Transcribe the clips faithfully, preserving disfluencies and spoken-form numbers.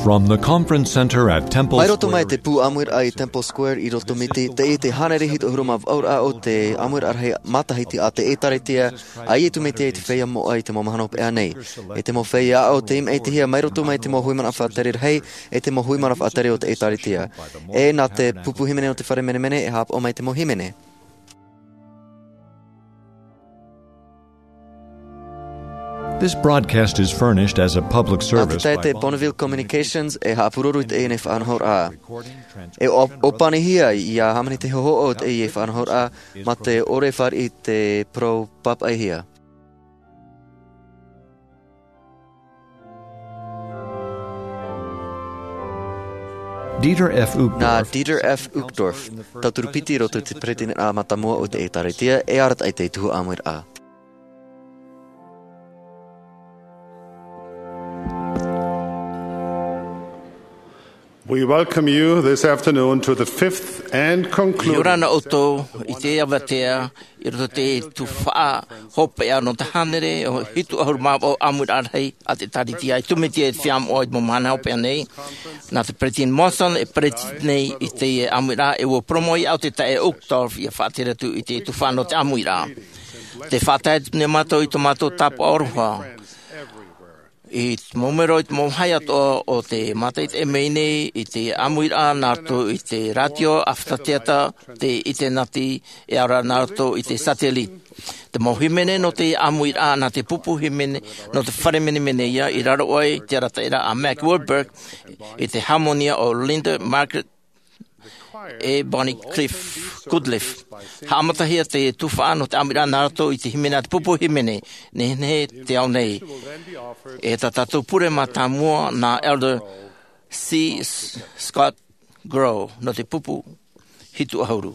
From the conference center at Temple Mai roto mai Square, te pū ʻāmuiraʻa i Temple Square i Rotomiti, teie te hānere hitu ʻahuru mā vaʻu ra o te ʻāmuiraʻa rahi matahiti a te ʻĒtārētia a Iesu Mesia i te feiā moʻa i te mau mahana hopeʻa nei. E te mau feiā aʻo tei maʻitihia mai roto mai te mau hui mana faʻatere rahi, e te mau hui mana faʻatere o te ʻĒtārētia. E nā te pupu hīmene o te fare menemene e haʻapaʻo mai te mau hīmene. This broadcast is furnished as a public service. Nā te taʻata Bonneville Communications e haʻapururu i teie faʻanahoraʻa. E ʻōpanihia ia hāmani te hōhoʻa o teie faʻanahoraʻa mā te ʻore fāriʻi te parau pāpaʻihia. Dieter F. Uchtdorf. Nā Dieter F. Uchtdorf, tauturu piti i roto i te peretiteniraʻa mātāmua o te ʻĒtārētia, e arataʻi i te tuhaʻa ʻāmuiraʻa. We welcome you this afternoon to the fifth and concluding. ʻIa ora na ʻoutou i teie avatea i roto i te tuhaʻa hopeʻa nō te hānere hitu ʻahuru mā vaʻu ʻāmuiraʻa rahi a te ʻĒtārētia a Iesu Mesia i te feiā moʻa i te mau mahana hopeʻa nei. Nā te Peresideni Monson e peretiteni i teie ʻāmuiraʻa, e ʻua parau mai au te taeaʻe Uchtdorf ʻia faʻatere atu i te tuhaʻa nō te ʻāmuiraʻa. Tē faʻatae atu nei mātou i tō mātou tāpaʻo aroha. I te mau mero, i te mau vāhi atoʻa o te mātaʻitaʻi mai nei i te ʻāmuiraʻa nā roto i te rātio, ʻāfata teata, te ʻitenati, e ʻaore rā nā roto i te satellite. Te mau hīmene nō te ʻāmuiraʻa nā te pupu hīmene nō te fare menemene ïa, i raro aʻe i te arataʻiraʻa a Mack Wilberg, i te hāmoni o Linda Margaret e Bonnie Cliff Goodliffe. Haʻamatahia te tuhaʻa nō te ʻāmuiraʻa nā roto i te hīmene a te pupu hīmene, Nehenehe te Ao Nei. E tā tātou pure mātāmua nā Elder C. Scott Grow nō te pupu hitu ʻahuru.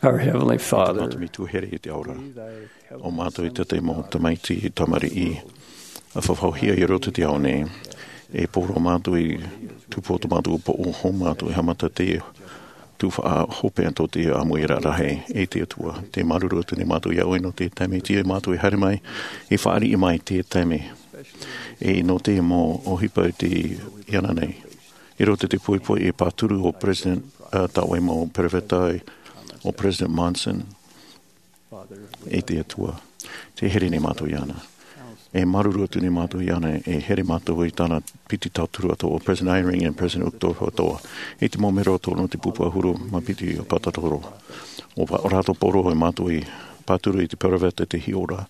Our Heavenly Father, mātou Metua here i te ao ra. O mātou i te tahi mau tamaiti tamariʻi, a faʻaʻohipahia i roto i te ao nei. E pōroa mātou i tupu o tō mātou poʻo, hou mātou e haʻamata te tuhaʻa hopeʻa tō te ʻāmuiraʻa rahi. E te Atua, tē māuruuru atu nei mātou iā ʻoe nō te taime iti e mātou e haere mai, e fāriʻi mai te taime. E nō te mau ʻohipa i te ʻānānahi. I roto i te poipoi e pāturu o President, ā, tā ʻoe mau perofeta, o President Monson, e te Atua. Tē here nei mātou iāna. E māuruuru atu nei mātou iāna, e here mātou i tāna piti tauturu atoʻa, o President Eyring and President Uchtdorf atoʻa. E te mau mero atoʻa nō te pupu ʻahuru mā piti o Pātoro. O rātou pōroa e mātou i pāturu i te perofeta te hiʻoraʻa,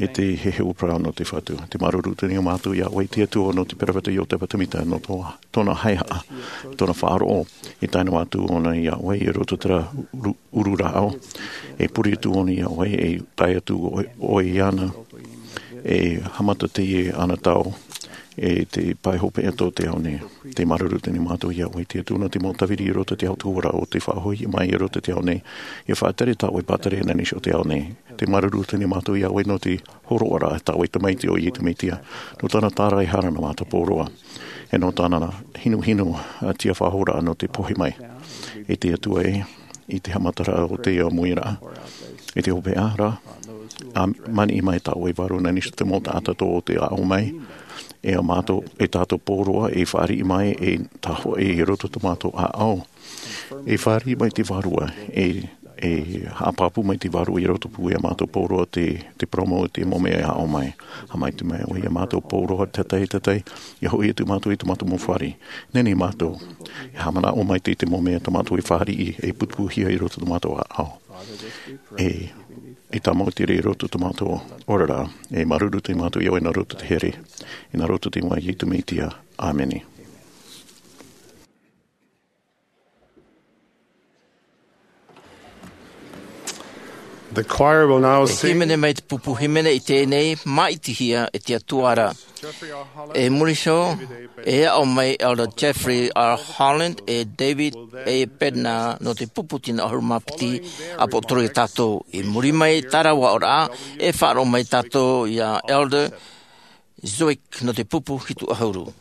e te heheu parau nō te Fatu. Tē māuruuru atu nei mātou iā ʻoe te Atua nō te perofeta Iosepha Semita nō tō tōna haʻehaʻa, tōna faʻaroʻo, e tae noa atu ʻōna iā ʻoe i roto i terā uru-, uru rāʻau. E pure atu ʻōna iā ʻoe, e tae atu ʻoe, ʻoe iāna, e haʻamata teie anotau, e te pae hopeʻa tō te ao nei. Tē māuruuru atu nei mātou iā ʻoe te Atua nō te mau tāviri i roto i te autahuʻaraʻa o tē faʻahoʻi mai i roto i te ao nei. E faʻatere tā ʻoe pātere ananisi o te ao nei. Tē māuruuru atu nei mātou iā ʻoe nō te hōroʻaraʻa tā ʻoe tamaiti o Iesu Mesia, nō tāna tāraehara nā mātou pōroa, e nō tāna hinuhinu, ā, tiafahoraʻa nō te pohe mai. E te Atua ē, i te haʻamataraʻa o te ʻāmuiraʻa, e te hopeʻa ra, ā, maniʻi mai tā ʻoe vārua ananisi te mau taʻata tō te aʻo mai, e ā mātou, e tātou pōroa, e fāriʻi mai, e tahoʻi i roto tō mātou ʻāʻau. E fāriʻi mai te Vārua, e, e haʻapāpū mai te Vārua i roto pū iā mātou pōroa te, te parau mau, te mau mea e aʻo mai. Haʻamaitaʻi mai ʻoe iā mātou pōroa, te tahi, te tahi, ʻia hoʻi atu mātou i tō mātou mau fāriʻi. Nehenehe mātou, e haʻamanaʻo maitaʻi i te mau mea tā mātou e fāriʻi, e putupūhia i roto tō mātou ʻāʻau. E, e tāmau te reira i roto tō mātou oraraʻa, e māuruuru atu nei mātou iā ʻoe nā roto i te here, e nā roto i te iʻoa o Iesu Mesia. ʻĀmene. The choir will now sing. E hīmene mai te pupu hīmene i teie nei, Māʻitihia e te Atua ra. E muri iho, e aʻo mai Elder Jeffrey R. Holland, e David A. Bednar nō te pupu tino ʻahuru mā piti ʻāpōsetolo iā tātou. I muri mai i terā aʻoraʻa, e faʻaroʻo mai tātou iā Elder Zwick nō te pupu hitu ʻahuru.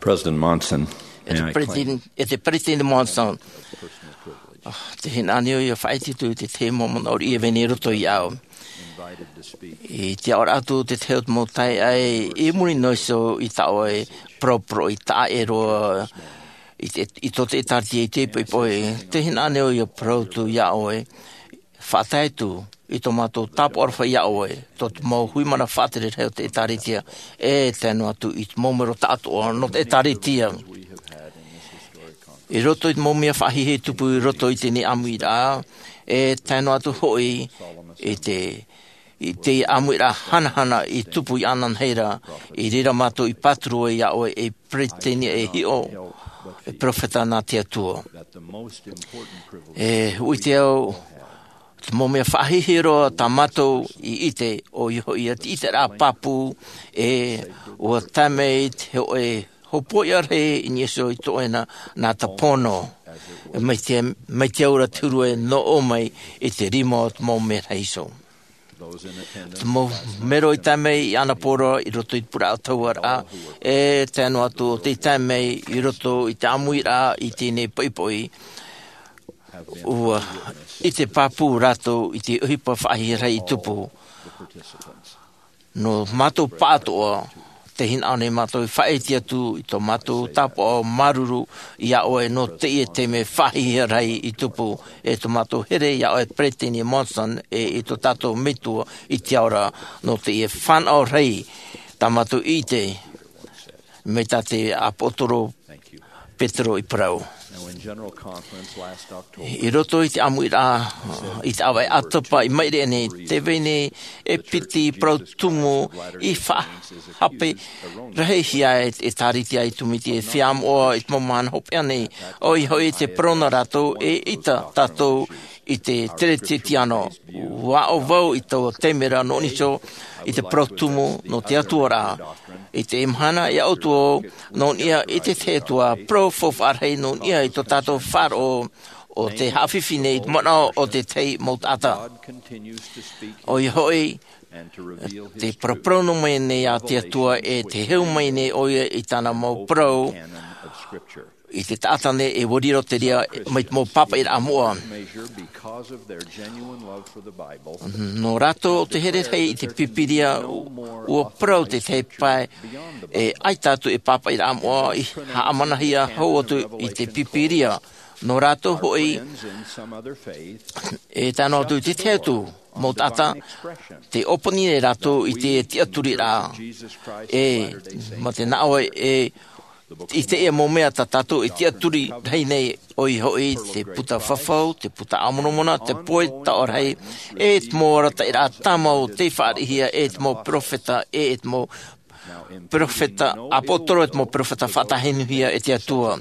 President Monson, e te Peretiteni Monson, te hinaʻaro ia faʻaʻite atu i te tahi mau manaʻo riʻi e vai nei i roto iāʻu. I te aʻoraʻa atu te tahi o te mau taeaʻe i muri noa iho i tā ʻoe parauparau i taʻa ʻē roa i tō te ʻēkālesia i te poʻipoʻi, te hinaʻaro ia parau atu iā ʻoe, faʻatae atu i tō mātou tāpaʻo aroha iā ʻoe, tō te mau hui mana faʻatere rahi o te ʻēkālesia, e tae noa atu i te mau mero taʻatoʻa nō te ʻēkālesia. I roto i te mau mea faʻahiahia i tupu i roto i teie ʻāmuiraʻa, e tae noa atu hoʻi i te, i te ʻāmuiraʻa hanahana i tupu iāna nei ra, i reira mātou i pāturu ai iā ʻoe ei peretiteni e hiʻo, e peropheta nā te Atua. E ʻite au, te mau mea faʻahiahia roa tā mātou i ʻite, ʻoia hoʻi ia te ʻiteraʻa pāpū, e ʻua tae mai te hōʻē hōpoiʻa rahi i niʻa iho i tō ʻoe nā, nā Tapono. Mai te, mai te aura te huru e noʻo mai i te rima o te mau merahi iho. Te mau mero i tae mai i Anapora i roto i te pūraʻa o te hauaraʻa, e tae noa atu ʻo tē tae mai i roto i te ʻāmuiraʻa i teie poʻipoʻi, ʻua ʻite pāpū rātou i te ʻohipa faʻahiahia rahi i tupu. Nō mātou pāʻatoʻa, te hinaʻaro nei mātou i faʻaʻite atu i tō mātou tāpaʻo māuruuru iā ʻoe nō teie taime faʻahiahia rahi i tupu, e tō mātou here iā ʻoe Peretiteni Monson, e i tō tātou Metua i te ao ra, nō teie fānaʻo rahi tā mātou i ʻite, mai tā te ʻāpōsetolo Petero i parau. I roto i te ʻāmuiraʻa, i te ʻāvaʻe ʻātapa i maʻiri aʻe nei, tē vai nei e piti parau tumu i faʻahape rahihia e te ʻēkālesia i Tumiti e feiā moʻa i te mau mahana hopeʻa nei, ʻoia hoʻi te parau nā rātou e ʻita tātou i te Teretetiano. ʻUa aʻo vau i taua taime ra nō niʻa iho i te parau tumu nō te Atua ra. I teie mahana e aʻo atu vau nō niʻa i te tahi atu ā parau faufaʻa rahi nō niʻa i tō tātou faʻaroʻo ʻo tē haʻafifi nei i te manaʻo o te tahi mau taʻata. ʻOia hoʻi, tē paraparau noa mai nei ā te Atua e tē hau mai nei ʻoia i tāna mau parau i te taʻata nei e ʻua riro te reira mai te mau pāpaʻiraʻa moʻa. Nō rātou ʻo tē here rahi i te Pīpīria, ʻua parau te tahi pae e ʻaita atu e pāpaʻiraʻa moʻa i haʻamanahia hau atu i te Pīpīria. Nō rātou hoʻi, e tae noa atu i te tahi atu mau taʻata, tē ʻōpani nei rātou i te tiʻaturiraʻa. E, mā te nā ʻoe, e, i teie mau mea tā tātou e tiʻaturi rahi nei, ʻoia hoʻi te puta fafau, te puta a Moromona, te poroʻi taoʻa rahi, e te mau arataʻiraʻa tāmau tei fāriʻihia e te mau peropheta, e te mau peropheta ʻāpōsetolo, e te mau peropheta faʻatāhinuhia e te Atua.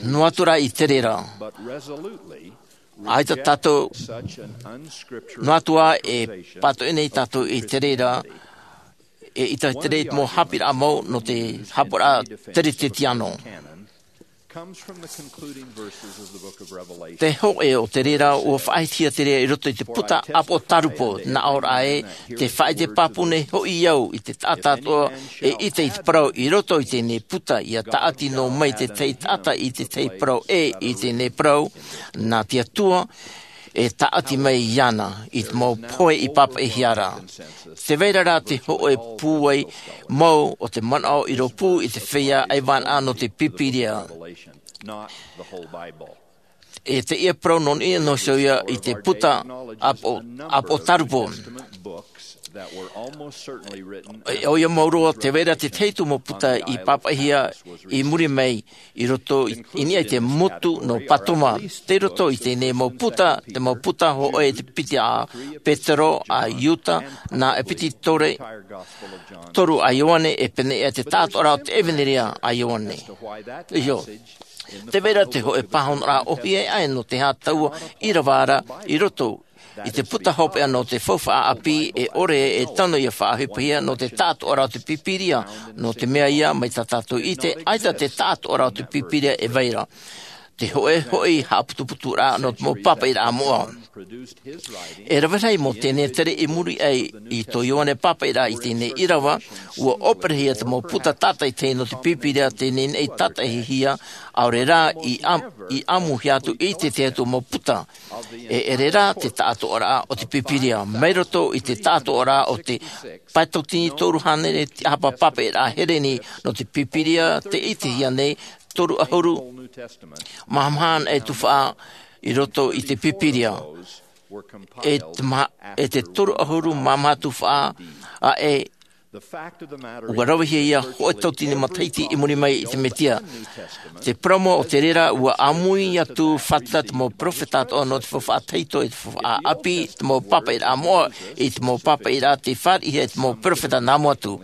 Noa atu rā i te reira, ʻaita tātou, noa atu ā e pātoʻi nei tātou i te reira, e ʻita i te reira i te mau haʻapiʻiraʻa mau nō te haʻapiʻiraʻa Teretetiano. Te hōʻē o te reira ʻua faʻahitihia te reira i roto i te puta ʻĀpotarupo, nā ʻō ra ē, tē faʻaʻite pāpū nei hoʻi au i te taʻata atoʻa e ʻite i te parau i roto i teie puta, ʻia tāʻati noa mai te tahi taʻata i te tahi parau ʻē i teie parau, nā te Atua e tāʻati mai iāna i te mau pohe i pāpaʻihia ra. Tē vai ra rā te hōʻē pūai mau o te manaʻo i rōpū i te feiā ʻaivānaʻa nō te Pīpīria. E teie parau nō niʻa noa iho ia i te puta ʻĀpo-, ʻĀpotarupo. E, ʻoia mau roa, tē vai ra te tahi atu mau puta i pāpaʻihia i muri mai i roto i, i niʻa i te motu nō Patoma. Tei roto i teie mau puta, te mau puta hōʻē, te piti a Petero, a Iuta, nā ʻEpetitore toru a Ioane, e pēneiaʻe te taʻatoʻaraʻa o te ʻEvaneria a Ioane. ʻIo. Tē vai ra te hōʻē pāhonoraʻa ʻōhie aʻe nō te aha taua ʻīrava ra i roto i te puta hopeʻa nō te faufaʻa ʻāpī, e ʻore e tano ʻia faʻaʻohipahia nō te taʻatoʻaraʻa o te Pīpīria, nō te mea ia, mai tā tātou i ʻite, ʻaita te taʻatoʻaraʻa o te Pīpīria e vai ra. Te hoʻē hoʻi haʻaputuputuraʻa nō te mau pāpaʻiraʻa moʻa. E rave rahi mau tenetere i muri aʻe i tō Ioane pāpaʻiraʻa i teie nei ʻīrava, ua ʻōperehia te mau puta tātaʻitahi nō te Pīpīria tei nehenehe tātaʻihia, ʻaore rā i ʻam-, i ʻamuhia atu i te tahi atu mau puta. E ʻere rā te tāʻātoʻaraʻa o te Pīpīria. Mai roto i te tāʻātoʻaraʻa o te pae tauatini toru hānere tiʻahapa pāpaʻiraʻa Hereni nō te Pīpīria tei ʻitehia nei, toru ʻahuru maha maha e tuhaʻa i roto i te Pīpīria. E te ma-, e te toru ʻahuru maha maha tuhaʻa aʻe, ua ravehia ia hōʻē tauatini matahiti i muri mai i te Mesia. Te parau mau o te reira, ua ʻāmui atu fātata te mau peropheta atoʻa nō te faufaʻa tahito e te faufaʻa ʻāpī, te mau pāpaʻiraʻa moʻa, i te mau pāpaʻiraʻa tei fāriʻihia e te mau peropheta nā mua atu.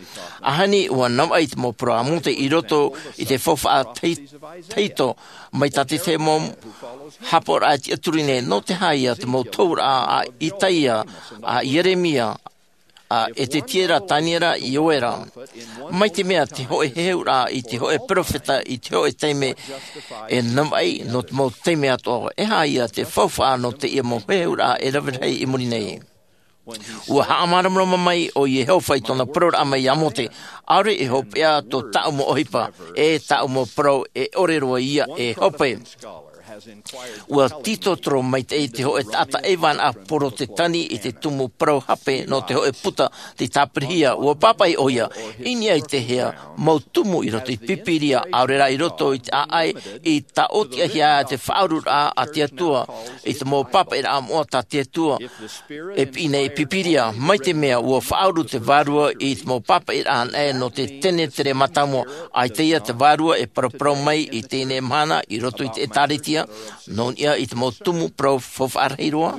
ʻAhani ua navaʻi te mau parau a Mōte i roto i te faufaʻa tahi-, tahito, mai tā te tahi mau haʻapaʻoraʻa tiʻaturi nei, nō te aha ia te mau tohuraʻa a Itaia, a Ieremia, a Ezekiela, Daniela, Ioela. Mai te mea te hōʻē heheuraʻa i te hōʻē peropheta i te hōʻē taime e navaʻi nō te mau taime atoʻa, e aha ia te faufaʻa nō teie mau heheuraʻa e rave rahi i muri nei. Ua haʻamāramarama mai ʻo Iehova i tōna parauraʻa mai iā Mōte, ʻaore e hopeʻa tō tāʻu mau ʻohipa, e tāʻu mau parau e ʻore roa ia e hope. Ua tītotoro maitaʻi te hōʻē taʻata ʻaivānaʻa Porotetani i te tumu parau hape nō te hōʻē puta tei tāpirihia. Ua pāpaʻi ʻoia, i niʻa i te hea mau tumu i roto i te Pīpīria, ʻaore rā i roto i te ʻāʻai, i tāʻōtiʻahia te faʻaururaʻa a te Atua, i te mau pāpaʻiraʻa moʻa tā te Atua e piʻi nei i te Pīpīria. Mai te mea ua faʻauru te vārua i te mau pāpaʻiraʻa anaʻe nō te tenetere mātāmua, ʻaita ia te vārua e paraparau mai i teie nei mahana i roto i te ʻĒtārētia, nō niʻa i te mau tumu parau faufaʻa rahi roa.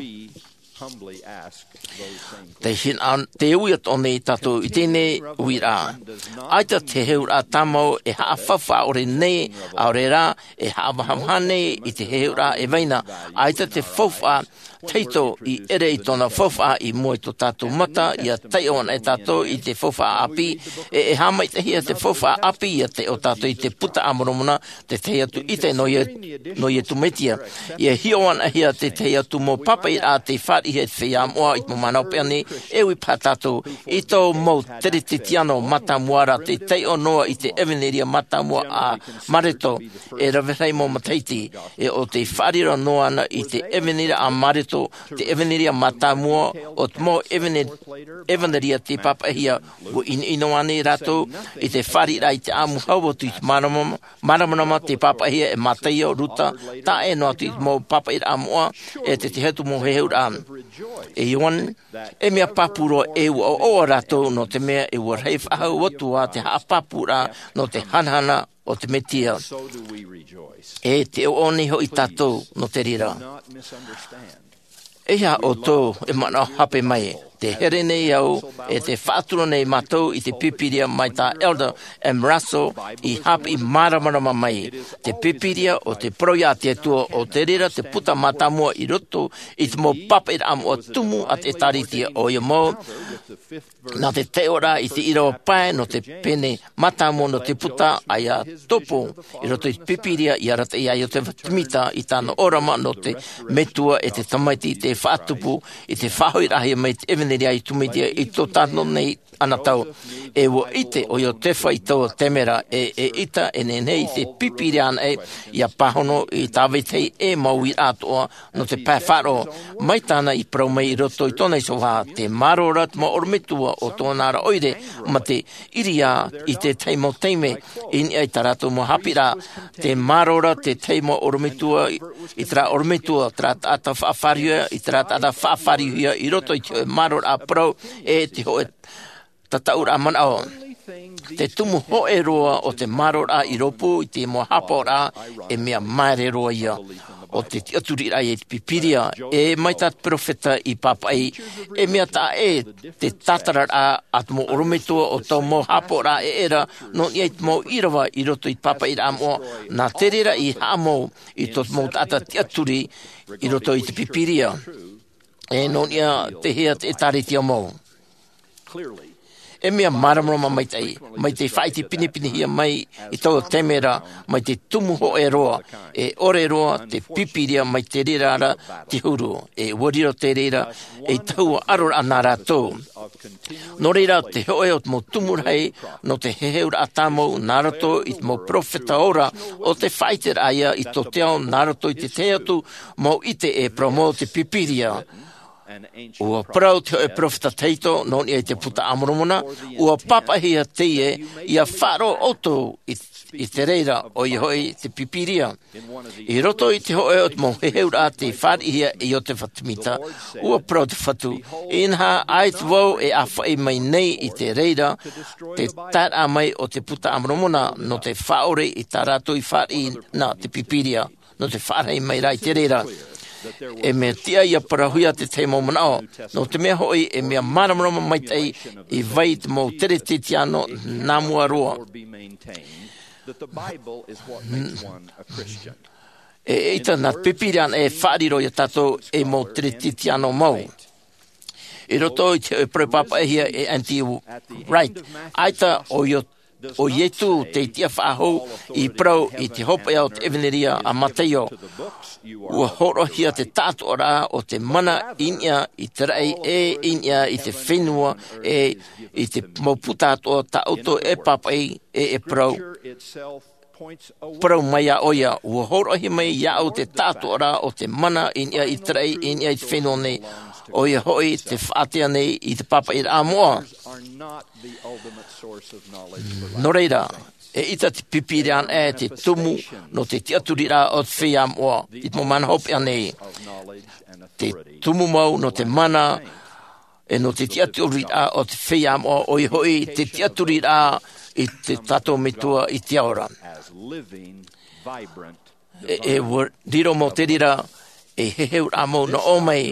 Te hina-, te ui atoʻa nei tātou i teie nei uiraʻa. ʻAita te heheuraʻa tāmau e haʻafaufaʻa ʻore nei, ʻaore rā, e haʻamāmā nei i te heheuraʻa e vai na. ʻAita te faufaʻa tahito i ʻere i tōna faufaʻa i mua i tō tātou mata, ʻia taiʻo anaʻe tātou i te faufaʻa ʻāpī, e, e haʻamaitaʻihia te faufaʻa ʻāpī ʻia taiʻo tātou i te Buka a Moromona, te tahi atu ʻite nō Ie-, nō Iesu Mesia. ʻIa hiʻo anaʻe hia te tahi atu mau pāpaʻiraʻa tei fāriʻihia e te feiā moʻa i te mau mahana hopeʻa nei, e ui paha tātou i tō mau Teretetiano mātāmua ra tei taiʻo noa i te ʻevanelia mātāmua a Mareko, e rave rahi mau matahiti, e ʻo tei faʻaroʻo noa ana i te ʻevanelia a Mareko, te ʻevanelia mātāmua o te mau ʻevane-, ʻevanelia tei pāpaʻihia. Ua ʻinoʻino ānei rātou i te fāriʻiraʻa i te ʻāmuhia atu i te māramarama, māramarama tei pāpaʻihia e Mataio, Luka, tae noa atu i te mau pāpaʻiraʻa moʻa, e te tahi atu mau heheuraʻa. E Ioane, e mea pāpū roa e ua ʻoaʻoa rātou, nō te mea e ua rahi faʻahou atu ā te haʻapāpūraʻa nō te hanahana o te Mesia. E tē ʻoaʻoa nei hoʻi tātou nō te reira. E aha ʻoutou e manaʻo hape mai? Tē here nei au, e tē faʻatura nei mātou i te Pīpīria mai tā Elder M. Russell i haʻapiʻi māramarama mai. Te Pīpīria ʻo te parau ia te Atua, ʻo te reira te puta mātāmua i roto i te mau pāpaʻiraʻa moʻa tumu a te ʻĒtārētia, ʻoia mau, nā te taiʻoraʻa i te ʻīrava pae nō te pene mātāmua nō te puta, ʻaita e topo i roto i te Pīpīria i arataʻi ai ʻo Iosefa Sāmita i tāna ʻōrama nō te Metua e te Tamaiti, tei faʻatupu i te faʻahoʻiraʻahia mai te ʻevanelia a Iesu Mesia i tō tātou nei anotau. E ua ʻite ʻo Iosefa i taua taime ra, e, eʻita e nehenehe i te Pīpīria anaʻe ʻia pāhono i tā vetahi e mau uiraʻa atoʻa nō te pae faʻaroʻo. Mai tāna i parau mai i roto i tōna iho vāhi, tē mārō ra te mau ʻorometua o tōna ra ʻoire, mā te ʻiriā i te tahi mau taime, i niʻa i tā rātou mau haʻapiʻiraʻa. Tē mārō ra te tahi mau ʻorometua i, i terā ʻorometua, terā taʻata faʻafāriuhia, i terā taʻata faʻafāriuhia i roto i te hōʻē mārōraʻa parau, e te hōʻē tataʻuraʻa manaʻo. Te tumu hōʻē roa o te mārōraʻa i rōpū i te mau haʻapaʻoraʻa, e mea māere roa ia. ʻO te tiʻaturiraʻa i te Pīpīria, e mai tā te peropheta i pāpaʻi, e mea taʻa ʻē te tātararaʻa a te mau ʻorometua o tō mau haʻapaʻoraʻa e ʻere ra, nō niʻa i te mau ʻīrava i roto i te pāpaʻiraʻa moʻa, nā te reira i haʻamau i tō te mau taʻata tiʻaturi i roto i te Pīpīria. E nō niʻa te hea te ʻĒtārētia mau. E mea māramarama maitaʻi, mai te faʻaite pinepinehia mai i taua taime ra, mai te tumu hōʻē roa, e ʻore roa te Pīpīria mai te reira ra te huru, e ʻua riro te reira ei tahua ʻaroraʻa nā rātou. Nō reira, te hōʻē o te mau tumu rahi nō te heheuraʻa tāmau nā roto i te mau peropheta ora, ʻo te faʻaiteraʻa ïa i tō te ao nā roto i te tahi atu mau ʻite e parau mau te Pīpīria. ʻUa parau te hōʻē peropheta tahito nō niʻa i te Puta a Moromona, ʻua pāpaʻihia teie, ʻia faʻaroʻo ʻoutou i, i te reira, ʻoia hoʻi te Pīpīria. I roto i te hōʻē o te mau heheuraʻa tei fāriʻihia e Iotefa Temita, ʻua parau te Fatu, inaha, ʻaita vau e ʻāfaʻi mai nei i te reira te taeraʻa mai o te Puta a Moromona nō te faʻaʻore i tā rātou i fāriʻi na te Pīpīria, nō te faʻarahi mai ra i te reira. E mea tiʻa ʻia parauhia te tahi mau manaʻo, nō te mea hoʻi e mea māramarama maitaʻi i vai te mau Teretetiano nā mua roa. E, eʻita nā te Pīpīria anaʻe e faʻariro iā tātou ei mau Teretetiano mau. I roto i te hōʻē parau pāpaʻihia e N T Wright, ʻaita ʻo Io-, ʻo Ietu tei tiʻa faʻahou i parau i te hopeʻa o te ʻEvaneria a Mataio. ʻUa hōroʻahia te taʻatoʻaraʻa o te mana i niʻa i te raʻi e i niʻa i te fenua e i te mau puta atoʻa tā ʻoutou e pāpaʻi e, e parau. Parau mai iā ʻoia, ʻua hōroʻahia mai iāʻu te taʻatoʻaraʻa o te mana i niʻa i te raʻi, i niʻa i te fenua nei, ʻoia hoʻi te faʻaʻite nei i te pāpaʻiraʻa moʻa. Nō reira, eʻita te Pīpīria anaʻe te tumu nō te tiʻaturiraʻa o te feiā moʻa, i te mau mahana hopeʻa nei. Te tumu mau nō te mana, e nō te tiʻaturiraʻa o te feiā moʻa, ʻoia hoʻi te tiʻaturiraʻa i te tātou Metua i te ao ra. E, e ʻua riro mau te reira ei heheuraʻa mau nō ʻō mai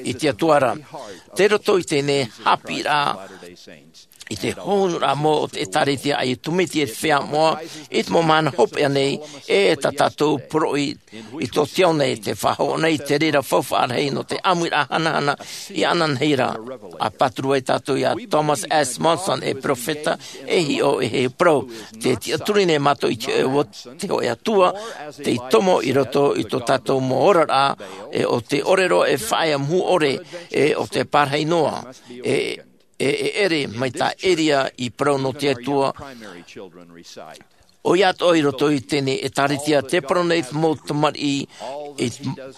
i te Atua ra. Tei roto i teie haʻapiʻiraʻa, i te hōhonuraʻa mau o te ʻĒtārētia a Iesu Mesia i te feiā moʻa, i te mau mahana hopeʻa nei, e tā tātou poroʻi i tō te ao nei, tē faʻahoʻi nei te reira faufaʻa rahi nō te ʻāmuiraʻa hanahana i ananahi ra. ʻA pāturu ai tātou iā Thomas S. Monson, e peropheta, e hiʻo, e heheu parau. Tē tiʻaturi nei mātou i te hōʻē, te hōʻē Atua tei tomo i roto i tō tātou mau oraraʻa, e ʻo tē ʻore roa e faʻaea mau ʻore, e ʻo tē pārahi noa. E, e, e ʻere mai tā Eria i parau nō te Atua. ʻOia atoʻa i roto i teie ʻĒtārētia, tē parau nei te mau tamariʻi, e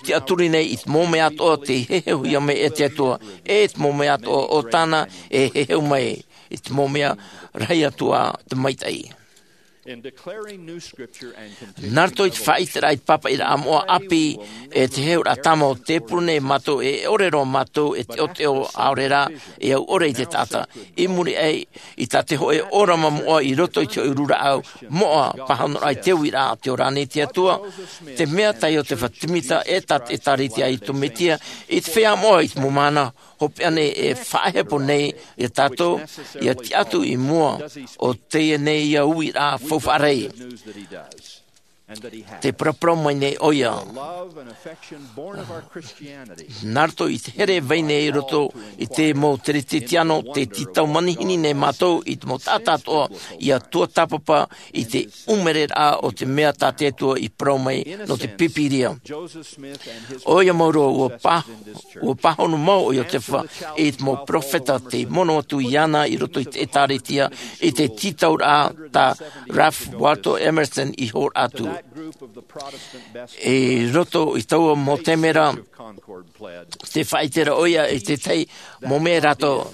tiʻaturi nei i te mau mea atoʻa tei heheuhia mai e te Atua, e te mau mea atoʻa o tāna e heheu mai, i te mau mea rahi atu ā te maitaʻi. Nā roto i te faʻaʻiteraʻa i te pāpaʻiraʻa moʻa ʻāpī, e te heheuraʻa tāmau, tē pure nei mātou e ʻore roa mātou e teʻoteʻo, ʻaore rā e au ʻore i te taʻata. I muri aʻe i tā te hōʻē ʻōrama moʻa i roto i te hōʻē uru rāʻau moʻa, pāhonoraʻa i te uiraʻa, tē ora ānei te Atua? Te mea tā Iotefa Temita e tā te ʻĒtārētia a Iesu Mesia i te feiā moʻa i te mau mahana hopeʻa nei e faʻahepo nei iā tātou, ʻia tiʻa atu i mua, ʻo teie nei ia uiraʻa faufaʻa rahi. Tē paraparau mai nei ʻoia. Nā roto i te here e vai nei i roto i te mau Teretetiano, tē tītau manihini nei mātou i te mau taʻata atoʻa ʻia tuatāpapa i te ʻūmereraʻa o te mea tā te Atua i parau mai nō te Pīpīria. ʻOia mau roa, ʻua pā-, ʻua pāhono mau ʻo Iotefa i te mau peropheta tei mono atu iāna i roto i te ʻĒtārētia, i te tītauraʻa tā Ralph Waldo Emerson i hōroʻa atu. I roto i taua mau taime ra, tē faʻaʻite ra ʻoia i te tahi mau mea rātou,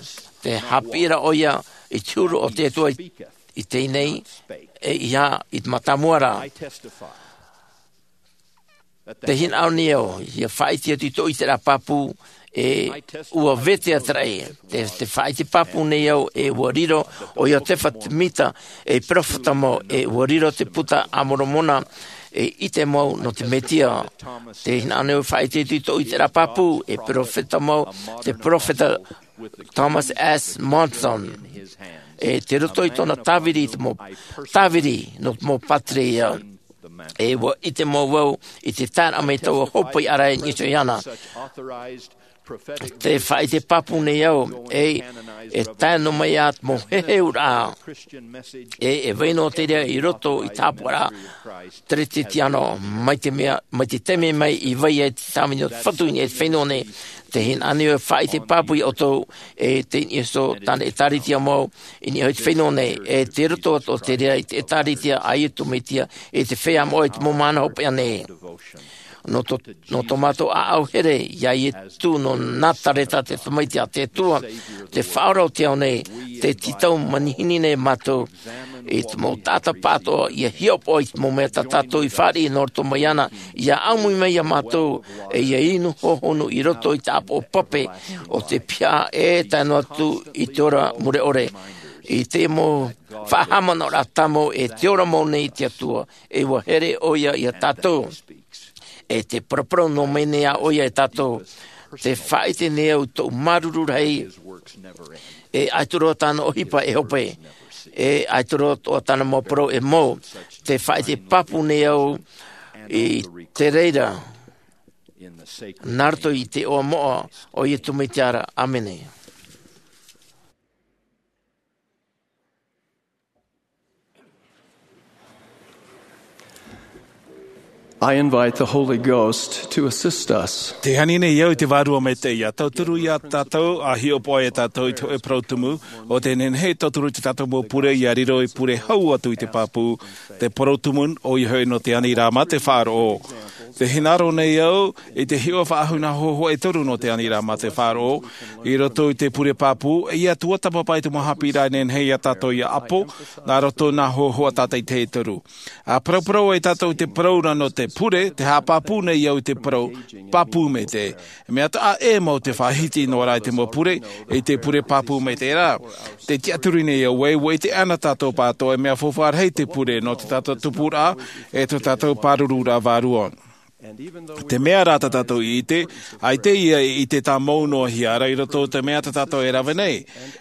tē haʻapiʻi ra ʻoia i te huru o te Atua i, i teie nei, e ia i te mātāmua ra. Tē hinaʻaro nei au, ʻia faʻaʻite atu i tō ʻiteraʻa pāpū, e ʻua vete atu ra ē. Tē, tē faʻaʻite pāpū nei au, e ʻua riro ʻo Iotefa Temita ei peropheta mau, e ʻua riro te Puta a Moromona ei ʻite mau nō te Mesia. Tē hinaʻaro nei au e faʻaʻite atu i tō ʻiteraʻa pāpū, e peropheta mau, te peropheta Thomas S. Monson. E tei roto i tōna tāviri i te mau, tāviri nō te mau pātireia. E ʻua ʻite mau vau i te taeraʻa mai taua hōpoiʻa ra i niʻa iho iāna. Te faʻaʻite pāpū nei au, e, e tae noa mai ā te mau heheuraʻa, e, e vai noa te reira i roto i te hāpaʻoraʻa Teretetiano, mai te mea, mai te taime mai i vai ai te tāvini o te Fatu i niʻa i te fenua nei. Tē hinaʻaro nei au e faʻaʻite pāpū iā ʻoutou, e tei niʻa iho tāna ʻĒtārētia mau, i niʻa i te fenua nei, e tei roto atoʻa te reira i te ʻĒtārētia a Iesu Mesia, e te feiā moʻa i te mau mahana hopeʻa nei. Nō tō, nō tō mātou ʻāʻau here iā Iesu nō Nazareta, te Tamaiti a te Atua, te Faʻaora o te ao nei, tē tītau manihini nei mātou i te mau taʻata pāʻatoʻa, ʻia hiʻopoʻa i te mau mea tā tātou i fāriʻi nō roto mai iāna, ʻia ʻāmui mai iā mātou, e ʻia inu hohonu i roto i te ʻāpoʻo pape o te piha, e tae noa atu i te ora mure ʻore. I te mau faʻahaʻamanaʻoraʻa tāmau, e te ora mau nei te Atua, e ʻua here ʻoia iā tātou. E tē paraparau noa mai nei ā ʻoia iā tātou, tē faʻaʻite nei au i tōʻu māuruuru rahi, e ʻaita roa tāna ʻohipa e hope, e ʻaita roa atoʻa tāna mau parau e mau, tē faʻaʻite pāpū nei au i te reira, nā roto i te iʻoa moʻa o Iesu Mesia ra. ʻĀmene. I invite the Holy Ghost to assist us. Tē ani nei au i te Vārua Maitaʻi ʻia tauturu iā tātou, ʻa hiʻopoʻa iā tātou i te hōʻē parau tumu, ʻo tē nehenehe e tauturu i tā tātou mau pure ʻia riro ei pure hau atu i te pāpū, te parau tumu, ʻoia hoʻi nō te Aniraʻa mā te Faʻaroʻo. Tē hinaʻaro nei au i te hiʻo faʻahou nā hōhoʻa e toru nō te Aniraʻa mā te Faʻaroʻo, i roto i te pure pāpū, ʻia tuatāpapa i te mau haʻapiʻiraʻa e nehenehe iā tātou ʻia ʻapo, nā roto nā hōhoʻa tātaʻitahi e toru. ʻA paraparau ai tātou i te parau ra nō te pure, tē haʻapāpū nei au i te parau, pāpū maitaʻi. Mea taʻa ʻē mau te faʻahiti noa ra i te mau pure, i te pure pāpū maitaʻi ra. Tē tiʻaturi nei au ē, ʻua ʻite anaʻe tātou pāʻatoʻa e mea faufaʻa rahi te pure nō tā tātou tupuraʻa, e tō tātou pārururaʻa vārua. Te mea rā tā tātou i ʻite, ʻaita ia e ʻite tāmau noa hia ra i roto i te mea tā tātou e rave nei.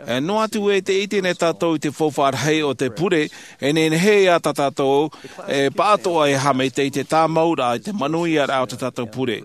E noa atu ē tē ʻite nei tātou i te faufaʻa rahi o te pure, e nehenehe ā tā tātou e pāʻatoʻa e haʻamaitaʻi i te tāmauraʻa, i te manuiaraʻa o tā tātou pure.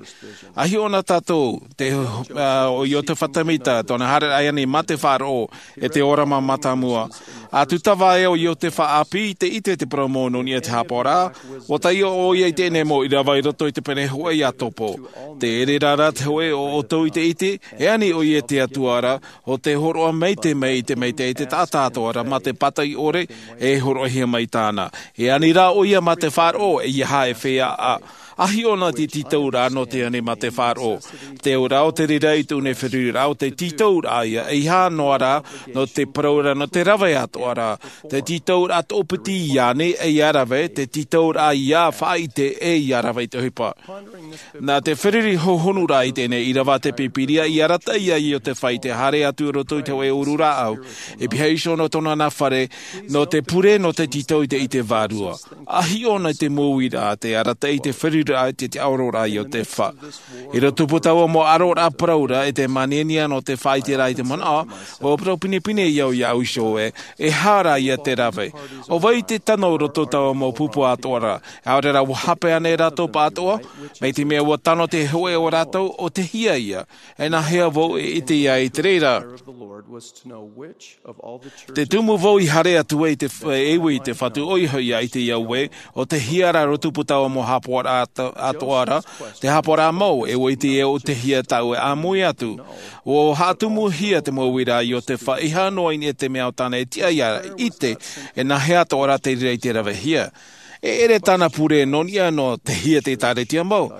ʻA hiʻo na tātou, te, ā, ʻo Iotefa Temita, tōna haereraʻa i ani mā te Faʻaroʻo, e te ora mā mātāmua. ʻA tūtava ai ʻo Iotefa ʻāpī, tē ʻite te parau mau nō niʻa i te hāpaʻoraʻa, ʻua taiʻo ʻoia i teie nei mau ʻīrava i roto i te pene hōʻē ʻia topo. Te reira rā te hōʻē o ʻoutou i te ʻite, e ani ʻoia i te Atua ra, ʻo tē hōroʻa maitaʻi mai i te maitaʻi i te taʻata atoʻa ra mā te pātaʻi ʻore, e hōroʻahia mai tāna. E ani rā ʻoia mā te Faʻaroʻo, ʻeiaha e feiā. ʻA hiʻo na te tītauraʻa nō te ani mā te Faʻaroʻo. Te ora o te reira i tōna feruriraʻa, ʻo te tītauraʻa ïa, ʻeiaha noa rā, nō te parau ra, nō te rave atoʻa ra. Te tītauraʻa toʻopiti ïa ānei ʻia rave, te tītauraʻa ïa faʻaʻite ʻe ʻia rave i te ʻohipa. Nā te feruri hōhonuraʻa i teie nei ʻīrava a te Pīpīria i arataʻi ia Iotefa i te haere atu i roto i te hōʻē uru rāʻau, e pihaʻi iho nō tōna nā fare, nō te pure, nō te tītau i te, i te vārua. ʻA hiʻo na i te mau uiraʻa, te arataʻi, te feruriraʻa, te tiʻaororaʻa a Iotefa. I roto i taua mau ʻaroraʻa parau ra, e te māniania nō te faʻaʻiteraʻa i te manaʻo, ʻua parau pinepine au iāʻu iho ē, e aha rā ïa te rave. ʻO vai te tano i roto i taua mau pupu atoʻa ra, ʻaore rā ʻua hape ānei rātou pāʻatoʻa, mai te mea ʻua tano te hōʻē o rātou, ʻo tei hea ïa, e nāhea vau e ʻite ai i te reira. Te tumu vau i haere atu ai i te, e ui i te Fatu, ʻoia hoʻi ʻia ʻite au ē, ʻo tei hea rā i roto i taua mau hāpaʻoraʻa atoʻa ra, te hāpaʻoraʻa mau, e ʻua ʻite au ʻo tei hea tāʻu e ʻāmui atu. ʻUa haʻatumuhia te mau uiraʻa a Iotefa, ʻeiaha noa i niʻa i te mea ʻo tāna e tiʻa ʻia ʻite, e nāhea atoʻa rā te reira i te ravehia. E ʻere tāna pure nō niʻa nō tei hea te ʻĒtārētia mau.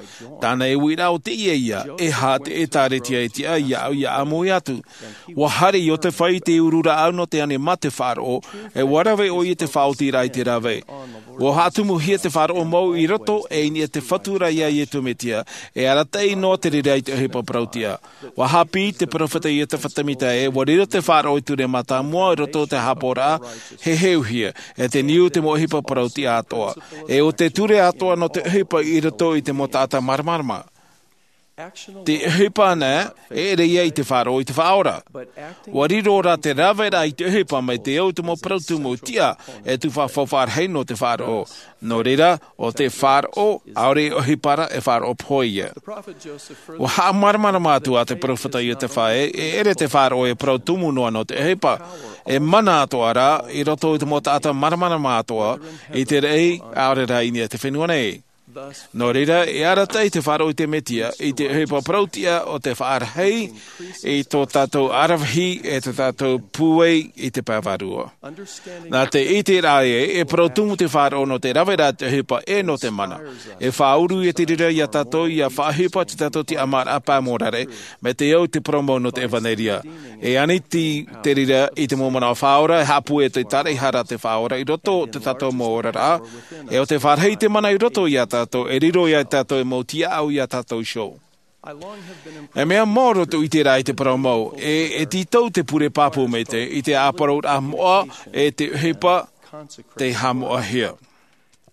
Tāna e uiraʻa ʻo teie ïa, e aha te ʻĒtārētia e tiʻa iāʻu ʻia ʻāmui atu. ʻUa haere Iotefa i te uru rāʻau nō te ani mā te faʻaroʻo, e ʻua rave ʻoia i te faʻaotiraʻa i te rave. ʻUa haʻatumuhia te faʻaroʻo mau i roto, e i niʻa i te Fatu ra ïa Iesu Mesia, e arataʻi noa te reira i te ʻohipa parauʻtiʻa. ʻUa haʻapiʻi te peropheta Iotefa Temita ē, ʻua riro te faʻaroʻo i te ture mātāmua i roto i te hāpaʻoraʻa, heheuhia, e te niu i te mau ʻohipa parauʻtiʻa atoʻa. E ʻo te ture atoʻa nō te ʻohipa i roto i te mau taʻata māramarama. Te ʻohipa nei e ʻere ia i te faʻaroʻo i te faʻaora. Ua riro rā te raveraʻa i te ʻohipa mai te au te mau parau tumu tiʻa e tufa faʻaroʻo nō te faʻaroʻo. Nō reira, ʻo te faʻaroʻo ʻaore e ʻohipa ra, e faʻaroʻo pohe ia. Ua haʻamāramarama atu ā te peropheta iosepha e ʻere te faʻaroʻo e parau tumu noa nō te ʻohipa, e mana atoʻa rā i roto i te mau taʻata māramarama atoʻa i te raʻi ʻaore rā i niʻa i te fenua nei. Nō reira, e arataʻi te faʻaroʻo i te mesia i te ʻohipa parau tiʻa o te faʻarahi i tō tātou aravihi e tō tātou pūai i te pae vārua. Nā te ʻiteraʻa e parau tumu te faʻaroʻo nō te raveraʻa te ʻohipa e nō te mana. E faʻauru ia te reira iā tātou ia faʻaʻohipa te tātou tiʻamāraʻa pae mōrare mai te au te parau mau nō te ʻevanelia. E ani te reira i te mau manaʻo faʻaora e haʻapūai te taraʻehara te faʻaora i roto o te tātou mau oraraʻa. E ʻo te faʻarahi te mana i roto iā tātou e riro iā tātou e mau tiaʻau iā tātou iho. E mea mau roto i te rā i te parau mau e e tītau te pure pāpū mai te i te ʻāparauraʻa moʻa e te ʻohipa te haʻamoʻahia.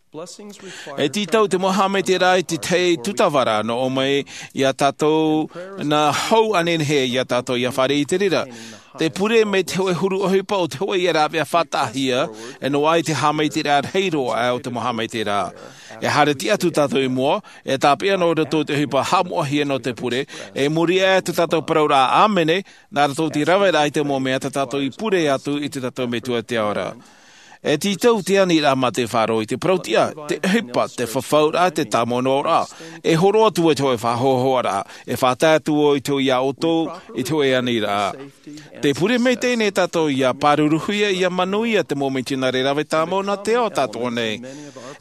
E tītau te mau haʻamaitaʻiraʻa i te tahi tūtavaraʻa nō ʻō mai iā tātou nā hau anenehia iā tātou ia fāriʻi i te reira. Te pure mai te hoʻe huru ʻohipa o te hoʻe ia rāveʻa faʻataʻahia e noaʻa i te haʻamaitaʻiraʻa rahi roa o te mau haʻamaitaʻiraʻa. E haere tiʻa atu tātou i mua e tāpeʻa nō roto i te ʻohipa haʻamoʻahia nō te pure e muri aʻe tō tātou parauraʻa ʻāmene nā roto i te raveraʻa i te mau mea tā tātou i pure atu i tō tātou metua i te ao ra. E tītau te aniraʻa mā te faʻaroʻo i te parau tiʻa te ʻohipa te fafauraʻa te tāmau noa raʻa. E hōroʻa atu i te hoʻe faʻahoahoaraʻa e faʻatae atu i te hoʻe iā ʻoutou i te hoʻe aniraʻa. Te pure mai teie nei tātou ia pāruruhia ia manuia te mau mitionare rave tāmau nā te ao tātou nei.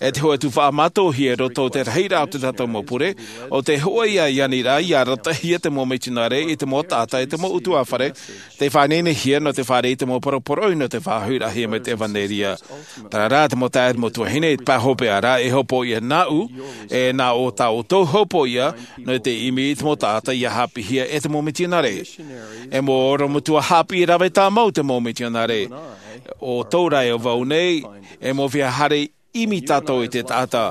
E te hoʻe tufaʻa mātauhia i roto i te rahiraʻa o tō tātou mau pure ʻo te hoʻe ia i aniraʻa ia aratahia te mau mitionare i te mau taʻata i te mau ʻutuāfare te faʻaineinehia nō te fāriʻi i te mau poroporoʻi nō te faʻahoʻiraʻahia mai te ʻevanelia. Terā rā te mau taeaʻe mau tuahine i te pae hopeʻa ra e hopoiʻa nāʻu e nā ʻo tā ʻoutou hopoiʻa nō te ʻimi i te mau taʻata ia haʻapiʻihia e te mau mitionare. E mau orometua haʻapiʻi rave tāmau te mau mitionare. ʻO tō rā e vau nei e mau feiā haere ʻimi tātou i te taʻata.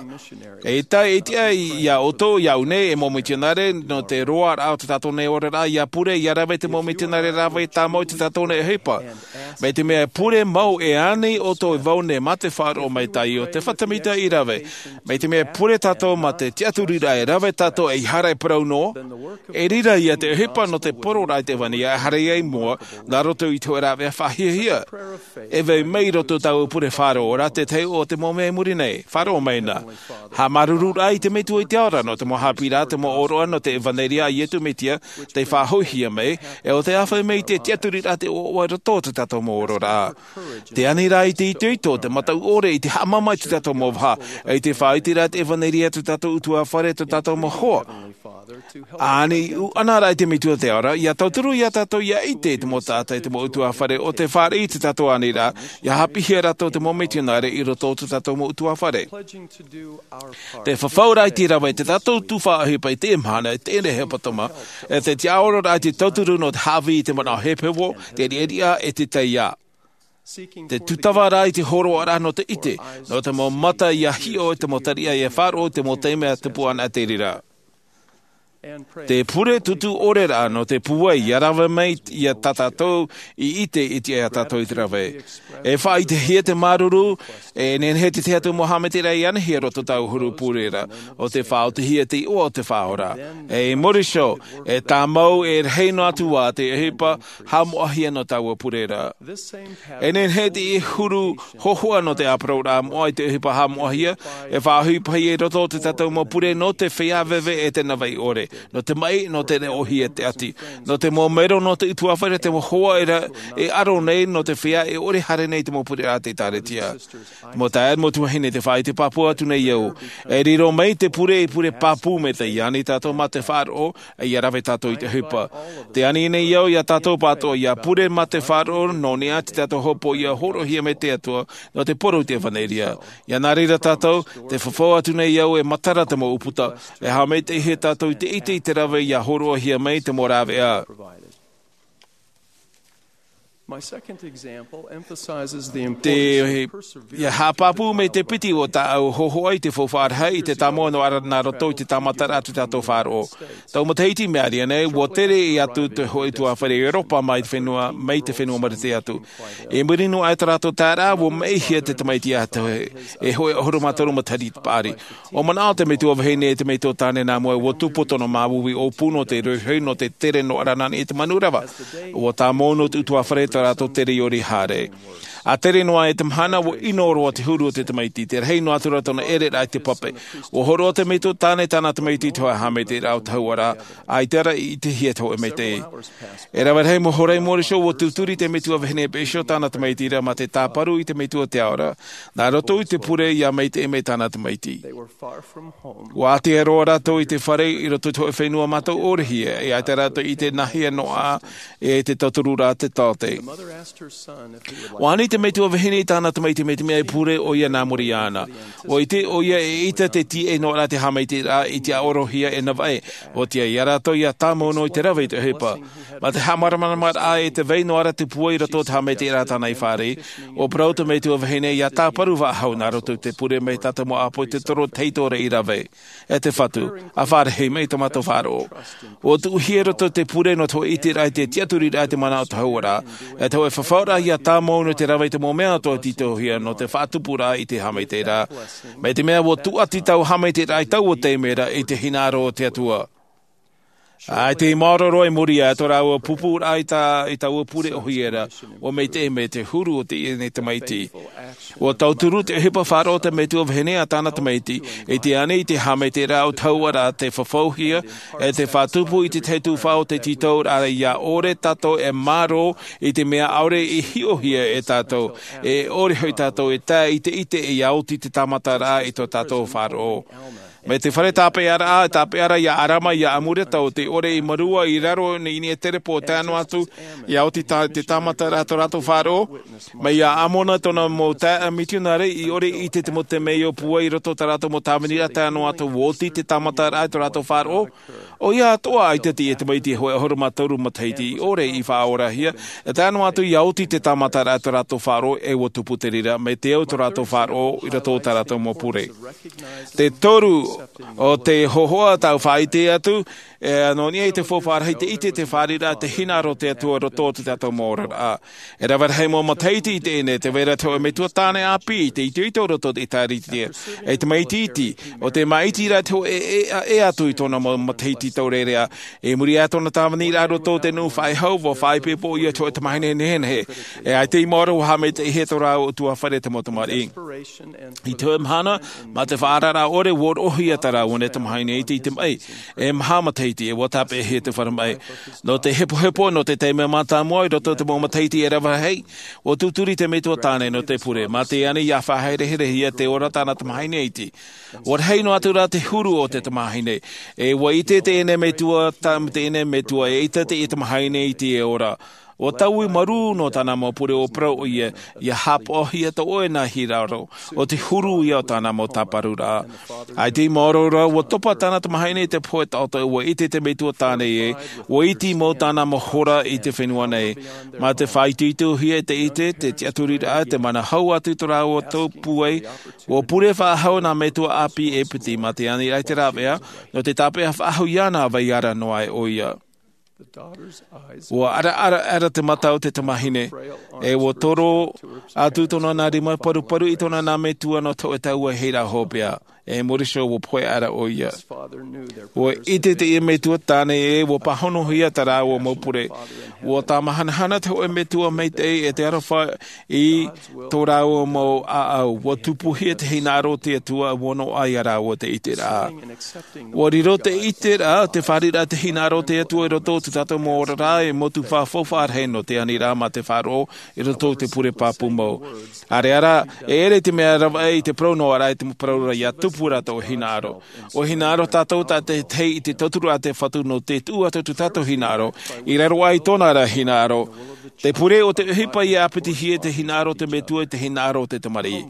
E tae e tiʻa iā ʻoutou iāʻu nei e mau mitionare nō te roaraʻa o tō tātou nei oraraʻa ia pure ia rave te mau mitionare rave tāmau i tō tātou nei ʻohipa. Mai te mea e pure mau e ani ʻoutou e vau nei mā te faʻaroʻo mai tāʻu o te fatamita i rave. Mai te mea e pure tātou mā te tiʻaturiraʻa e rave tātou e ʻaita e parau noa e riro ia te ʻohipa nō te poroʻraʻa i te ʻevanelia e haere ai mua nā roto i te hoʻe rāveʻa faʻahiahia. E vai mai i roto i tāʻu pure faʻaroʻo ra te tahi o te mau mea i muri nei faʻaroʻo mai na. Haʻamāuruururaʻa i te metua i te ao ra nō te mau haʻapiʻiraʻa te mau ʻōroʻa nō te ʻevanelia a iesu mesia tei faʻahoʻihia mai e ʻo te āfaʻi mai i te tiʻaturiraʻa te ʻoaʻoa i roto o tō tātou mau ororaʻa. Te aniraʻa i te itoito te mataʻu ʻore i te haʻamāmā i tō tātou mau vaha i te faʻaiteraʻa te ʻevanelia tō tātou ʻutuāfare tō tātou mau hoa. Ani ʻuʻanaraʻa i te metua te ao ra ia tauturu iā tātou ia ʻite i te mau taʻata i te mau ʻutuāfare ʻo te fāriʻi i tō tātou aniraʻa ia haʻapiʻihia rātou te mau mitionare i roto o tō tātou mau ʻutuāfare. Te fafauraʻa i te rave i tō tātou tufaʻa ʻohipa i teie mahana i teie nei hepetoma e te tiʻaororaʻa i te tauturu nō te haʻavī i te manaʻo hepohepo te riʻariʻa e te taiā. Te tūtava rā i te hōroʻaraʻa nō te ʻite nō te mau mata ia hiʻo i te mau tariʻa ia faʻaroʻo i te mau taime a tupu ana te reira. Te pure tūtū ʻore rā nō te pūai ia rave mai iā tātou i ʻite i te iā tātou i te rave. E faʻaitehia te māuruuru e nehenehe te tahi atu mau haʻamaitaʻiraʻa i anihia roto tāʻu huru pure ra ʻo te faʻaotihia te iʻoa o te faʻaora. E i muri iho e tāmau e rahi noa atu ā te ʻohipa haʻamoʻahia nō tāʻu pure ra. E nehenehe te huru hōhoʻa nō te ʻāparauraʻa moʻa i te ʻohipa haʻamoʻahia e faʻaʻohipahia i roto o tō tātou mau pure nō te feiā veve e te navaʻi ʻore nō te maʻi nō te reʻohia te ʻati nō te mau mero nō te ʻutuāfare te mau hoa e aro nei nō te feiā e ʻore haere nei te mau pure a te ʻēkālesia. Te mau taeaʻe mau tuahine te faʻaite pāpū atu nei au e riro mai te pure i pure pāpū mai te iāni tātou mā te faʻaroʻo e ia rave tātou i te ʻohipa. Te ani nei au iā tātou pātoʻa ia pure mā te faʻaroʻo nō niʻa i tō tātou hopoiʻa hōroʻahia mai te atua nō te poro i te ʻevanelia. Ia nā reira tātou te fafau atu nei au e matara te mau ʻūputa e haʻamaitaʻihia tātou i te ʻite i te rave ia hōroʻahia mai te mau rāveʻa. Te ia haʻapāpū mai te piti o tāʻu hōhoʻa i te faufaʻa rahi i te tāmau noa ra nā roto i te tāmataraʻa a tō tātou faʻaroʻo. Tau matahiti i maʻiri aʻe nei, ua tere atu te hōʻē ʻutuāfare i ʻeuropa mai te fenua mai te fenua marite atu. I muri noa i tō rātou taeraʻa, ua maʻihia te tamaiti atu e hōʻē ʻahuru mā toru matahiti paʻari. ʻO manaʻo te metua vahine e te metua tāne nā mua ua tupu tōna māuiui ʻōpū nō te rohirohi nō te tere noa ra nā niʻa i te manu rava. Ua tāmau noa te ʻutuāfare tō rātou tere i ʻore i haere. A tere noa i te mahana, ua ʻino roa te huru o te tamaiti, te rahi noa atu ra tōna ʻereraʻa i te pape. Ua hōroʻa te metua tāne i tāna tamaiti i te hōʻē haʻamaitaʻiraʻa o te hauʻaraʻa, ʻaita ra i ʻitehia te hōʻē maitaʻi. E rave rahi mau hora i mua iho, ua tūturi te metua vahine e peʻe iho tāna tamaiti ra mā te tāparu i te metua te ao ra, nā roto i te pure ia maitaʻi mai tāna tamaiti. Ua ʻātea roa rātou i te fare i roto i te hōʻē fenua mātou ʻōrehia, e ʻaita rātou i ʻite nāhea noa e te tauturu ra te taote. Ua ani te metua vahine i tāna tamaiti mai te mea e pure ʻoia nā muri iāna. Ua ʻite ʻoia e ʻaita te tiʻa noa ra te haʻamaitaʻiraʻa i te ʻaʻorohia e navaʻi. Ua tiʻa ia rātou ia tāmau noa i te rave i te ʻohipa. Mā te haʻamāramaramaraʻa e te vai noa ra te pua i roto i te haʻamaitaʻiraʻa tāna i fāriʻi, ua parau te metua vahine ia tāparu faʻahou nā roto i te pure mai tātou mau ʻāpō i te toro te heitōraʻa i rave. E te Fatu, a fāriʻi mai tō mātou faʻaroʻo. Ua tuʻuhia i roto i te pure nō te hōʻē ʻiteraʻa i te tiʻaturiraʻa i te mana o te hauʻaraʻa, e te hōʻē fafauraʻa ia tāmau noa i te rave i te mau mea atoʻa e tītauhia nō te faʻatupuraʻa i te haʻamaitaʻiraʻa. Mai te mea ua tūʻati taua haʻamaitaʻiraʻa i taua taime ra i te hinaʻaro o te Atua. ʻAita i maoro roa i muri iho tō rāua pupuraʻa i tā i taua pure ʻōhie ra, ua maitaʻi mai te huru o teie nei tamaiti. Ua tauturu te ʻohipa faʻaroʻo te metua vahine a tāna tamaiti, i te ani i te haʻamaitaʻiraʻa o te hauʻaraʻa te fafauhia, e te faʻatupu i te tahi tuhaʻa o te tītauraʻa ia ʻore tātou e mārō i te mea ʻaore i hiʻohia e tātou, e ʻore hoʻi tātou e tae i te ʻite ia oti te tāmataraʻa i tō tātou faʻaroʻo. Mai te fare tāpeʻaraʻa, tāpeʻaraʻa ia Arama, ia Amurata, ʻo tē ʻore i Marua i raro i niʻa i te repo, tae noa atu ia oti tā, te tāmataraʻa tō rātou faʻaroʻo. Mai ia Amona tōna mau taeaʻe mitionare i ʻore i ʻite te mau temeio pūai i roto i tā rātou mau tāviniraʻa, tae noa atu ua oti te tāmataraʻa tō rātou faʻaroʻo. ʻOia atoʻa, ʻaita teie tamaiti e hōʻē ʻahuru mā toru matahiti i ʻore i faʻaorahia, e tae noa atu ia oti te tāmataraʻa tō rātou faʻaroʻo, e ua tupu te reira mai te au tō rātou faʻaroʻo i roto i tā rātou mau pure. Te toru o te hōhoʻa tau faʻaʻite atu, e, nō niʻa i te faufaʻa rahi, te ʻite, te fāriʻiraʻa, te hinaʻaro o te Atua i roto i tō tātou mau oraraʻa. E rave rahi mau matahiti i teie nei, tē vai ra te hōʻē metua tāne ʻāpī i te itoito i roto i te ʻĒtārētia. E tamaiti iti, ʻo tē māʻiti ra te hōʻē e, e, e atu i tōna mau matahiti taurearea. I muri iho i tōna tāviniraʻa i roto i te nuʻu faʻehau, ua faʻaipoipo ʻoia i te hōʻē tamahine nehenehe. E ʻaita i maoro ua haʻamaitaʻihia tō rāua ʻutuāfare, te mau tamariʻi. I te hōʻē mahana, mā te faʻaararaʻa ʻore, ua roʻohia tā rāua nei tamahine iti i te maʻi, e maha matahiti, e ua tāpeʻahia te fare maʻi. Nō te hepohepo, nō te taime mātāmua, i roto i te mau matahiti e rave rahi, ua tūturi te metua tāne nō te pure, mā te ani ia faʻahereherehia te ora tāna tamahine iti. Ua rahi noa atu rā te huru o te tamahine, e ua ʻite teie nei metua, tā, teie nei metua, e ʻaita teie tamahine iti e ora. Ua taui marū nō tāna mau pure, ua parau ʻoia, ʻia haʻapaʻohia tō ʻoe nā hinaʻaro, ʻo te huru ia o tāna mau tāparuraʻa. ʻAita i maoro ra, ua topa tāna tamahine i te pohe taʻoto, ua ʻite te metua tāne ē, ua iti mau tāna mau hora i te fenua nei. Mā te faʻaitoitohia i te ʻite, te tiʻaturiraʻa, te mana hau atu i tō rāua tau pūai, ua pure faʻahou nā metua ʻāpī e piti, mā te aniraʻa i te rāveʻa, nō te tāpeʻa faʻahou iāna, vai ara noa aʻe ʻoia. Ua ʻaraʻaraʻara te mata o te tamahine, e ua toro atu tōna nā rima paruparu i tōna nā metua nō te hōʻē tau e hei rā hopeʻa, e muri iho ua pohe ara ʻoia. Ua ʻite teie metua tāne ē, ua pāhonohia tā rāua mau pure. Ua tāmahanahana te hōʻē metua maitaʻi e te aroha i tō rāua mau ʻāʻau. Ua tupuhia te hinaʻaro o te Atua, ua noaʻa ia rāua te ʻiteraʻa. Ua riro te ʻiteraʻa, te fāriʻiraʻa, te hinaʻaro o te Atua i roto i tō tātou mau oraraʻa, e motu faufaʻa rahi nō te aniraʻa mā te faʻaroʻo i roto i te pure pāpū mau. ʻAreʻa rā, e ʻere i te mea ravaʻi i te parau noa ra, i te parau ra ʻia tupu tupu rā tō hinaʻaro. ʻO hinaʻaro tātou tā te tahi i te tauturu a te Fatu nō te tuʻu atu tō tātou hinaʻaro, i raro aʻe i tōna ra hinaʻaro. Te pure o te ʻohipa ia ʻāpitihia te hinaʻaro o te Metua i te hinaʻaro o te tamariʻi.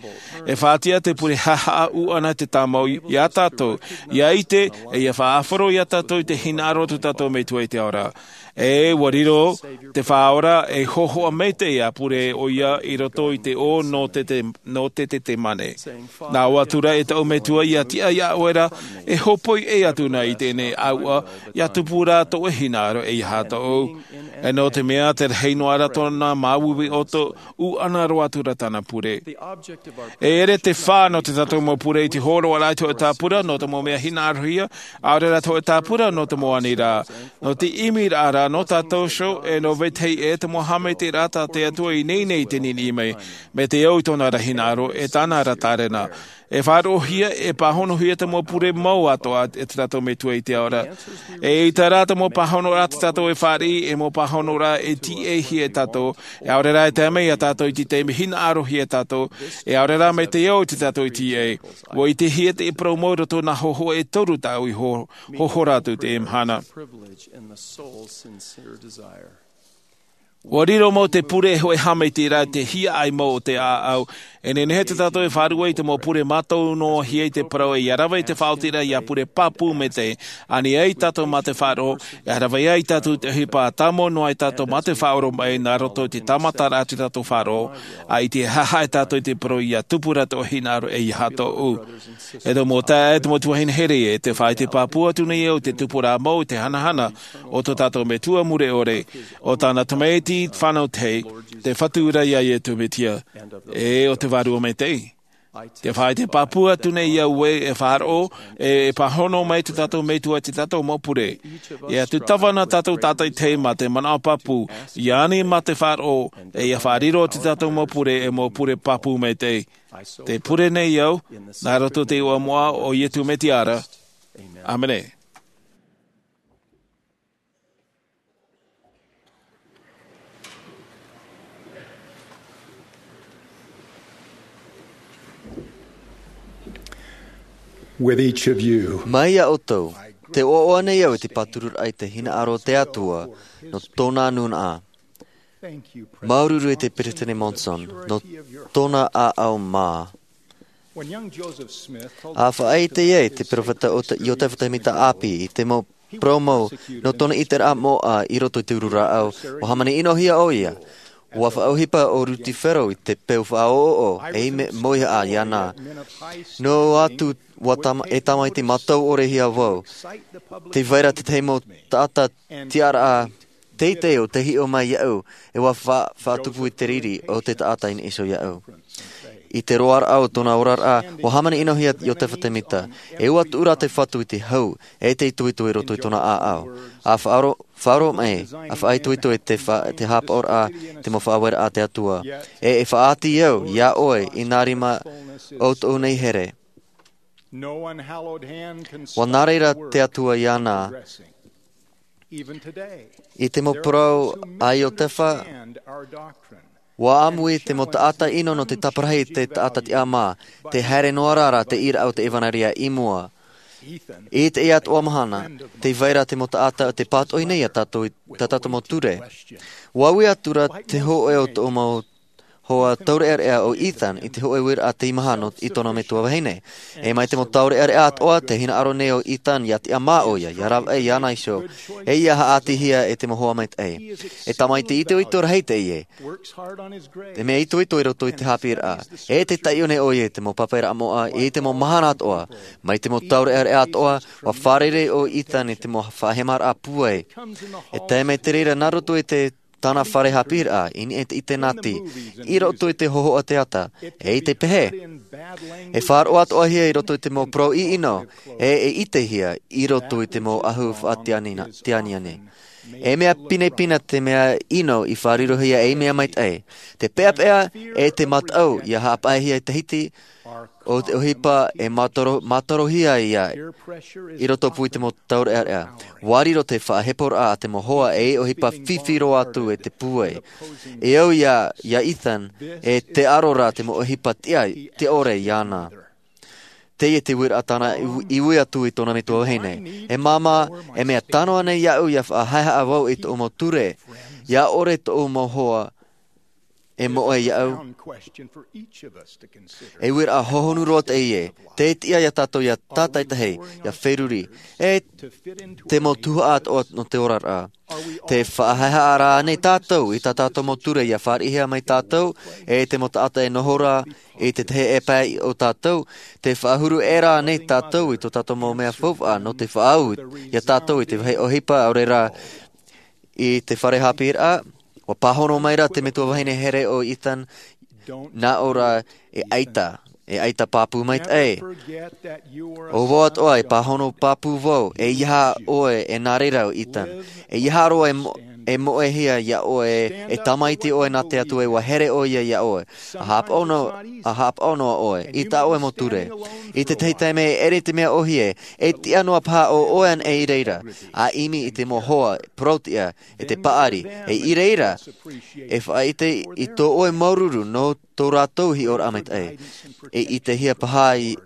E faʻaʻite te pure haʻahaʻa ʻuʻana te tāmau iā tātou, ia ʻite, e ia faʻaʻāfaro iā tātou i te hinaʻaro o tō tātou Metua i te ao ra. E ʻua riro te Faʻaora ei hōhoʻa maitaʻi ʻa pure ʻoia i roto i te ʻō nō te, te, nō te, te, te mane. Nā ʻō atu ra e taʻu Metua ia tiʻa iā ʻoe ra, e hōpoi ʻē atu na i teie nei ʻāuʻa, ia tupu rā tō ʻoe hinaʻaro ʻeiaha tōʻu. E nō te mea te rahi noa ra tōna māuiui ʻoto, ʻuʻana roa atu ra tāna pure. E ʻere te fā nō tō tātou mau pure i te hōroʻaraʻa i te hōʻē tāpura nō te mau mea hinaʻarohia, ʻaore rā te hōʻē tāpura nō te mau aniraʻa. Nō te ʻimiraʻa ra nō tātou iho, e nō vetahi ʻē te mau haʻamaitaʻiraʻa tā te Atua i ineine i te niniʻi mai, mai te au i tōna ra hinaʻaro, e tāna ra tārena. E faʻaroʻohia, e pāhonohia te mau pure mau atoʻa e tō tātou Metua i te ao ra. E ʻaita rā te mau pāhonoraʻa tā tātou e fāriʻi, e mau pāhonoraʻa e tīaʻihia e tātou, e ʻaore rā e tae mai iā tātou i te taime hinaʻarohia e tātou, e ʻaore rā mai te au i tō tātou tīaʻi. ʻUa ʻitehia te parau mau i roto i nā hōhoʻa e toru tāʻu i hō-, hōhora atu i teie mahana. ʻUa riro mau te pure e hōʻē haʻamaitaʻiraʻa i te hiaʻai mau o te ʻāʻau. E nehenehe tō tātou e faʻaruʻe i te mau pure mātaunoahia i te parau ē ʻia rave i te faʻaotiraʻa ʻia pure pāpū maitaʻi. Ani ai tātou mā te faʻaroʻo, ʻia rave ai tātou i te ʻohipa tāmau noa ai tātou mā te faʻaoromaʻi nā roto i te tāmataraʻa o tō tātou faʻaroʻo, ʻa ʻite haʻahaʻa tātou i te parau ʻia tupu rā tō hinaʻaro ʻeiaha tōʻu. E te mau taeaʻe, e te mau tuahine here, e te faʻaʻite pāpū atu nei au i te tupuraʻa mau, i te hanahana o tō tātou Metua mure ʻore, o tāna tamaiti fānau tahi, te Fatu ra iā Iesu Mesia, e o te Vārua Maitaʻi. Te faʻaʻite pāpū atu nei au ē, e faʻaroʻo, e, e pāhono mai tō tātou Metua i tō tātou mau pure. ʻIa tūtava nā tātou tātaʻitahi mā te manaʻo pāpū, ʻia ani mā te faʻaroʻo, e ʻia faʻariro tō tātou mau pure, e mau pure pāpū maitaʻi. Te pure nei au, nā roto i te iʻoa moʻa o Iesu Mesia ra. ʻĀmene. With each of you. Mai iā ʻoutou, tē ʻoaʻoa nei au i te pātururaʻa i te hinaʻaro o te Atua, nō tōna nūnaʻa. Māuruuru i te Peresideni Monson, nō tōna ʻāʻau mā. When young Joseph Smith told ʻA faʻaʻite ai te peropheta o te, Iotefa Temita ʻāpī i te mau parau mau nō tōna ʻiteraʻa moʻa i roto i te uru rāʻau, ʻua hāmani ʻinohia ʻoia. ʻUa faʻaʻohipa ʻo Ruti Fero i te peu faʻaʻoʻoʻo, ei mea mauihaʻa iāna. Noa atu, ʻua tama-, e tamaiti mātau ʻore hia vau. Tē vai ra te tahi mau taʻata tiʻaraʻa teitei ʻo tei hiʻo mai iāʻu, e ʻua fa-, faʻatupu i te riri o te taʻata i niʻa iho iāʻu. I te roaraʻa o tōna oraraʻa, ʻua hāmani ʻinohia Iotefa Temita, e ʻua tuʻu rā te Fatu i te hau, e te itoito i roto i tōna ʻāʻau. ʻA faʻaro-, faʻaroʻo mai, ʻa faʻaitoito i te fa-, te haʻapaʻoraʻa, te mau faʻaueraʻa a te Atua. E, e faʻaʻati au, iā ʻoe, i nā rima o tōʻu nei here. No unhallowed hand can ʻUa nā reira te Atua iāna. Even today, I te mau parau a Iotefa, ʻua ʻāmui te mau taʻata ʻino nō te taparahi i te taʻata tiʻamā, tē haere noa ra rā te ʻīraʻa o te ʻevanelia i mua. I teie atoʻa mahana, tē vai ra te mau taʻata o te pātoʻi nei iā tātou i tā tātou mau ture. ʻUa ui atu ra te hōʻē o tōʻu mau hoa taureʻareʻa ʻo Ethan i te hōʻē uiraʻa teimaha nō, i tōna metua vahine. E mai te mau taureʻareʻa atoʻa, tē hinaʻaro nei ʻo Ethan ʻia tiʻamā ʻoia, ʻia rave iāna iho, e ʻia haʻaʻatihia e te mau hoa maitaʻi. E tamaiti itoito rahi teie. Te mea itoito i roto i te haʻapiʻiraʻa. E tē taiʻo nei ʻoia i te mau papaʻiraʻa moʻa, i te mau mahana atoʻa. Mai te mau taureʻareʻa atoʻa, ʻua fārerei ʻo Ethan i te mau faʻahemaraʻa pūai. E tae mai te reira nā roto i te tāna fare haʻapiʻiraʻa, i niʻa i te ʻitenati, i roto i te hōhoʻa teata, e i te pehe. E faʻaroʻo atoʻahia i roto i te mau parau ʻino, e, e ʻitehia i roto i te mau ʻahu faʻatianiani. E mea pinepine te mea ʻino i faʻarirohia ei mea maitaʻi. Te peʻapeʻa, e te mataʻu, ʻia haʻapaʻohia i te hiti, ʻo te ʻohipa e mātaro-, mātarohia ia i roto pū i te mau taureʻareʻa. ʻUa riro te faʻaheporaʻa a te mau hoa ei ʻohipa fifi roa atu e te pūai. E au iā, iā Ethan, e tē aro ra te mau ʻohipa tiʻa, tiʻa ʻore iāna. Teie te uiraʻa tāna i, i ui atu i tōna metua vahine. E māmā, e mea tano ānei iāʻu ia faʻahaehaʻa vau i tōʻu mau ture, ia ʻore tōʻu mau hoa e moʻe iāʻu? E uiraʻa hohonu roa teie, tē tiʻa ia tātou ia tātaitahi, ia feruri, e te mau tuhaʻa atoʻa nō te oraraʻa. Te faʻahaehaʻa rā ānei tātou i tā tātou mau ture ia fāriʻihia mai tātou, e te mau taʻata e noho ra i te tahi e pae o tātou? Te faʻahuru ʻē rā ānei tātou i tō tātou mau mea faufaʻa nō te faʻaau ia tātou i te vāhi ʻohipa, ʻaore rā i te fare haʻapiʻiraʻa? ʻUa pāhono mai ra te metua vahine here ʻo Ethan, nā ʻō ra, e ʻaita, e ʻaita pāpū maitaʻi. ʻO vau atoʻa e pāhono pāpū vau, e ʻeiaha ʻoe e nā reira ʻo Ethan. E ʻeiaha roa e mo-, e moʻehia iā ʻoe, e tamaiti ʻoe nā te Atua, ʻua here ʻoia iā ʻoe. ʻA haʻapaʻo noa, ʻa haʻapaʻo noa ʻoe, i tā ʻoe mau ture. I te tahi taime e ʻere te mea ʻōhie, e tiʻa noa paha ʻo ʻoe ānei i reira, ʻa ʻimi i te mau hoa, parau-tiʻa, e te paʻari, e i reira, e faʻaʻite i tō ʻoe māuruuru nō tō rātou hiʻoraʻa maitaʻi. E ʻitehia paha i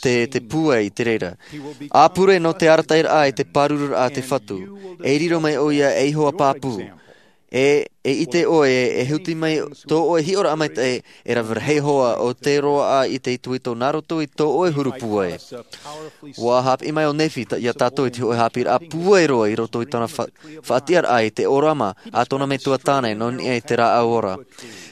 te, te pūai i te reira. ʻA pure nō te arataʻiraʻa i te pārururaʻa a te Fatu. E riro mai ʻoia ei hoa pāpū. E, e ʻite ʻoe, e huti mai tō ʻoe hiʻoraʻa maitaʻi, e rave rahi hoa ʻo te roaʻa i te itoito nā roto i tō ʻoe huru pūai. ʻUa haʻapiʻi mai ʻo Nephi ta-, iā tātou i te hōʻē haʻapiʻiraʻa pūai roa i roto i tōna fa-, faʻatiʻaraʻa i te ʻōrama a tōna metua tāne nō niʻa i te rāʻau ora.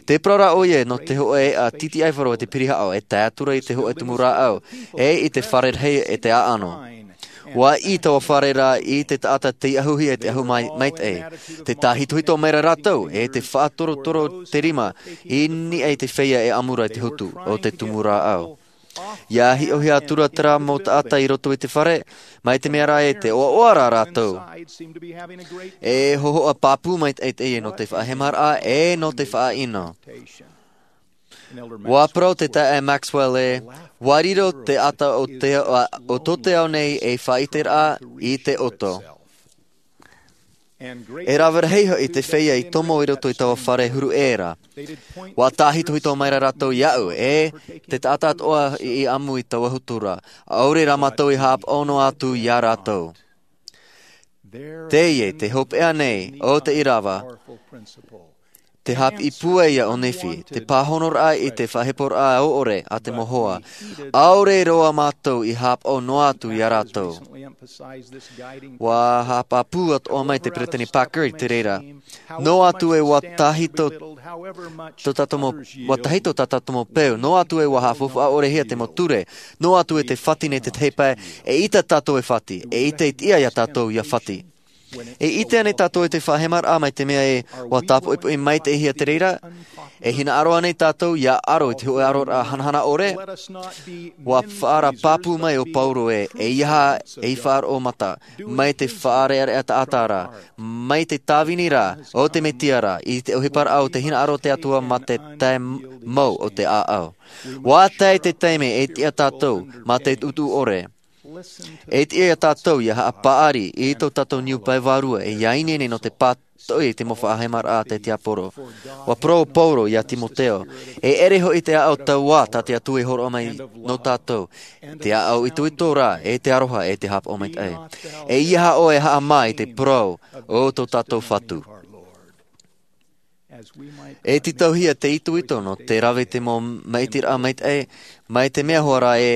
Tē parau ra ʻoia nō te hōʻē eʻa titiʻaifaro e te pirihaʻo, e tae atu ra i te hōʻē tumu rāʻau, e i te fare rahi e te ʻāʻano. ʻUa ʻī taua fare ra i te taʻata tei ʻahuhia i te ʻahu mai-, maitaʻi. Tē tāhitohito mai ra rātou, e tē faʻatorotoro te rima i niʻa i te feiā e ʻamu ra i te hotu o te tumu rāʻau. ʻIa hiʻohia atu ra terā mau taʻata i roto i te fare, mai te mea rā ē tē ʻoaʻoa ra rātou. E hōhoʻa pāpū maitaʻi teie nō te faʻahemaraʻa, e nō te faʻaʻino. ʻUa parau te taeaʻe Maxwell ē, ʻua riro te ata o te, o, o tō te ao nei ei faʻaʻiteraʻa i te ʻoto. E rave rahi hoʻi te feiā i tomo i roto i taua fare huru ʻē ra. ʻUa tāhitohito mai ra rātou iāʻu, e te taʻata atoʻa i, i ʻamu i taua hotu ra. ʻAore rā mātou i haʻapaʻo noa atu iā rātou. Teie te hopeʻa nei o te ʻīrava, te haʻapiʻi pūai ïa o Nephi, te pāhonoraʻa i te faʻaheporaʻa ʻore a te mau hoa. ʻAore roa mātou i haʻapaʻo noa atu iā rātou. ʻUa haʻapāpū atoʻa mai te Peresideni Packer i te reira. Noa atu ē ʻua tāhito tō tātou mau, ʻua tāhito tā tātou mau peu, noa atu ē ʻua haʻafaufaʻa ʻorehia te mau ture, noa atu ē te fati nei te tahi pae, eʻita tātou e fati, eʻita e tiʻa iā tātou ʻia fati. E ʻite ānei tātou i te faʻahemaraʻa mai te mea ē ʻua tāpoʻipoʻi maitaʻihia te reira? E hinaʻaro ānei tātou ʻia aro i te hōʻē aroraʻa hanahana ʻore? ʻUa faʻaara pāpū mai ʻo Paulo ē, ʻeiaha ei faʻaroʻo mata, mai te faʻareʻareʻa taʻata ra, mai te tāvini ra o te Mesia ra, i te ʻohiparaʻa o te hinaʻaro o te Atua mā te tae mau o te ʻāʻau. ʻUa tae te taime e tiʻa tātou mā te tuʻutuʻu ʻore. E tiʻa iā tātou ʻia haʻapaʻari i tō tātou niu pae vārua, e ʻia ineine nō te pātoʻi i te mau faʻahemaraʻa a te tiaporo. ʻUa parau ʻo Paulo iā Timoteo, e ʻere hoʻi te ʻāʻau tauā tā te Atua i hōroʻa mai nō tātou, te ʻāʻau itoito rā, e te aroha, e te haʻapaʻo maitaʻi. ʻEiaha ʻoe e haʻamā i te parau o tō tātou Fatu. E tītauhia te itoito nō te rave i te mau maʻitiraʻa maitaʻi, mai te mea hoʻi rā ē,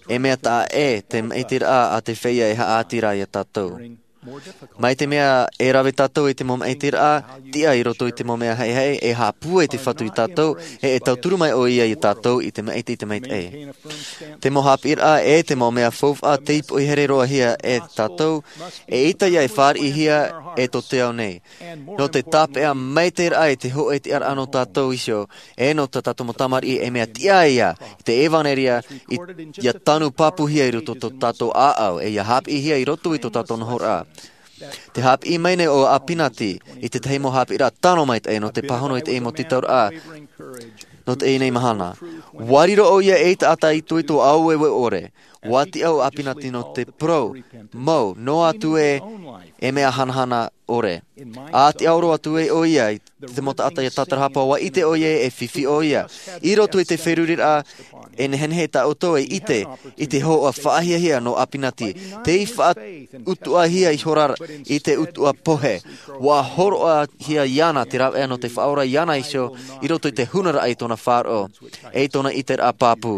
e mea taʻa ʻē te maʻitiraʻa a te feiā e haʻaati ra iā tātou. Mai te mea e rave tātou i te mau maʻitiraʻa, tiʻa i roto i te mau mea haʻehaʻe, e haʻapūai te Fatu iā tātou, e, e tauturu mai ʻoia iā tātou i te maʻiti i te maitaʻi. Te mau haʻapiʻiraʻa, e te mau mea faufaʻa tei poʻi here roa hia e tātou, eʻita ïa e fāriʻihia e tō te ao nei. Nō te tāpeʻa maitaʻiraʻa i te hōʻē tiʻaraʻa nō tātou iho, e nō tā tātou mau tamariʻi, e mea tiʻa ïa i te ʻevanelia, i, ʻia tanu pāpūhia i roto tō tātou ʻāʻau, e ʻia haʻapiʻihia i roto i tō tātou nohoraʻa. Te haʻapiʻi mai nei ʻo Apinati i te tahi mau haʻapiʻiraʻa tano maitaʻi nō te pāhono i te mau tītauraʻa nō teie nei mahana. ʻUa riro ʻoia ei taʻata itoito ʻaueue ʻore. ʻUa tiʻa ʻo ʻĀpinati nō te parau mau, noa atu ē, e mea hanahana ʻore. ʻA tiʻaoro atu ē ʻoia i te mau taʻata ʻia tātarahapa, ʻua ʻite ʻoia e fifi ʻoia. I roto i te feruriraʻa, e nehenehe tā ʻoutou e ʻite i te hōhoʻa faʻahiahia nō ʻĀpinati. Tei faʻautuʻahia ihora i te utuʻa pohe. ʻUa hōroʻahia iāna te rāveʻa nō te Faʻaora iāna iho i roto i te hunaraʻa i tōna faʻaroʻo, ʻe i tōna ʻiteraʻa pāpū.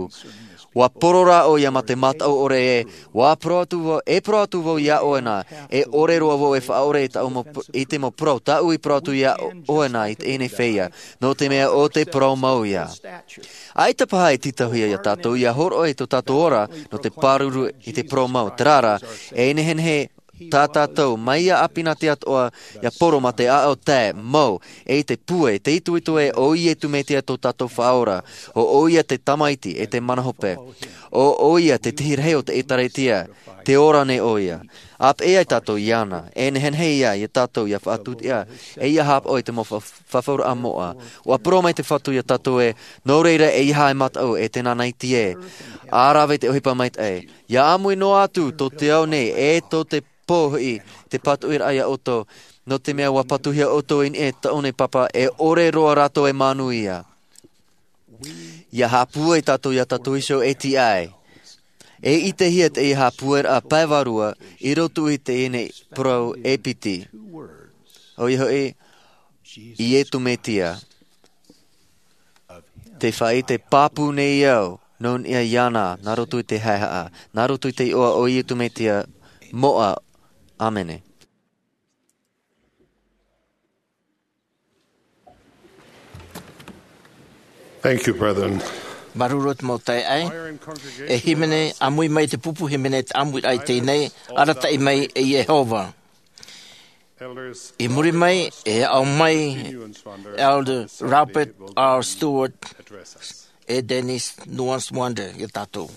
ʻUa poro rā ʻoia mā te mataʻu ʻore ē, ʻua parau atu vau, e parau atu vau iā ʻoe na, e ʻore roa vau e faʻaʻore i tāʻu mau p-, i te mau parau tāʻu i parau atu iā ʻo-, ʻoe na i teie nei feiā, nō te mea ʻo te parau mau ïa. ʻAita paha e tītauhia iā tātou ʻia hōroʻa i tō tātou ora nō te pāruru i te parau mau, terā rā, e nehenehe tā tātou, mai iā ʻĀpinati atoʻa, ʻia poro mā te ʻāʻau tae mau, ʻe i te pūai, te itoito ē ʻo Iesu Mesia tō tātou Faʻaora, ʻo ʻoia te Tamaiti ʻe te Mana Hope, ʻo ʻoia te Tahi Rahi o te ʻĒtārētia, tē ora nei ʻoia. ʻA peʻe ai tātou iāna, e nehenehe ïa iā tātou ʻia faʻatūtiʻa, ʻe ʻia haʻapaʻo i te mau fa-, fafauraʻa moʻa. ʻUa parau mai te Fatu iā tātou ē, nō reira ʻeiaha e mataʻu, e tēnā nei ʻoe, ʻa rave i te ʻohipa maitaʻi. ʻIa ʻāmui noa atu tō te ao nei, ʻe tō te pō hoʻi, te patuʻiraʻa iā ʻoutou, nō te mea ʻua patuhia ʻoutou i niʻa i tāʻu nei Pāpā, e ʻore roa rātou e manuia. ʻIa haʻapūai tātou iā tātou iho e tiʻa ai. E ʻitehia te ʻeiaha pūairaʻa pae vārua i roto i teie nei parau e piti. ʻOia hoʻi, Iesu Mesia. Te faʻaʻite pāpū nei au, nō niʻa iāna, nā roto i te haehaʻa, nā roto i te iʻoa o Iesu Mesia, moʻa. ʻĀmene. Thank you, brethren. Māuruuru te mau taeaʻe. E hīmene, ʻāmui mai te pupu hīmene te ʻāmuiraʻa i teie nei, arataʻi mai e Iehova. I muri mai, e aʻo mai Elder Robert R. Stewart, ʻe Denise Nuanswander iā tātou.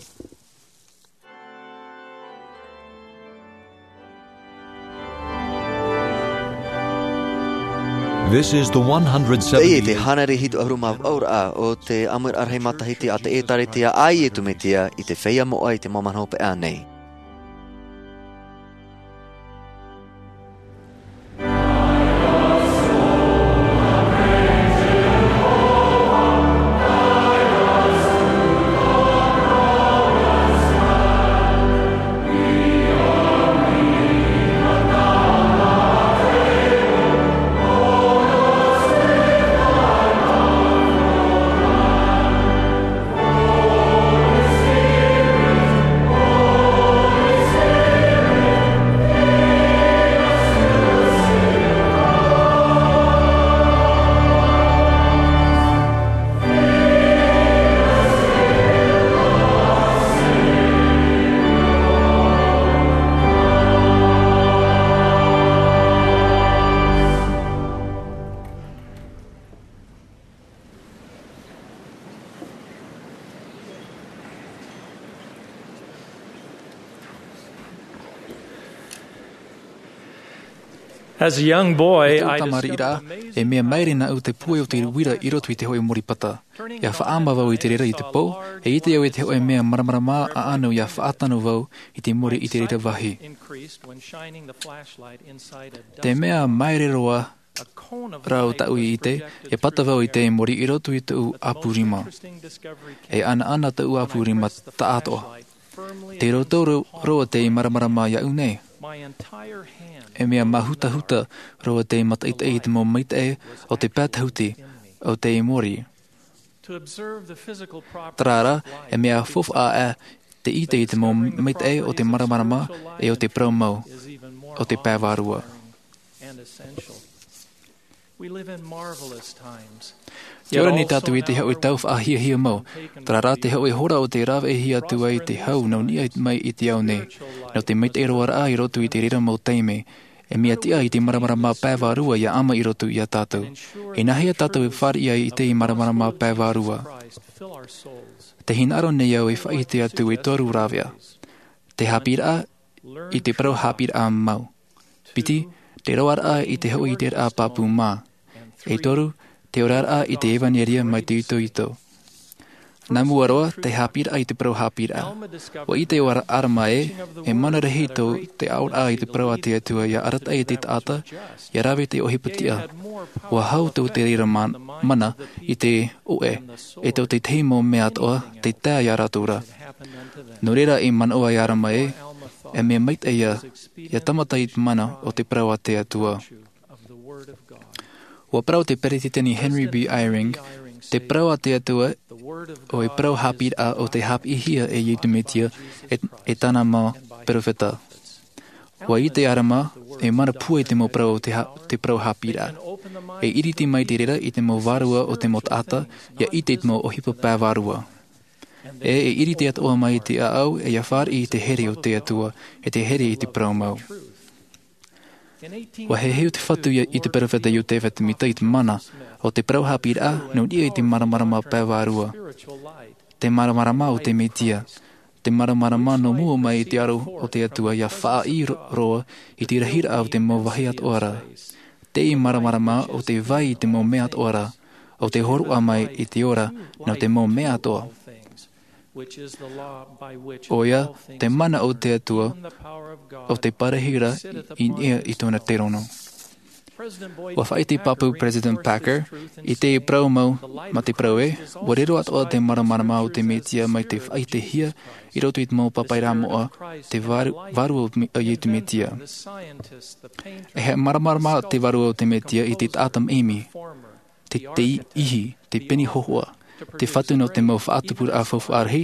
This is the one hundred seventy. Teie te hānere hitu ʻahuru mā vaʻu raʻa o te ʻāmuiraʻa rahi matahiti a te ʻĒtārētia a Iesu Mesia i te feiā moʻa i te mau mahana hopeʻa nei. As a young boy, I discovered the amazing power of the Lord. I tōʻu tamariʻiraʻa, e mea māere nāʻu te pūai o te uira i roto i te hōʻē mōrī pata. ʻIa faʻaʻama vau i te reira i te pō, e ʻite au i te hōʻē mea māramarama ʻaʻanu ʻia faʻatano vau i te mōrī i te reira vāhi. Te mea māere roa rā ʻo tāʻu i ʻite, e pata vau i te mōrī i roto i tōʻu ʻāpū rima. E ʻanaʻana tōʻu ʻāpū rima taʻatoʻa. Tei roto ro-, roa te māramarama iāʻu nei. E mea māhutahuta roa te mataʻitaʻi i te mau maitaʻi o te pae tahuti o te mōrī. Terā rā, e mea faufaʻa te ʻite i te mau maitaʻi o te māramarama ʻe o te parau mau o te pae vārua. Tē ora nei tātou i te hōʻē tau faʻahiahia mau. Terā rā te hōʻē hora o tē rāveʻa atu ai te hau nō niʻa mai i te ao nei. Nō te maitaʻi roa raʻa i roto i te reira mau taime. E mea tiʻa i te māramarama pae vārua ʻia ʻama i roto iā tātou. Inahea tātou e fāriʻi ai i te māramarama pae vārua. Tē hinaʻaro nei au e faʻaʻite atu i te toru rāveʻa. Te haʻapiʻiraʻa i te parau haʻapiʻiraʻa mau. Piti, te roaraʻa i te hōʻē ʻiteraʻa pāpū mā. E toru, te oraraʻa i te ʻevanelia mai te itoito. Nā mua roa te haʻapiʻiraʻa i te parau haʻapiʻiraʻa. Ua ʻite ʻo Ara-, Arama ē, e mana rahi tō te aʻoraʻa i te parau a te Atua ia arataʻi i te taʻata, ia rave i te ʻohipa tiʻa. Ua hau tō te reira ma-, mana i te ʻoʻe, e tō te tahi mau mea atoʻa, tei tae ia rātou ra. Nō reira i manaʻo ai Arama ē, e mea maitaʻi ia, ia tāmata i te mana o te parau a te Atua. Ua parau te Peretiteni Henry B. Eyring, te parau a te Atua, ʻo te parau haʻapiʻiraʻa ʻo tei haʻapiʻihia e Iesu Mesia, e, e tāna mau perofeta. Ua ʻite Arama, e mana pūai te mau parau o te ha-, te parau haʻapiʻiraʻa. E iriti mai te reira i te mau vārua o te mau taʻata, ia ʻite i te mau ʻohipa pae vārua. E, e iriti atoʻa mai te ʻāʻau, e ia fāriʻi i te here o te Atua, e te here i te parau mau. Ua heheʻu te Fatu ia, i te perofeta Iotefa Semita i te mana, ʻo te parau haʻapiʻiraʻa, nō niʻa i te māramarama pae vārua. Te māramarama o te Mesia. Te māramarama nō mua mai i te aro o te Atua ia faʻaʻī ro-, roa i te rahiraʻa o te mau vāhi atoʻa ra. Te māramarama ʻo te vai i te mau mea atoʻa ra, ʻo te hōroʻa mai i te ora nō te mau mea atoʻa. ʻOia, te mana o te Atua, ʻo te parahiraʻa i niʻa i tōna terono. Ua faʻaʻite pāpū President Packer, i te parau mau, mā te parau ē, ua riro atoʻa te māramarama o te Mesia mai te faʻaʻitehia i roto i te mau pāpaʻiraʻa moʻa, te vāru-, vārua o te Me-, o Iesu Mesia. E haʻamāramarama te vārua o te Mesia i te taʻata maʻimi, te, te ihi, te pene hōhoʻa, te Fatu nō te mau faʻatupuraʻa faufaʻa rahi,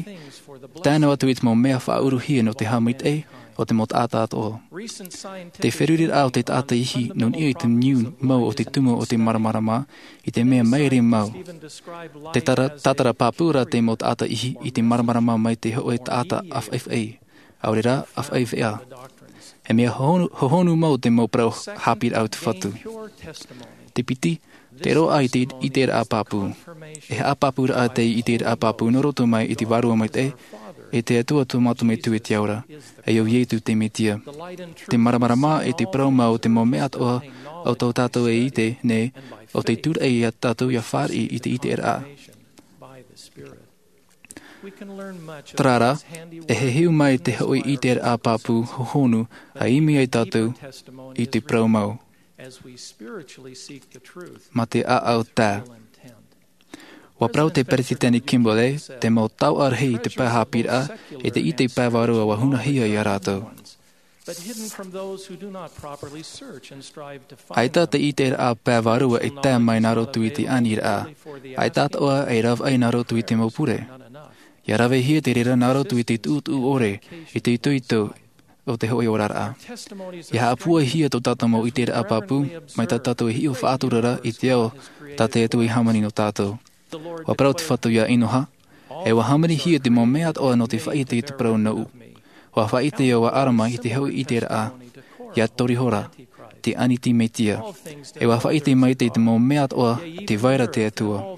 tae noa atu i te mau mea faʻauruhia nō te haʻamaitaʻi o te mau taʻata atoʻa. Te feruriraʻa o te taʻata ihi nō niʻa i te niu mau o te tumu o te māramarama, i te mea maere mau. Te tara-, tātara pāpū ra te mau taʻata ihi i te māramarama mai te hōʻē taʻata ʻāfaʻifaʻi. ʻAore rā, ʻāfaʻi veʻa. E mea hohonu, hohonu mau te mau parau haʻapiʻiraʻa o te Fatu. Te piti, te roaʻa i te ʻiteraʻa pāpū. E haʻapāpūraʻa te ʻiteraʻa pāpū nō roto mai i te Vārua Maitaʻi, e te Atua tō mātou Metua i te ao ra, e ʻo Iesu te Mesia. Te māramarama e te parau mau o te mau mea atoʻa o tō tātou e ʻite nei, ʻo tei tūraʻi ia tātou ia fāriʻi i te ʻiteraʻa. Terā rā, e heheʻu mai te hōʻē ʻiteraʻa pāpū hohonu ʻa ʻimi ai tātou i te parau mau. Mā te ʻāʻau tae. Ua parau te Peretiteni Kimball ē, te mau taoʻa rahi i te pae haʻapiʻiraʻa, e te ʻite pae vārua ua hunahia ia rātou. ʻAita te ʻiteraʻa pae vārua e tae mai nā roto i te aniraʻa. ʻAita atoʻa e ravaʻi nā roto i te mau pure. Ia ravehia te reira nā roto i te tuʻutuʻu ʻore, i te itoito o te hōʻē oraraʻa. Ia haʻapūaihia tō tātou mau ʻiteraʻa pāpū, mai tā tātou e hiʻo faʻatura ra i te ao tā te Atua i hāmani nō tātou. Ua parau te Fatu ia Enoha, e ua hāmanihia te mau mea atoʻa nō te faʻaʻite i te parau nōʻu. Ua faʻaʻite ʻo Arama i te hōʻē ʻiteraʻa, ia tori hora, te Aniti Mesia. E ua faʻaʻite mai te, te mau mea atoʻa, tē vai ra te Atua.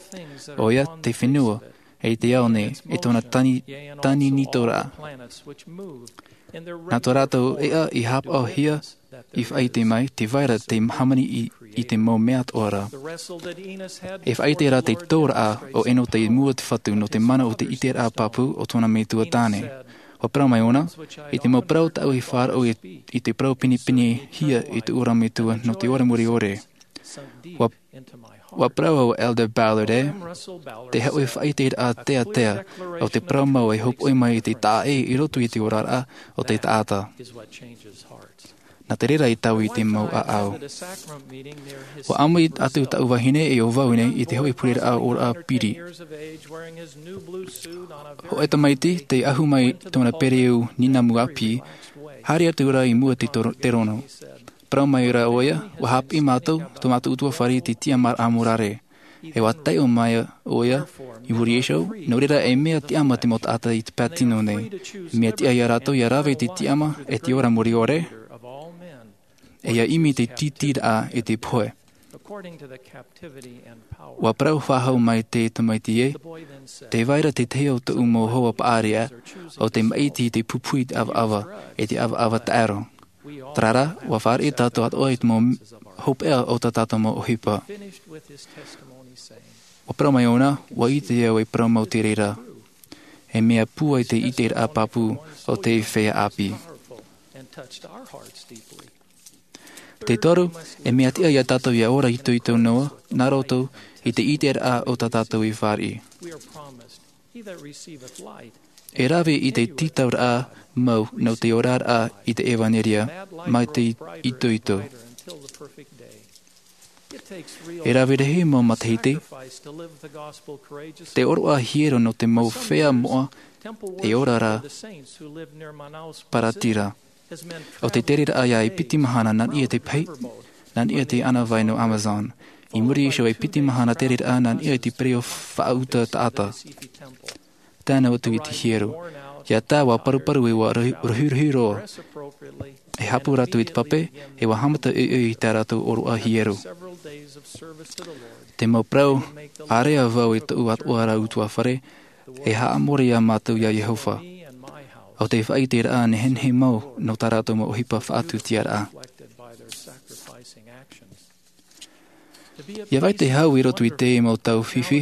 ʻOia, te fenua, e te ao nei, e tōna tani, tani nitoraʻa. Nā tō rātou ʻeʻa i haʻapaʻohia, i faʻaʻite mai, tē vai ra te hāmani i, i te mau mea atoʻa ra. E faʻaʻite ra te tōraʻa ʻo Enoha i mua i te Fatu nō te mana o te ʻiteraʻa pāpū o tōna metua tāne. Ua parau mai ʻōna, i te mau parau tāʻu i faʻaroʻo i, i te parau pinepinehia i tōʻu ra metua nō te ora mure ʻore. Ua, ua parau ʻo Elder Ballard ē, te hōʻē faʻaʻiteraʻa teatea o te parau mau e hōpoi mai i te taʻa ʻē i roto i te oraraʻa o te taʻata. Nā te reira i taui i te mau ʻāʻau. Ua ʻāmui atu taʻu vahine e ʻo vau nei i te hōʻē pureraʻa ʻōraʻa piri. Hōʻē tamaiti, tei ahu mai tōna pereu nīnamu ʻāpī, haere atu ra i mua i te toro-, terono. Parau mai ra ʻoia, ua haʻapiʻi mātou, tō mātou ʻutuāfare i te tiʻamāraʻa morare. E ua taiʻo mai ʻoia, i muri iho, nō reira e mea tiʻama te mau taʻata i te pae tino nei. Mea tiʻa ia rātou ia rave i te tiʻama, e te ora mure ʻore, e ia ʻimi te tītīraʻa e te pohe. Ua parau faʻahou mai te tamaiti ē, tē vai ra te tahi o tōʻu mau hoa paʻari ā, ʻo tē maʻiti i te pupu i te ʻavaʻava, e te ʻavaʻava taʻero. Terā rā, ua fāriʻi tātou atoʻa i te mau hopeʻa o tā tātou mau ʻohipa. Ua parau mai ʻōna, ua ʻite au e parau mau te reira. E mea pūai te ʻiteraʻa pāpū o te feiā ʻāpī. Te toru, e mea tiʻa iā tātou ia ora itoito noa nā roto i te ʻiteraʻa o tā tātou i fāriʻi. E rave i te tītauraʻa mau nō te oraraʻa i te ʻevaneria mai te itoito. E rave rahi mau matahiti te oroʻa hiero nō te mau feiā moʻa e ora ra. Paratira. ʻO te tereraʻa ia e piti mahana nā niʻa i te pahi, nā niʻa i te ʻānāvai nō Amazon. I muri iho e piti mahana tereraʻa nā niʻa i te pereʻoʻo faʻauta taʻata. Tano atu i te hiero. Ia tā ua paruparu e ua rohirohi roa. E hāpū rātou i te pape, e ua haʻamata ʻoiʻoi i tā rātou oroʻa hiero. Te mau parau, ʻārea vau e tōʻu atoʻa ra utuafare, e haʻamori iā mātou iā Iehova. ʻO te faʻaʻiteraʻa nehenehe mau nō tā rātou mau ʻohipa faʻatusiaraʻa. Ia vai te hau i roto i te mau tau fifi,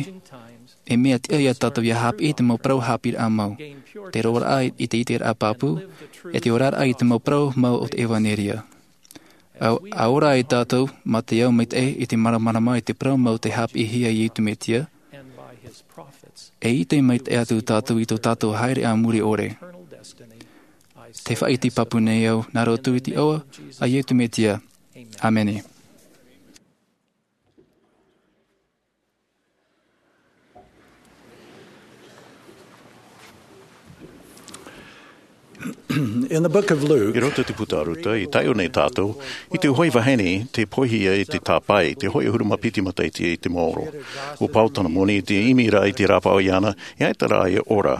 e mea tiʻa iā tātou ia haʻapiʻi te mau parau haʻapiʻiraʻa mau, te roaraʻa i te ʻiteraʻa pāpū, e te oraraʻa i te mau parau mau o te ʻevaneria. ʻA, ʻa ora ai tātou mā te ao maitaʻi i te māramarama i te parau mau tei haʻapiʻihia e Iesu Mesia, e ʻite maitaʻi atu tātou i tō tātou haere a muri ʻore. Te faʻaʻite pāpū nei au nā roto i te iʻoa a Iesu Mesia. ʻĀmene. In the book of Luke, I roto i te puta a Ruta, i taiʻo nei tātou i te hoʻi vahine tei poihia i te tāpae, te hoʻi ʻahuru mā piti matahiti i te maoro. ʻUa pau tana moni i te ʻimi ra i te rāpaoʻiana, e ʻaita rā e ora.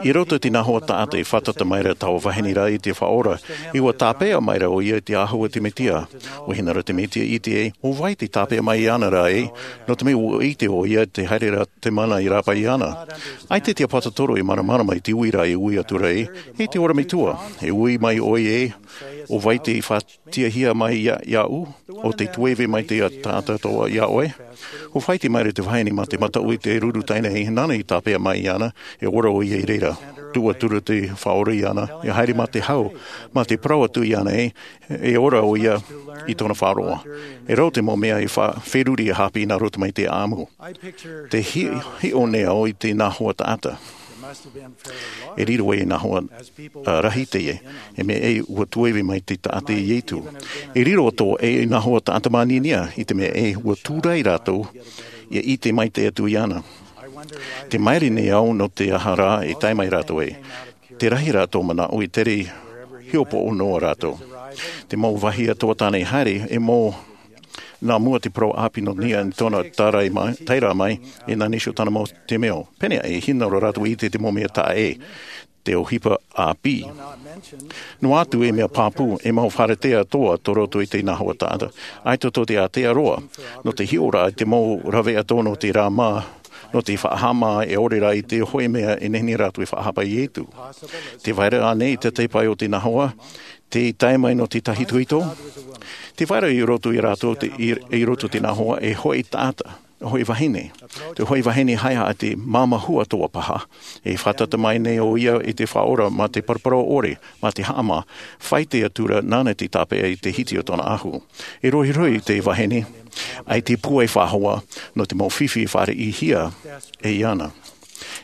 I roto i te nahua taʻata e fātata mai ra taua vahine ra i te Faʻaora, e ʻua tāpeʻa mai ra ʻoia i te āhua o te Mesia. ʻUa hinaʻaro te Mesia i ʻite ai, ʻo vai tei tāpeʻa mai iāna ra ē, nō te mea ʻua ʻite ʻoia tē haere ra te mana i rāpae iāna. ʻAita te ʻāpōsetolo e māramarama i te uiraʻa e ui atu ra ē, e te ora metua, e ui mai ʻoia ē, ʻo vai tei faʻatiʻahia mai iā, iāʻu, ʻo tei tueve mai te taʻata atoʻa iā ʻoe. ʻUa faʻaʻite mai ra te vahine mā te mataʻu i te ruru taʻenai, nāna i tāpeʻa mai iāna, e ora ʻoia i reira. Tuʻu atu ra te Faʻaora iāna, e haere mā te hau, mā te parau atu iāna ē, e ora ʻoia i tōna faʻaroʻo. E rau te mau mea e fa-, feruri e haʻapiʻi nā roto mai te ʻāʻamu. Te hi-, hiʻo nei au i te nahua taʻata. E riro ei nahua, ā, rahi teie, e mea ē ʻua tueve mai te taʻata iā Iesu. E riro atoʻa ei nahua taʻata māninia, i te mea ē ʻua tūrai rātou, ʻia ʻite maitaʻi atu iāna. Tē maere nei au nō te aha rā e tae mai rātou ai. Te rahi rā tō manaʻo e tere hiʻopoʻo noa rātou. Te mau vāhi atoʻa tāna i haere, e mau nā mua te parau ʻāpī nō niʻa i tōna tarai mai, tae ra mai, e nā Nīsio tana mau temeio. Pēneiaʻe, e hinaʻaro rātou i ʻite te mau mea taʻa ʻē, te ʻohipa ʻāpī. Noa atu e mea pāpū, e mau fāretea atoʻa tō roto i te nahua taʻata, ʻaita tō te ātea roa, nō te hiʻoraʻa i te mau rave atoʻa nō te rā mā, nō te faʻahaʻamā e ʻore rā i te hōʻē mea e nehenehe rātou e faʻahapa iā Iesu. Tē vai ra ānei te taipai o te nahua, tei tae mai nō te tahitohito? Tē vai ra i roto ia rātou te, i, i roto te nahua e hōʻē taʻata, hōʻē vahine. Te hōʻē vahine haʻehaʻa te māmā hua atoʻa paha. E fātata mai nei ʻoia i te Faʻaora mā te paraparau ʻore, mā te haʻamā, faʻaʻite atu ra nāna tei tāpeʻa i te hiti o tōna ʻahu. E rohirohi te vahine, ʻaita e pūai faʻahou nō te mau fifi e fāriʻihia e iāna.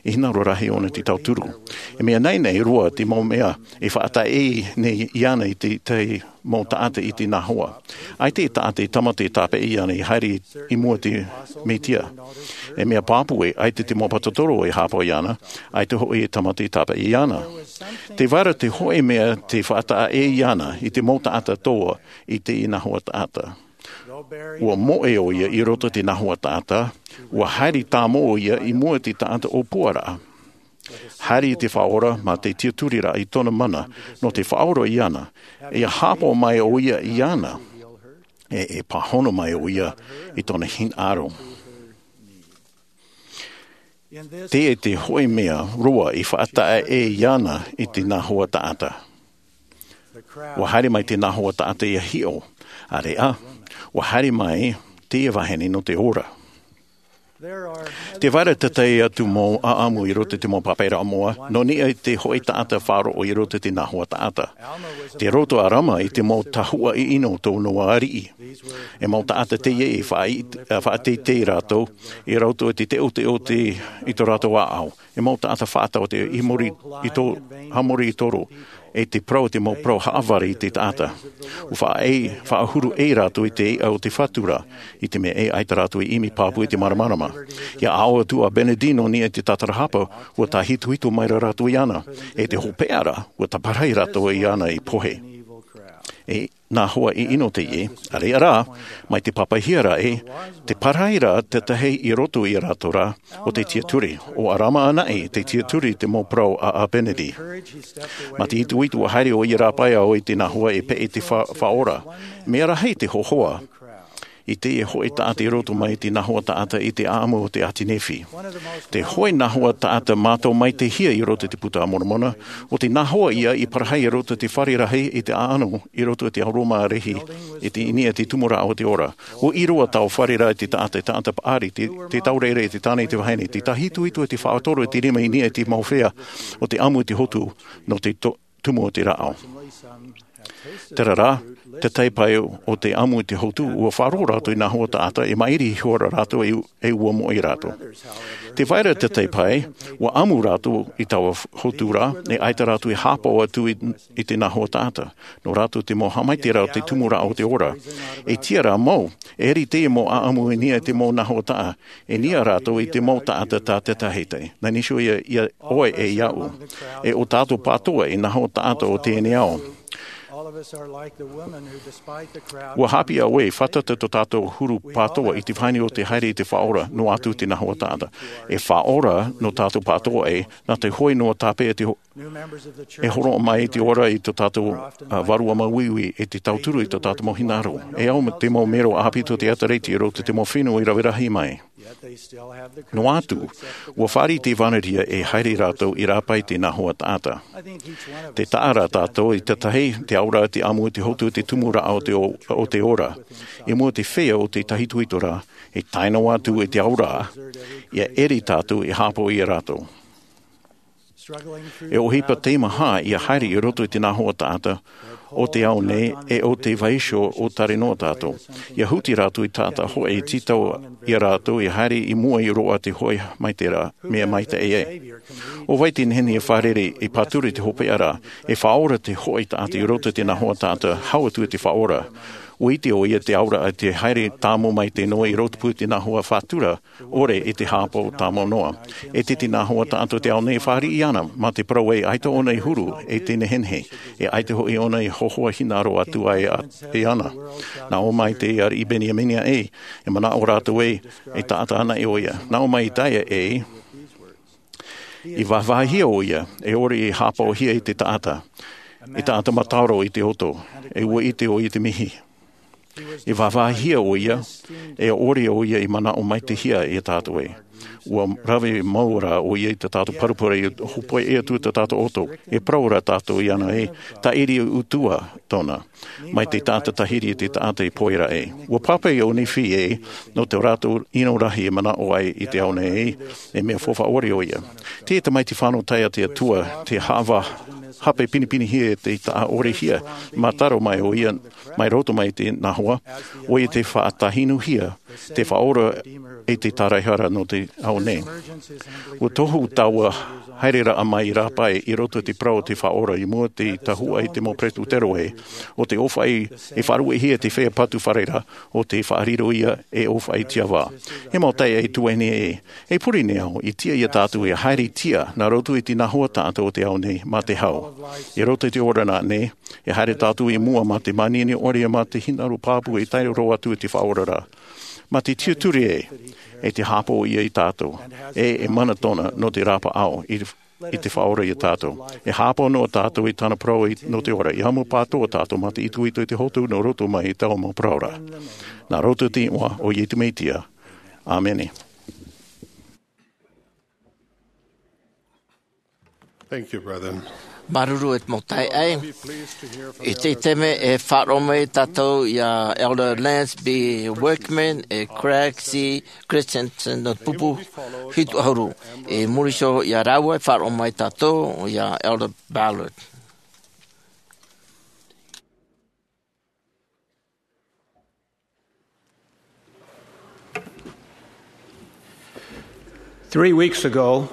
E hinaʻaro rahi ʻōna te tauturu. E mea nainai roa te mau mea e faʻataʻa nei iāna i te, te mau taʻata i te nahua. ʻAita e taʻata e tāmata e tāpeʻa iāna i haere i mua i te Mesia. E mea pāpū ē, ʻaita te mau ʻāpōsetolo e haʻapaʻo iāna, ʻaita hoʻi e tāmata e tāpeʻa iāna. Tē vai ra te hōʻē mea tei faʻataʻa iāna i te mau taʻata atoʻa i te nahua taʻata. ʻUa moʻe ʻoia i roto i te nahua taʻata, ʻua haere tāmau ʻoia i mua i te taʻata ʻōpuaraʻa. Haere i te Faʻaora mā te tiʻaturiraʻa i tōna mana, nō te faʻaora iāna, e haʻapaʻo mai ʻoia iāna, e, e pāhono mai ʻoia i tōna hinaʻaro. Teie te hōʻē mea roa i faʻataʻa iāna i te nahua taʻata. ʻUa haere mai te nahua taʻata ʻia hiʻo, ʻāreʻa, ʻua haere mai teie vahine nō te ora. Te vai ra te tahi atu mau ʻaʻamu i roto i te mau pāpaʻiraʻa moʻa, nō niʻa i te hoʻi taʻata faʻaroʻo i roto i te nahua taʻata. Te roto ʻo Alma i te mau tahuʻa ʻino tō noa ariʻi. E mau taʻata teie i faʻaʻit-, ā, faʻateitei rātou, i roto i te teʻoteʻo te, i tō rātou ʻāʻau. E mau taʻata faʻataʻotaʻo i muri i tō, haʻamori i tō rō, e te parau, te mau parau haʻavare i te taʻata. ʻUa faʻaʻē, faʻahuru ʻē rātou i te iʻa o te fatu ra, i te mea ē ʻaita rātou i ʻimi pāpū i te māramarama. ʻIa aʻo atu ʻo Bernardino nō niʻa i te tātarahapa, ʻua tāhitohito maira rātou iāna, e te hopeʻa ra, ʻua tāparahi rātou iāna i pohe. E nahua ʻino teie, ʻareʻa rā, mai te pāpaʻihia ra ē, te parahi ra te tahi i roto ia rātou ra, ʻo te tiaturi, ʻo Alma anaʻe te tiaturi i te mau parau a, a Bernardino. Mā te itoito ʻua haere ʻoia i rāpae ʻo ia i te nahua e peʻe te fa-, faʻaora. Mea rahi te hōhoʻa i teie hoʻi taʻata i roto mai i te nahua taʻata i te ʻaʻamu o te ʻāti Nephi. Te hoʻi nahua taʻata mātau maitaʻihia i roto i te Puta a Moromona, ʻo te nahua ia i parahi i roto i te fare rahi i te ʻaʻano i roto i te ao Roma rahi, i te, i niʻa i te tumu raʻa o te ora. ʻUa ʻīrava taua fare ra i te taʻata, taʻata paʻari, te, te taureʻareʻa, te tāne, te vahine, te tāhitohito, te faʻatoro, te rima i niʻa i te mau feiā o te ʻamu i te hotu, nō te to-, tumu o te rāʻau. Terā rā, te tahi pae o te ʻamu i te hotu, ʻua faʻaroʻo rātou i nahua taʻata, e maʻiri iho ra rātou e, e ʻua moʻe rātou. Te vai ra te tahi pae, ʻua ʻamu rātou i taua f-, hotu ra, e ʻaita rātou i haʻapaʻo atu i, i te nahua taʻata. Nō rātou te mau haʻamaitaʻiraʻa o te tumu raʻa o te ora. E tiʻa rā mau, e ʻere teie mau ʻaʻamu i niʻa i te mau nahua taʻata, e niʻa rātou i te mau taʻata tā te tahi tahi. Nā niʻa iho ia, ia ʻoe e iaʻu. E ʻo tātou pātoa e nahua taʻata o teie nei ao. ʻUa haʻapiʻi ʻoe, fātata tō tātou huru pātoa i te vahine o te haere i te faʻaora, noa atu te nahua taʻata. E faʻaora nō tātou pātoa ē, nā te hoʻi noa tāpeʻa te ho-, e hōroʻa mai i te ora i tō tātou, ā, vārua māuiui, e te tauturu i tō tātou mau hinaʻaro. E au te mau mero ʻāpī tō te ʻĒtārētia i roto i te mau fenua i rave rahi mai. Noa atu, ʻua fāriʻi te ʻevanelia e haere rātou i rāpae i te nahua taʻata. Tē taʻa ra tātou i te tahi, te auraʻa, te ʻamu, te hotu, te tumu raʻa o te o-, o te ora. I mua i te feiā o te tāhitohito ra, e tae noa atu i te auraʻa, ʻia ʻere tātou e haʻapaʻo ia rātou. E ʻohipa teimaha ʻia haere i roto i te nahua taʻata o te ao nei e ʻo te vaiiho ʻo Tare noa tātou. ʻIa huti rātou i taʻata hoʻi e tītau ia rātou ʻia haere i mua i roaʻa te hoʻi mai terā mea maitaʻi ē. ʻO vai te nehenehe e fārerei e pāturu i te hopeʻa ra, e faʻaora te hoʻi taʻata i roto i te nahua taʻata, hau atu i te faʻaora. ʻUa ʻite ʻoia te auraʻa te haere tāmau mai te noa i rotopū i te nahua fatu ra, ʻore i te haʻapaʻo tāmau noa. E te, te nahua taʻata o te ao nei e fāriʻi ana, mā te parau ē ʻaita ʻōna i huru, e te nehenehe, e ʻaita hoʻi ʻōna i hōhoʻa hinaʻaro atu ai a, e ana. Nā ʻō mai te ariʻi Beniamina ē, e manaʻo rātou ē, e taʻata anaʻe ʻoia. Nā ʻō mai Isaia ē, i vāvāhia ʻoia, e ʻore i haʻapaʻohia i te taʻata, e taʻata mataʻaro i te ʻoto, e ʻua ʻite ʻoia i te mihi. I vāvāhia ʻoia, e ʻore ʻoia i manaʻo maitaʻihia ia tātou ē. ʻUa rave mau rā ʻoia i tā tātou parapara i hōpoiʻa atu i tā tātou ʻoto. E parau ra tātou iāna ē, tāʻiri utuʻa tōna, mai te taʻata tahiri i te taʻata i pohe ra ē. ʻUa pāpaʻi ʻo Nephi ē, nō tō rātou ʻino rahi e manaʻo ai i te ao nei ē, e mea faufaʻa ʻore ʻoia. Te tamaiti fānau taeaʻe a te Atua, tē haʻavā-, hape pinepinehia e te taʻa ʻorehia, mātaro mai ʻoia, mai roto mai te nahua, ʻoia tē faʻatahinuhia, tē faʻaora e te tāraehara nō te ao nei. ʻUa tohu taua haereraʻa mai i rāpae i roto i te parau o te Faʻaora i mua i te tahuʻa i te mau Peretuteroe, ʻo te ʻōfaʻi e faʻaruʻehia te feiā patu fare ra, ʻo te faʻariro ia e ʻōfaʻi tiʻavā. E mau taeaʻe tuahine ē, e pure nei au, i tiʻa ia tātou e haere tiʻa, nā roto i te nahua taʻata o te ao nei, mā te hau. I roto i te ora nā nei, e haere tātou i mua mā te manihini ʻore mā te hinaʻaro pāpū e tae roa atu i te Faʻaora ra. Mā te tiaturi ē, e te haʻapaʻo ia ia tātou, e, e mana tōna nō te rāpaʻau, i, i te Faʻaora ia tātou. E haʻapaʻo noa tātou i tāna parau i, nō te ora, ʻia ʻamu pātoa tātou mā te itoito i te hotu nō roto mai i taua mau parau ra. Nā roto i te iʻoa o Iesu Mesia. ʻĀmene. Thank you, brother. Māuruuru e te mau taeaʻe. I teie taime e faʻaroʻo mai tātou iā Elder Lance B. Wickman e Craig C. Christensen nō te pupu hitu ʻahuru. I muri iho iā rāua e faʻaroʻo mai tātou iā Elder Ballard. Three weeks ago,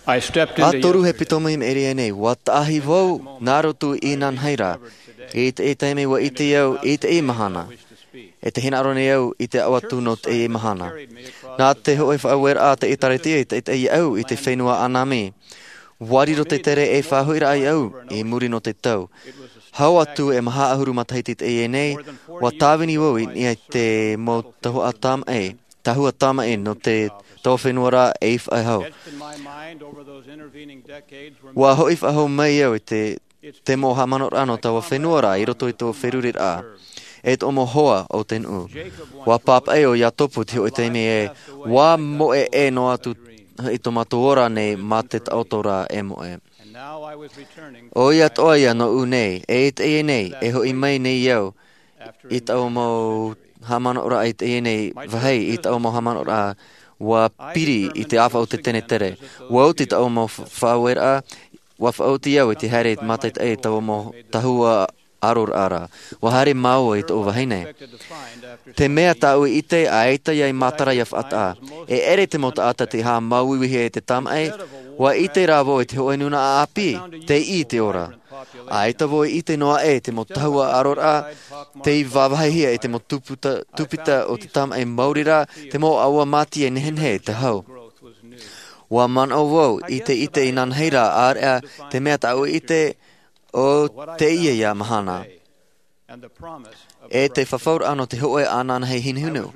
I stepped into... ʻA toru e pito mai i maʻiri aʻe nei, ʻua taʻahi vau nā roto i Nanahira. I teie taime ʻua ʻite au i teie mahana, e te hinaʻaro nei au i te aʻo atu nō teie mahana. Nā te hōʻē faʻaueraʻa a te ʻĒtārētia i taʻitaʻi iāʻu i te fenua ʻĀnami. ʻUa riro te tere e faʻahoʻiraʻa iāʻu i muri nō te tau. Hau atu e maha ʻahuru matahiti i teie nei, ʻua tāvini vau i niʻa i te mau tahua tāmaʻi, tahua tāmaʻi nō te, taua fenua ra e faʻahou. ʻUa hoʻi faʻahou mai au i te, te mau haʻamanaʻoraʻa nō taua fenua ra i roto i tō feruriraʻa, e tō mau hoa o te nuʻu. ʻUa pāpaʻi ʻo Iakobo i te hōʻē taime ē, ʻua moʻe ʻē noa atu i tō mātou ora nei mā te taʻoto ra e moʻe. ʻO ia atoʻa ia nōʻu nei, e i teie nei, e hoʻi mai nei au, i taua mau haʻamanaʻoraʻa i teie nei vāhi, i taua mau haʻamanaʻoraʻa ʻua piri i te ʻāfaʻi o te tenetere. ʻUa oti taua mau fa-, faʻaueraʻa, ʻua faʻaoti au i te haere i te mātaʻitaʻi i taua mau tahua ʻaroraʻa ra. ʻUa haere māua i tōʻu vahine. Te mea tāʻu i ʻite, ʻaita ia i matara ia faʻataʻa. E ʻere te mau taʻata tei haʻamāuiuihia e te tāmaʻi, ʻua ʻite rā vau i te hōʻē nūnaʻa ʻāpī, tei ʻī i te ora. ʻAita vau i ʻite noa aʻe te mau tahua ʻaroraʻa, tei vāvāhihia e te mau tūputa-, tūpita o te tāmaʻi maori rā, te mau ʻāua māti e nehenehe te hau. ʻUa manaʻo vau i te ʻite i Nanahira, ʻāreʻa te mea tāʻu i ʻite, ʻo teie ia mahana. E te fafauraʻa nō te hōʻē ananahi hinuhinu.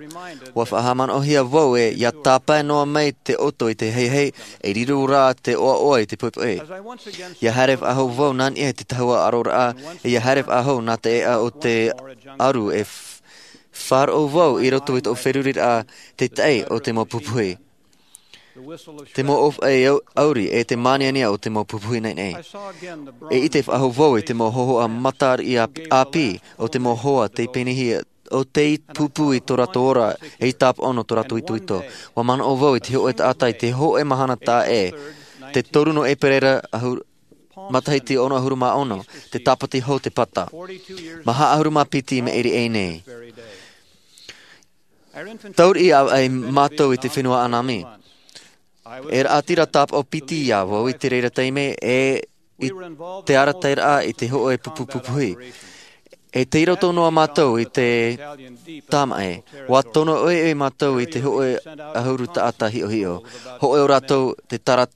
ʻUa faʻahaʻamanaʻohia vau ē, ʻia tāpae noa mai te ʻoto i te heihei, e riro rā te ʻoaʻoa i te poʻipoʻi. ʻIa haere faʻahou vau nā niʻa i te tahua ʻaroraʻa, e ʻia haere faʻahou nā te ʻēʻa o te ʻaru e f-, faʻaroʻo vau i roto i tōʻu feruriraʻa te taʻi o te mau pupuhi. Te mau ʻōfaʻi au-, ʻauri e te māniania o te mau pupuhi naʻinaʻi. E ʻite faʻahou vau i te mau hōhoʻa matariʻi ʻāpī, ʻāpī o te mau hoa tei penihia, ʻo tei pūpū i tō rātou ora, e i tāpaʻo nō tō rātou itoito. ʻUa manaʻo vau i te hōʻē taʻata i te hōʻē mahana taʻa ʻē, te toru nō ʻEperēra ʻahu-, matahiti ono ʻahuru mā ono, te tāpati hou te pata. Maha ʻahuru mā piti i maʻiri aʻe nei. Tauriʻi ʻāvaʻe mātou i te fenua ʻĀnami. E raʻatira tāpaʻo piti ia vau i te reira taime, e i te arataʻiraʻa i te hōʻē pupu pupuhi. E tei roto noa mātou i te tāmaʻi. ʻUa tono ʻoiʻoi mātou i te hōʻē ʻahuru taʻata hiʻohiʻo. Hōʻē o rātou te tara-,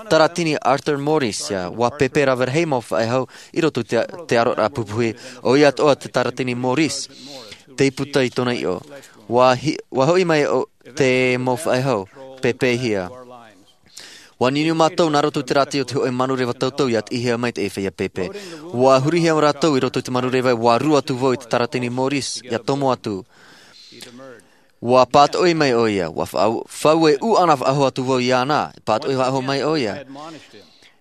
Taratini Arthur Morris, ʻia, ʻua pēpē rave rahi mau faʻehau i roto i te, te aroraʻa pupuhi, ʻo ia atoʻa te Taratini Morris, tei puta i tōna iʻo. ʻUa hi-, ʻua hoʻi mai ʻo te mau faʻehau, pēpēhia. ʻUa niuniu mātou nā roto i te rāti o te hōʻē manureva tautau ʻia tiʻihia mai te feiā pēpē. ʻUa hurihia rātou i roto i te manureva, ʻua rū atu vau i te Taratini Morris, ʻia tomo atu. ʻUa pātoʻi mai ʻo ia, ʻua fa-, fauʻe ʻūʻana faʻahou atu vau iāna, pātoʻi faʻahou mai ʻo ia.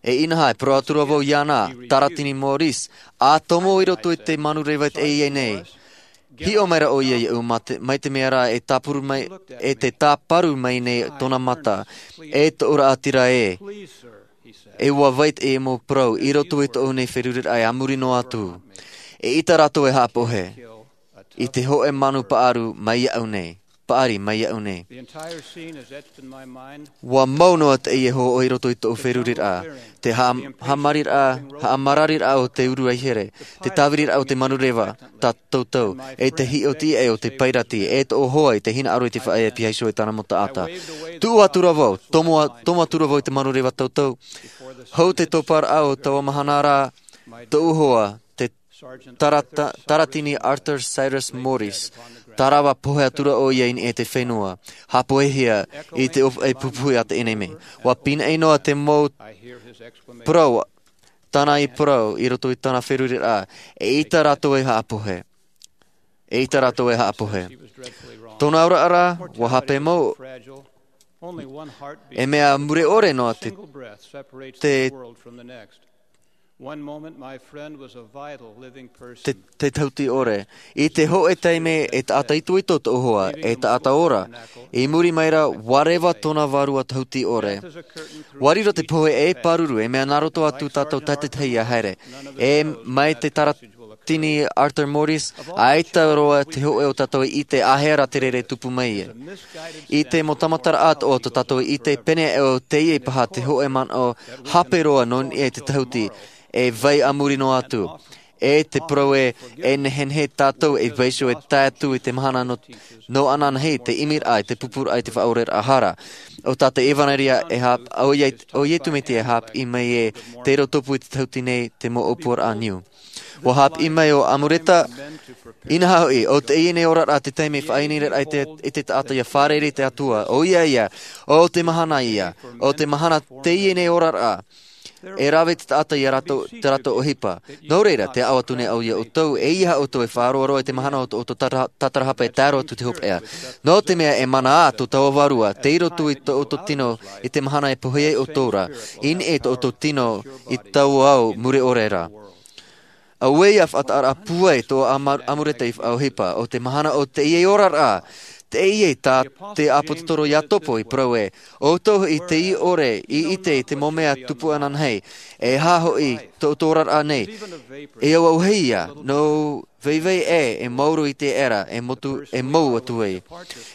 E inaha, e parau atura vau iāna, Taratini Morris, ʻa tomo i roto i te manureva i teie nei. Hiʻo mai ra ʻo ia iāʻu mā te, mai te mea rā e tāparu mai, e te tāparu mai nei tōna mata, e tōʻu raʻatira ē. E ʻua vai teie mau parau, i roto i tōʻu nei feruriraʻa e a muri noa atu. Eʻita rātou e haʻapohe. I te hōʻē manu paʻaru mai iāʻu nei, paʻari mai iāʻu nei. ʻUa mau noa teie hōhoʻa i roto i tōʻu feruriraʻa, te haʻa-, haʻamarariraʻa, haʻamarariraʻa o te uru ʻaihere, te tāviriraʻa o te manureva tautau, e te hiʻo tiʻa o te pairati, e tōʻu hoa i te hinaʻaro i te faʻaea piha iho e tāna mau taʻata. Tuʻu atura vau, tomo a-, tomo atura vau i te manureva tautau, hou te toparaʻa o taua mahana ra, tōʻu hoa, te Tarata-, Taratini Arthur Cyrus Morris, tarava pohe atura ʻo ia i niʻa i te fenua, haʻapohehia i te ʻōfaʻi pupuhi a te ʻenemi. ʻUa pīnaʻi noa te mau parau, tāna i parau i roto i tāna feruriraʻa, eʻita rātou e haʻapohe. Eʻita rātou e haʻapohe. Tōna auraʻa ra, ʻua hape mau, e mea mure ʻore noa te, te One moment, my friend was a vital living person. Te, te tahuti ʻore. I te hōʻē taime e taʻata itoito tōʻu hoa, e taʻata ora. I muri mai ra, ʻaore tōna vārua tahuti ʻore. Ua riro te pohe e pāruru, e mea nā roto atu tātou tātaʻitahi ia haere. E mai te taratini Arthur Morris, ʻaita roa te hōʻē o tātou i ʻite āhea rā te reira e tupu mai ai. I te mau tāmataraʻa atoʻa o tō tātou i ʻite, pēnei aʻe ʻo teie paha te hōʻē manaʻo hape roa nō niʻa i te tahuti, e vai a muri noa atu. E te parau ē, e nehenehe tātou e vaiiho e tae atu i te mahana nō, nō ananahi, te ʻimiraʻa, i te pupuraʻa, i te faʻaoreraʻa hara. ʻO tā te ʻevanelia e hāp-, ʻo Ie-, ʻo Iesu Mesia e hāpiʻi mai ē, tei roto pū i te tahuti nei, te mau ʻōpuaraʻa niu. Ua hāpiʻi mai ʻo Amuleta, inaha hoʻi, ʻo teie nei oraraʻa te taime e faʻaineineraʻa i te, i te taʻata ia fārerei i te Atua, ʻoia ia, ʻo te mahana ia, ʻo te mahana teie nei oraraʻa, e rave te taʻata ia rātou, te rātou ʻohipa. Nō reira, tē aʻo atu nei au ia ʻoutou, ʻeiaha ʻoutou e faʻaroaroa i te mahana o tō, o tō tātara-, tātarahapa e tae roa atu te hopeʻa. Nō te mea e mana ā tō tāua vārua, tei roto i tō ʻoutou tino i te mahana e pohe ai ʻoutou ra, i niʻa i tō ʻoutou tino i taua ao mure ʻore ra. Auē ia faʻataʻaraʻa pūai tō Ama-, Amuleta i faʻaʻohipa, ʻo te mahana o teie oraraʻa, teie tā te ʻāpōsetolo Iakobo i parau ē, ʻoutou hoʻi tei ʻore i ʻite i te mau mea tupu ananahi, e aha hoʻi tō ʻoutou oraraʻa nei, e auahi ia, nō vaivai ē, e maoro i te ʻera, e motu, e mau atu ai.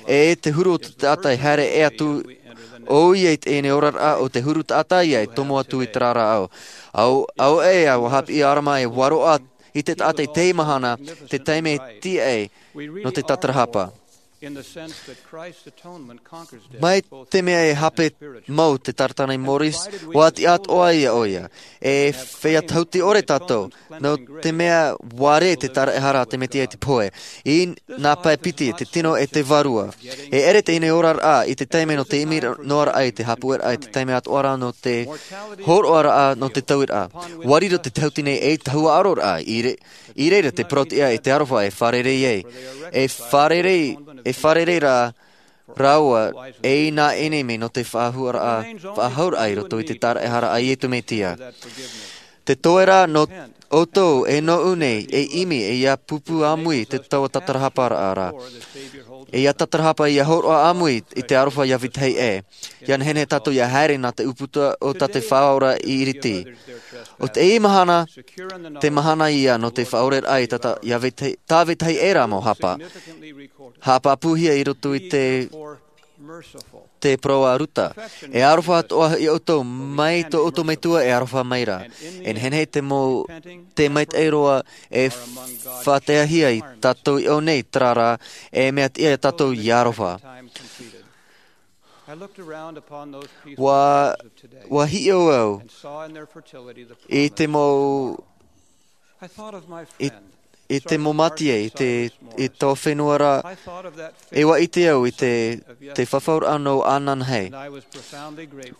E te huru o te taʻata e haere e atu, ʻoia i teie nei oraraʻa, ʻo te huru taʻata ia e tomo atu i terā ra ao. Ao, ao ē, ʻua hāpiʻi ʻo Alama e ua roaʻa i te taʻata i teie mahana, te taime e tiʻa ai nō te tātarahapa. Mai te mea e hape mau te taratini Morris, ua tiʻa atoʻa ia ʻoia. E feiā tahuti ʻore tātou, nō te mea ua rē te tāraʻehara a te Mesia i te pohe. I nā pae piti, te tino e te vārua. E ʻere teie nei oraraʻa i te taime nō te ʻimi noa ra i te haʻapuʻeraʻa, i te taime atoʻa ra nō te hōroʻaraʻa nō te tauiraʻa. Ua riro te tahuti nei ei tahuʻaroraʻa, i re-, i reira te parau-tiʻa e te aroha e fārerei ai. E fārerei, e fārerei rā rāua ei nā ʻenemi nō te faʻahauraʻa, faʻahauraʻa i roto i te tāraʻehara a Iesu Mesia. Te toe ra nō ʻoutou e nōʻu nei e ʻimi e ia pūpū ʻāmui i te taua tātarahaparaʻa ra. E ia tātarahapa ia hōroʻa ʻāmui i te aroha ia vetahi ʻē. Ia nehenehe tātou ia haere nā te ʻūputa o tā te Faʻaora i iriti. ʻO teie mahana, te mahana ia nō te faʻaoreraʻa i tā, tā, ia vetahi, tā vetahi ʻē ra mau hapa. Haʻapāpūhia i roto i te, te parau a Ruta. E aroha atoʻa ia ʻoutou mai tō ʻoutou Metua e aroha mai ra. E nehenehe te mau, te maitaʻi roa e faʻataehia ia tātou i ʻō nei terā rā, e mea tiʻa ia tātou ia aroha. Ua, ua hiʻo au i te mau, i, i te mau mātie, i te, i tō fenua ra, e ua ʻite au i te, te fafauraʻa nō ananahi.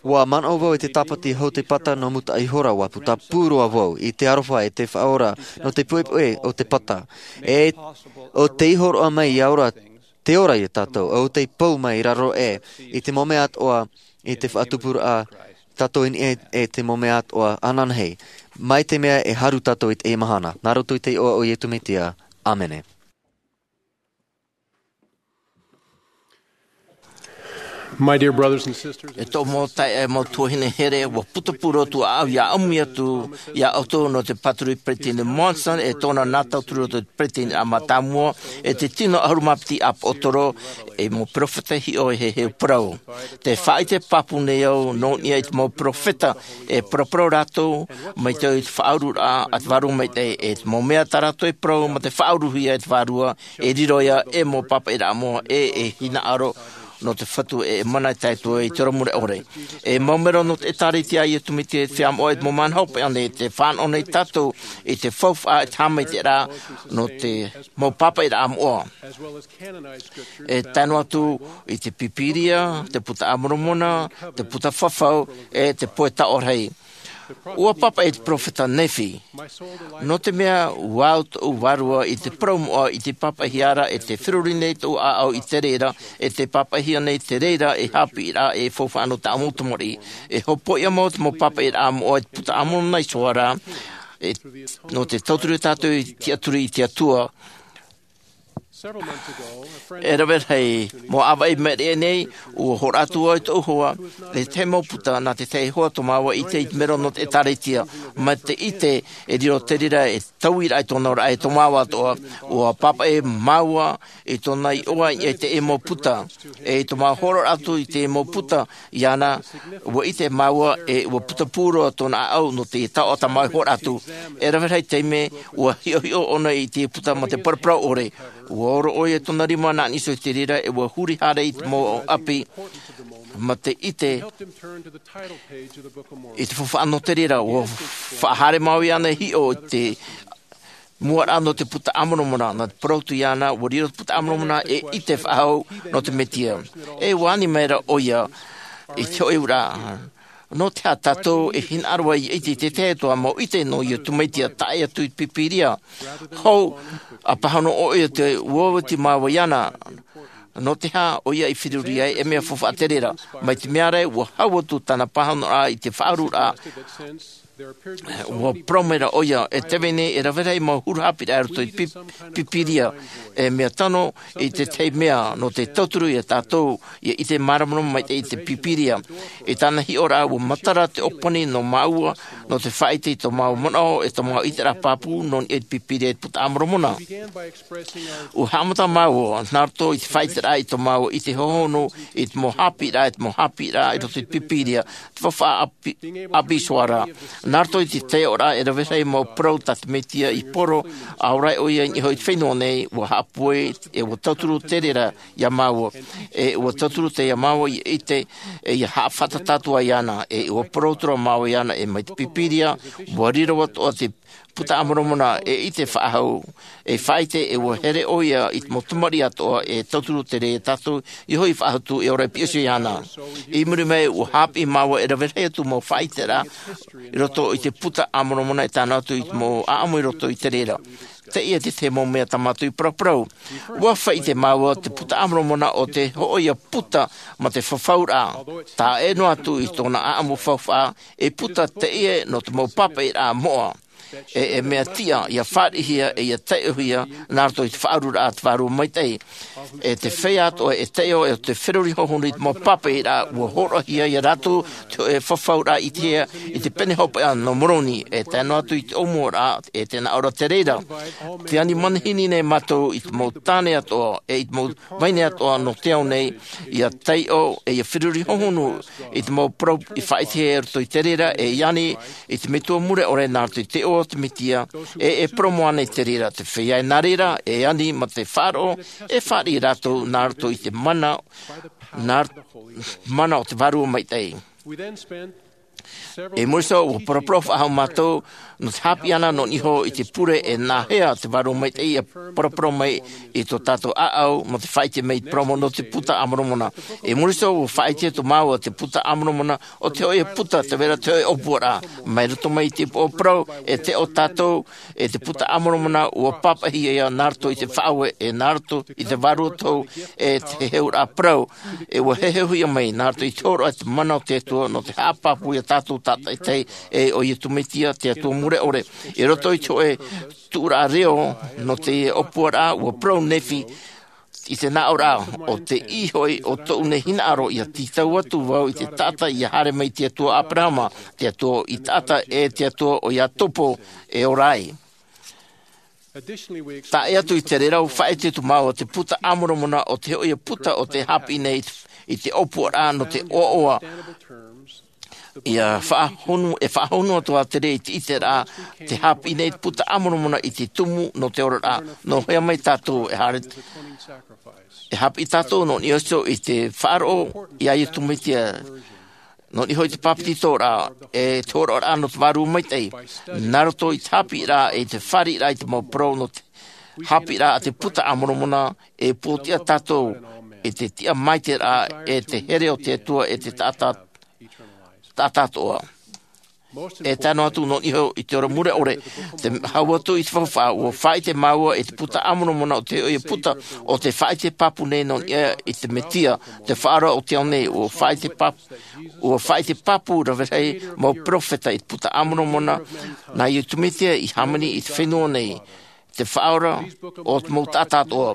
Ua manaʻo vau i te tāpati hau te pata nō Mutaʻaihora, ua putapū roa vau i te aroha e te Faʻaora nō te poʻipoʻi o te pata. E, ʻo tei hōroʻa mai ia ora, te ora ia tātou, ʻo tei pou mai i raro ē, i te mau mea atoʻa, i te faʻatupuraʻa, tātou i niʻa i te mau mea atoʻa, ananahi, mai te mea e haru tātou i teie mahana, nā roto i te iʻoa o Iesu Mesia. ʻĀmene. My dear brothers and sisters, e tō mau taeaʻe, mau tuahine here, ua putapū roa atu au ia ʻāmui atu ia ʻoutou nō te pāturu peresideni Monson, e tōna nā tauturu o te peresideni a mātāmua, e te tino ʻahuru mā piti ʻāpōsetolo, e mau perofeta hiʻo e heheu parau. Te faʻaʻite pāpū nei au, nō niʻa i te mau perofeta, e paraparau rātou, mai te faʻaururaʻa a te Vārua Maitaʻi, e te mau mea tā rātou e parau, mā te faʻauruhia e te Vārua, e riro ia, e mau pāpaʻiraʻa moʻa, e, e hinaʻaro, nō te Fatu e, e mana e tae atu i te ora mure ʻore. E mau melo nō te ʻĒtārētia a Iesu Mesia i te Feiā Moʻa i te mau mahana hopeʻa nei, tē fānaʻo nei tātou i te faufaʻa, i te haʻamaitaʻiraʻa, nō te mau pāpaʻiraʻa moʻa. E tae noa atu i te Pīpīria, te Buka a Moromona, te Buka Fafau, e te Pohe Taʻorahi. ʻUa pāpaʻi te perofeta Nephi. Nō te mea, ʻua au tōʻu vārua i te parau moʻa i te pāpaʻihia ra, e tē feruri nei tōʻu ʻāʻau i te reira, e tē pāpaʻihia nei te reira, e haʻapiʻiraʻa, e faufaʻa nō tāʻu mau tamariʻi. E hopoiʻa mau te mau pāpaʻiraʻa moʻa i te Buka a Moromona i te hoʻi ra, E, nō te tauturu tātou i te tiʻaturi i te Atua. E rave rahi mau ʻāvaʻe i maʻiri aʻe nei, ua hōroʻa atu vau i tōʻu hoa, e te mau puta nā te tahi hoa tō māua i ʻite i te mero nō te ʻĒtārētia, mā te ʻite e riro te reira e taui raʻa i tōna auraʻa e tō māua atoʻa, ua pāpaʻi māua i tōna iʻoa i te mau puta, e i tō māua hōroʻa atu i te mau puta, iāna, ua ʻite māua e ua putapū roa tōna ʻāʻau nō te taoʻa tā māua i hōroʻa atu. E rave rahi taime, ua hiʻohiʻo ʻōna i te puta mā te paraparau ʻore. Ua oro ʻoia i tōna rima nā niʻa iho i te reira, e ua huri haere i te mau ʻapi, mā te ʻite i te faufaʻa nō te reira, ua faʻahaere māua iāna e hiʻo i te mua raʻa nō te puta a Moromona, nā te parau atu iāna, ua riro te puta a Moromona e ʻite faʻahou nō te Mesia. E ua ani mai ra ʻoia i te hoʻi auraʻa. Nō te aha tātou e hinaʻaro ai i te tahi atu mau ʻite nō Iesu Mesia, tae atu i te Pīpīria? Hou, ʻa pāhono ʻoia te ua oti māua iāna. Nō te aha ʻoia i feruri ai, e mea faufaʻa te reira. Mai te mea ra, ua hau atu tāna pāhonoraʻa i te faʻaaruraʻa. Ua parau mai ra ʻoia, e te vai nei, e rave rahi mau huru haʻapiʻiraʻa i roto i te Pī-, Pīpīria. E mea tano i te tahi mea, nō te tauturu ia tātou, ʻia ʻite māramarama maitaʻi i te Pīpīria. I tāna hiʻoraʻa, ua matara te ʻōpani nō māua, nō te faʻaʻite i tō māua manaʻo, e tō māua ʻiteraʻa pāpū, nō niʻa i te Pīpīria e te puta a Moromona. Ua haʻamata māua, nā roto i te faʻaʻiteraʻa i tō māua ʻite hohonu, i te mau haʻapiʻiraʻa, i te mau haʻapiʻiraʻa, i roto i te Pīpīria, te faufaʻa ʻapi-, ʻapi Soara. Nā roto i te taiʻoraʻa e rave rahi mau parau tā te Mesia i poro, ʻaore ʻoia i niʻa iho i te fenua nei, ua haʻapūai, e ua tauturu te reira ia māua. E ua tauturu te ia māua ʻia ʻite, e ʻia haʻafātata atu ai iāna, e ua parau atu ra māua iāna, e mai te Pīpīria, ua riro atoʻa te puta a Moromona, e ʻite faʻahou, e faʻaʻite, e ua here ʻoia i te mau tamariʻi atoʻa, e tauturu te reira ia tātou, ʻia hoʻi faʻahou atu, e ora i piha iho iāna. I muri mai, ua haʻapiʻi māua e rave rahi atu mau faʻaʻiteraʻa, i roto i te puta a Moromona e tae noa atu i te mau ʻāʻamu i roto i te reira. Teie te tahi mau mea tā mātou i paraparau. Ua faʻaʻite māua te puta a Moromona ʻo te hōʻē puta mā te fafauraʻa. Tae noa atu i tōna ʻāʻamu faufaʻa, e puta teie nō te mau pāpaʻiraʻa moʻa. E, e mea tiʻa, ʻia fāriʻihia, e ʻia taiʻohia, nā roto i te faʻaaruraʻa a te Vārua Maitaʻi. E te feiā atoʻa e taiʻo, e ʻo te feruri hohonu i te mau pāpaʻiraʻa, ua hōroʻahia ia rātou, te hōʻē fafauraʻa i te hea, i te pene hopeʻa nō Moroni, e tae noa atu i te ʻōmuaraʻa, e tē nā ʻō ra te reira. Tē ani manihini nei mātou i te mau tāne atoʻa, e i te mau vahine atoʻa nō te ao nei, ʻia taiʻo, e ʻia feruri hohonu, i te mau parau i faʻaʻitehia i roto i te reira, e ani, i te metua mure ʻore nā roto i te iʻoa o te Mesia, e, e parau noa nei te reira, te feiā e nā reira, e ani mā te faʻaroʻo, e fāriʻi rātou nā roto i te mana, nā roto, mana o te Vārua Maitaʻi. I muri iho, ua paraparau faʻahou mātou, nō te haʻapiʻiraʻa nō niʻa iho i te pure e nāhea te Vārua Maitaʻi ʻia paraparau mai i tō tātou ʻāʻau, mā te faʻaʻite mai i te parau nō te puta a Moromona. I muri iho, ua faʻaʻite atu māua te puta a Moromona, ʻo te hōʻē puta, tē vai ra te hōʻē ʻōpuaraʻa. Mai roto mai i te upoʻo parau, e taiʻo tātou, e te puta a Moromona, ua pāpaʻihia ia nā roto i te faʻaue, e nā roto i te Vārua Tohu, e te heheuraʻa parau, e ua heheuhia mai, nā roto i te hōroʻa te mana o te Atua, nō te haʻapāpū ia tātou tātaʻitahi, e ʻo Iesu Mesia, te Atua mure ʻore. I roto i te hōʻē tuʻuraʻa reo, nō te ʻōpuaraʻa, ua parau Nephi, i te nā ʻō ra, ʻo tei hoʻi ʻo tōʻu nei hinaʻaro ʻia tītau atu vau i te taʻata ʻia haere mai te Atua o Aberahama, te Atua i taʻata e te Atua o Iakobo e ora ai. Tae atu i te reira ua faʻaʻite atu māua te puta a Moromona ʻo te hōʻē puta ʻo tē haʻapiʻi nei i te ʻōpuaraʻa nō te ʻoaʻoa. ʻIa faʻahonu, e faʻahonu atu ā te reira i te ʻiteraʻa, tē haʻapiʻi nei te puta a Moromona i te tumu nō te oraraʻa, nō hea mai tātou e haere, e haʻapiʻi tātou nō niʻa iho i te faʻaroʻo ia Iesu Mesia, nō niʻa iho i te pāpetitoraʻa, e te hōroʻaraʻa nō te Vārua Maitaʻi, nā roto i te haʻapiʻiraʻa, e te fāriʻiraʻa i te mau parau nō te haʻapiʻiraʻa a te puta a Moromona, e pōtiʻa tātou, e te tiʻa maitaʻiraʻa, e te here o te Atua, e te taʻata, taʻata atoʻa. E tae noa atu nō niʻa iho i te ora mure ʻore, te hau atu i te faufaʻa, ʻua faʻaʻite māua i te puta a Moromona o te hōʻē puta o tē faʻaʻite pāpū nei nō niʻa i te Mesia, te Faʻaora o te ao nei, ʻua faʻaʻite pāpū, ʻua faʻaʻite pāpū rave rahi mau peropheta i te puta a Moromona, nā Iesu Mesia i hāmani i te fenua nei, te Faʻaora o te mau taʻata atoʻa.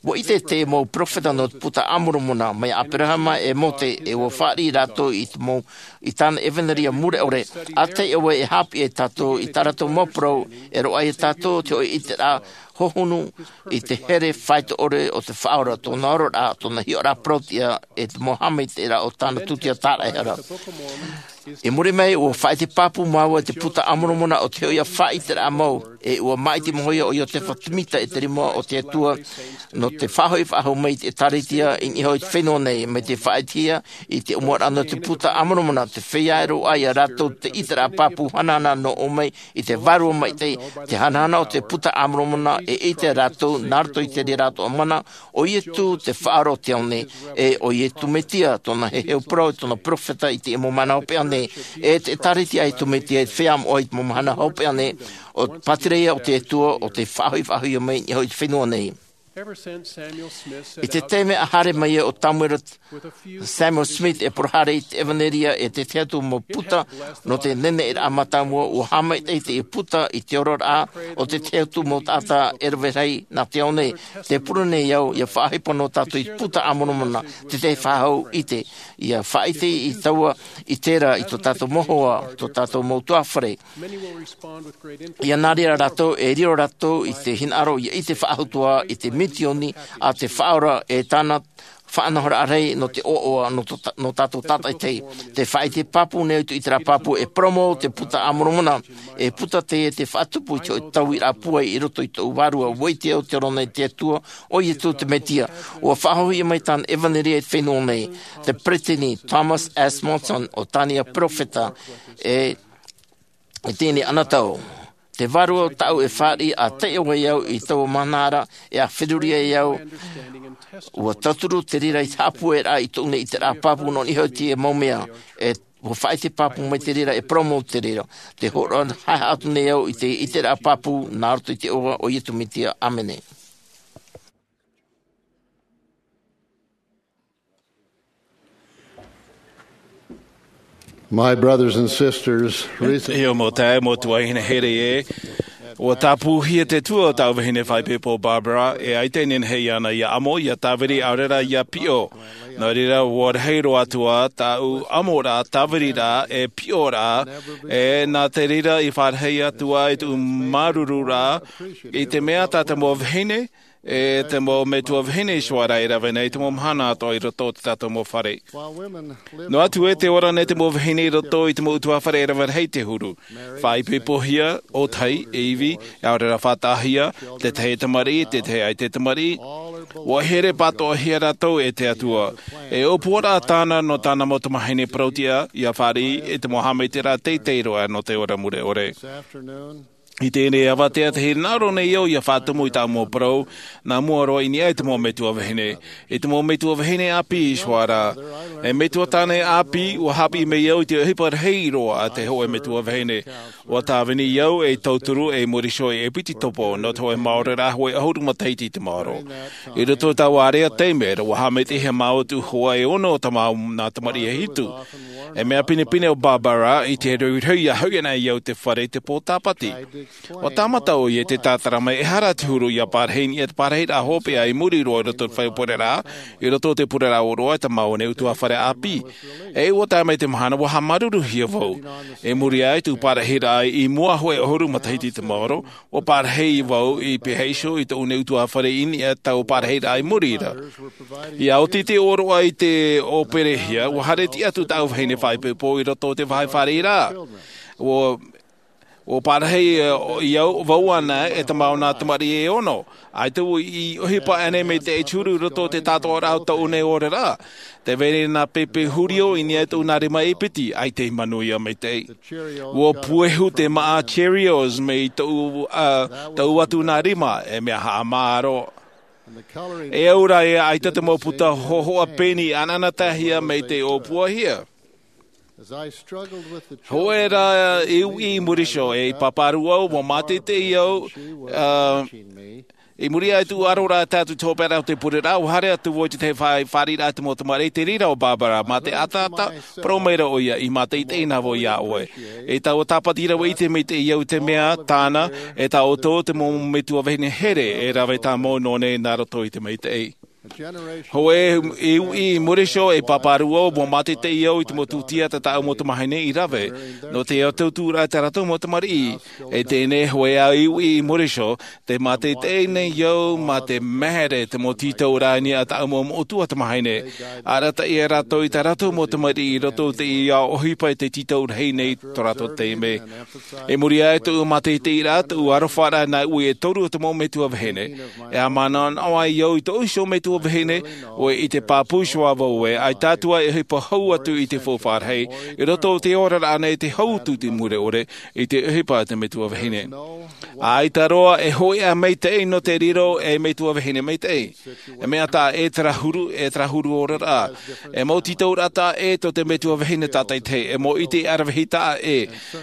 ʻUa ʻite te mau peropheta nō te puta a Moromona, mai iā Aperahama e Mōse, e ʻua fāriʻi rātou i te mau, i tāna ʻevanelia mure ʻore, ʻa taʻi ʻoe e haʻapiʻi iā tātou i tā rātou mau parau, e roaʻa iā tātou te hōʻē ʻiteraʻa hohonu i te here faito ʻore o te Faʻaora, tōna ororaʻa, tōna hiʻoraʻa parau-tiʻa, e te mau haʻamaitaʻiraʻa o tāna tūtia tāraʻehara. I muri mai, ʻua faʻaʻite pāpū māua i te puta a Moromona o te hōʻē faʻaʻiteraʻa mau, e ʻua māʻiti mau ʻoia ʻo Iosefa Semita e te rima o te Atua, nō te faʻahoʻi faʻahou mai i te ʻĒtārētia i niʻa iho i te fenua nei, mai te faʻaʻitehia i te ʻōmuaraʻa nō te puta a Moromona, te feiā e roaʻa iā rātou te ʻiteraʻa pāpū hanahana nō ʻō mai i te Vārua Maitaʻi, te hanahana o te puta a Moromona, e ʻite rātou, nā roto i te reira atoʻa mana, ʻo Iesu te Faʻaora o te ao nei, e ʻo Iesu Mesia, tōna heheu parau, tōna peropheta i te mau mahana hopeʻa nei, e te ʻĒtārētia a Iesu Mesia, e te feiā moʻa i te mau mahana hopeʻa nei, ʻo te pātireia o te Atua, ʻo tē faʻahoʻi faʻahou mai i niʻa iho i te fenua nei. I te taime a haere mai ai ʻo Samuel Smith e parau haere i te ʻevanelia e te tahi atu mau puta nō te neneʻiraʻa mātāmua, ʻua haʻamaitaʻi te puta i te oraraʻa o te tahi atu mau taʻata e rave rahi nā te ao nei. Tē pure nei au, ʻia faʻaʻohipa noa tātou i te puta a Moromona, te tahi faʻahou ʻite, ʻia faʻaʻite i taua ʻiteraʻa i tō tātou mau hoa, tō tātou mau ʻutuāfare. ʻIa nā reira rātou, e riro rātou i te hinaʻaro, ʻia ʻite faʻahou atoʻa i te misioni a te Faʻaora e tāna faʻanahoraʻa rahi nō te ʻoaʻoa nō tō ta-, nō tātou tātaʻitahi. Tē faʻaʻite pāpū nei ʻoe i te ʻiteraʻa pāpū e parau mau te puta a Moromona, e puta teie tē faʻatupu i te hōʻē tauiraʻa pūai i roto i tōʻu vārua, ʻua ʻite au te oraraʻa nā te Atua, ʻo Iesu te Mesia. ʻUa faʻahoʻihia mai tāna ʻevanelia i te fenua nei, te peretiteni Thomas S. Monson, ʻo tāna peropheta, e, i teie nei anotau. Te Vārua tāʻu e fāriʻi, ʻa taʻi ʻoe au i taua mahana ra, e ʻa feruri ai au, ʻua tauturu te reira i te haʻapūairaʻa i tōʻu nei ʻiteraʻa pāpū nō niʻa iho i teie mau mea, e ʻua faʻaʻite pāpū mai te reira e parau mau te reira. Tē hōroʻa haʻehaʻa atu nei au i te ʻiteraʻa pāpū nā roto i te iʻoa o Iesu Mesia. ʻĀmene. My brothers and sisters, recently, E te iʻoa mau taeaʻe, mau tuahine here ē, ʻua tāpūhia te tua o tāʻu vahine faʻaipoipo Barbara, e ʻaita e nehenehe iāna ʻia ʻamo, ʻia tāviri, ʻaore rā ʻia piʻo. Nō reira, ʻua rahi roa atu ā tāʻu ʻamoraʻa, tāviriraʻa, e piʻoraʻa, e nā te reira i fāriʻi atu ā i tōʻu māuruururaʻa, i te mea tā te mau vahine, e te mau metua vahine i Suara e rave nei i te mau mahana atoʻa i roto o tā tātou mau fare. Noa atu ē tē ora nei te mau vahine i roto i te mau ʻutuāfare e rave rahi te huru. Faʻaipoipohia, ʻōtahi, e ivi, ʻaore rā faʻataʻahia, te tahi e tamariʻi, te tahi ʻaita e tamariʻi. ʻUa here pātoʻahia rātou e te Atua. E ʻōpuaraʻa tāna nō tāna mau tamāhine parau-tiʻa, ʻia fāriʻi i te mau haʻamaitaʻiraʻa teitei roa nō te ora mure ʻore. I teie nei avatea, tē hinaʻaro nei au ʻia faʻatumu i tāʻu mau parau, nā mua roa i niʻa i te mau metua vahine. I te mau metua vahine ʻāpī i Suara. E metua tāne ʻāpī, ʻua haʻapiʻi mai au i te ʻohipa rahi roa a te hōʻē metua vahine. ʻUa tāvini au ei tauturu, ei muri iho, e piti topo, nō te hōʻē maoro rā, hōʻē ʻahuru matahiti i te maoro. I roto i taua area taime ra, ʻua haʻamaitaʻihia māua i tōʻu hoa e ono o tā māua nā tamariʻi e hitu. E mea pinepine ʻo Barbara i te rohirohi ʻia hoʻi ana i au i te fare i te pō Tāpati. ʻUa tāmata ʻoia i te tātara mai, ʻehara te huru ʻia parahi i niʻa i te parahiraʻa hopeʻa i muri roa i roto i te fare pureraʻa, i roto i te pureraʻa ʻōroʻa i tā māua nei ʻutuāfare ʻāpī. E ʻua tae mai te mahana, ʻua haʻamāuruuruhia vau. I muri aʻe i tōʻu parahiraʻa i mua hōʻē ʻahuru matahiti i te maoro, ʻua parahi vau i pīhaʻi iho i tōʻu nei ʻutuāfare i niʻa i taua parahiraʻa i muri ra. ʻIa oti te ʻōroʻa i te ʻōperehia, ʻua haere tiʻa atu tāʻu vahine faʻaipoipo i roto i te vāhi fāriʻiraʻa. ʻUa, ʻua parahi, e, i au, vau ana e tā māua nā tamariʻi e ono. ʻAita vau i ʻohipa ʻānei mai te huru i roto i te tātoʻaraʻa o tōʻu nei oraraʻa. Tē vai nei nā pēpē hurio i niʻa i tōʻu nā rima e piti, ʻaita i manuia maitaʻi. ʻUa puehu te māʻa Cheerios mai tōʻu, ā, tōʻu atu nā rima, e mea haʻamāʻa roa. E au rā ē ʻaita te mau puta hōhoʻa pēni ʻanaʻanataehia mai te ʻōpuahia. Hoʻē rā i uʻi i muri iho, e pāpā rū au, ua mātaitai au, ā, i muri aʻe i tōʻu ʻaroraʻa tātou te hopeʻa o te pureraʻa, ua haere atu vau i te tahi fā-, fāriʻiraʻa te mau tamariʻi, te reira o Barbara, mā te ʻataʻata, parau maira ʻoia, i mātaitai na vau iā ʻoe. E taua tāpati rave ʻite maitaʻi au i te mea tāna, e tā ʻoutou te mau metua vahine here, e rave tāmau nō nei nā roto i te maitaʻi. Hoʻē i uʻi i muri iho, e pāpā rū au, ua mātaitai au i te mau tūtia tā tāʻu mau tamahine i rave, nō te autauturaʻa tā rātou mau tamariʻi. E teie nei hoʻē ā i uʻi i muri iho, tē mātaitai nei au mā te mahere te mau tītauraʻa i niʻa i tāʻu mau moʻotua tamahine. Arataʻi ia rātou i tā rātou mau tamariʻi i roto i te ʻohipa i te tītau rahi nei tō rātou taime. I muri aʻe i tōʻu mātaitaiʻraʻa, tōʻu arofaraʻa nā uʻi e toru o te mau metua vahine, e haʻamanaʻo ai au i tōʻu iho metua vahine, ʻoia i te pāpū iho ā vau ē, ʻaita atu ā e ʻohipa hau atu i te faufaʻa rahi, i roto i te oraraʻa nei te hau atu i te mure ʻore, i te ʻohipa a te metua vahine. ʻAita roa e hōʻē ā maitaʻi nō te riro ei metua vahine maitaʻi. E mea taʻa ʻē terā huru, e terā huru oraraʻa. E mau tītauraʻa taʻa ʻē tō te metua vahine tātaʻitahi, e mau ʻite ʻaravihi taʻa ʻē.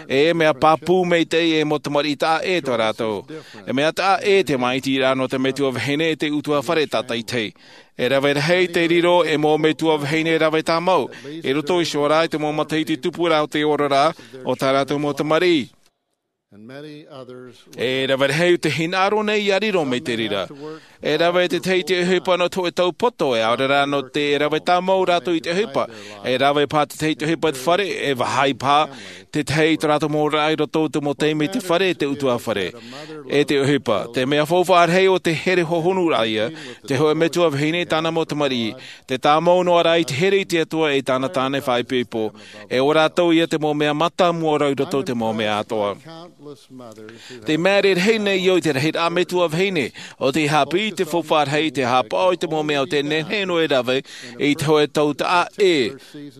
E mea pāpū maitaʻi, e mau tamariʻi taʻa ʻē tō rātou. E mea taʻa ʻē te māʻitiraʻa nō te metua vahine e te ʻutuāfare tātaʻitahi. E rave rahi te riro ei mau metua vahine rave tāmau, i roto iho rā i te mau matahiti tupuraʻa o te oraraʻa o tā rātou mau tamariʻi. E rave rahi te hinaʻaro nei ia riro mai te reira. E rave te tahi i te ʻohipa nō te hōʻē tau poto, e ʻaore rā nō te, e rave tāmau rātou i te ʻohipa. E rave paha te tahi i te ʻohipa i te fare, e vaha paha te tahi i tō rātou mau oraraʻa i roto i te mau taime i te fare, te ʻutuāfare. E te ʻohipa, te mea faufaʻa rahi o te here hohonuraʻa ia, te hōʻē metua vahine i tāna mau tamariʻi, te tāmau noa rā i te here i te Atua e tāna tāne faʻaipoipo, e ʻo rātou ia te mau mea mātāmua roa i roto i te mau mea atoʻa. Te maere rahi nei au i te rahiraʻa metua vahine, ʻo tē haʻapiʻi i te faufaʻa rahi, tē haʻapaʻo i te mau mea o tē nehenehe noa e rave, i te hōʻē tau taʻa ʻē,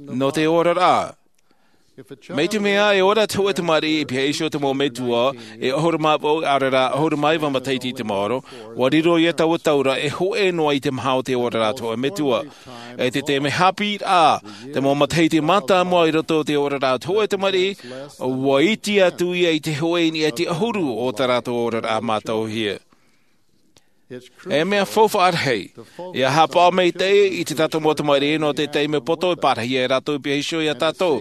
nō te oraraʻa. Mai te mea e ora te hōʻē tamariʻi i pihaʻi iho te mau metua, e ʻahuru mā vaʻu, ʻaore rā, ʻahuru mā iva matahiti i te maoro, ua riro ia taua tau ra e hōʻē noa i te maha o te oraraʻa o te hōʻē metua. E te taime haʻapiʻiraʻa, te mau matahiti mātāmua i roto i te oraraʻa o te hōʻē tamariʻi, ua iti atu ia i te hōʻē i niʻa i te ʻahuru o tā rātou oraraʻa mātauhia. E mea faufaʻa rahi, ia haʻapaʻo maitaʻi i tā tātou mau tamariʻi nō te taime poto e pārahi ai rātou i pihaʻi iho ia tātou,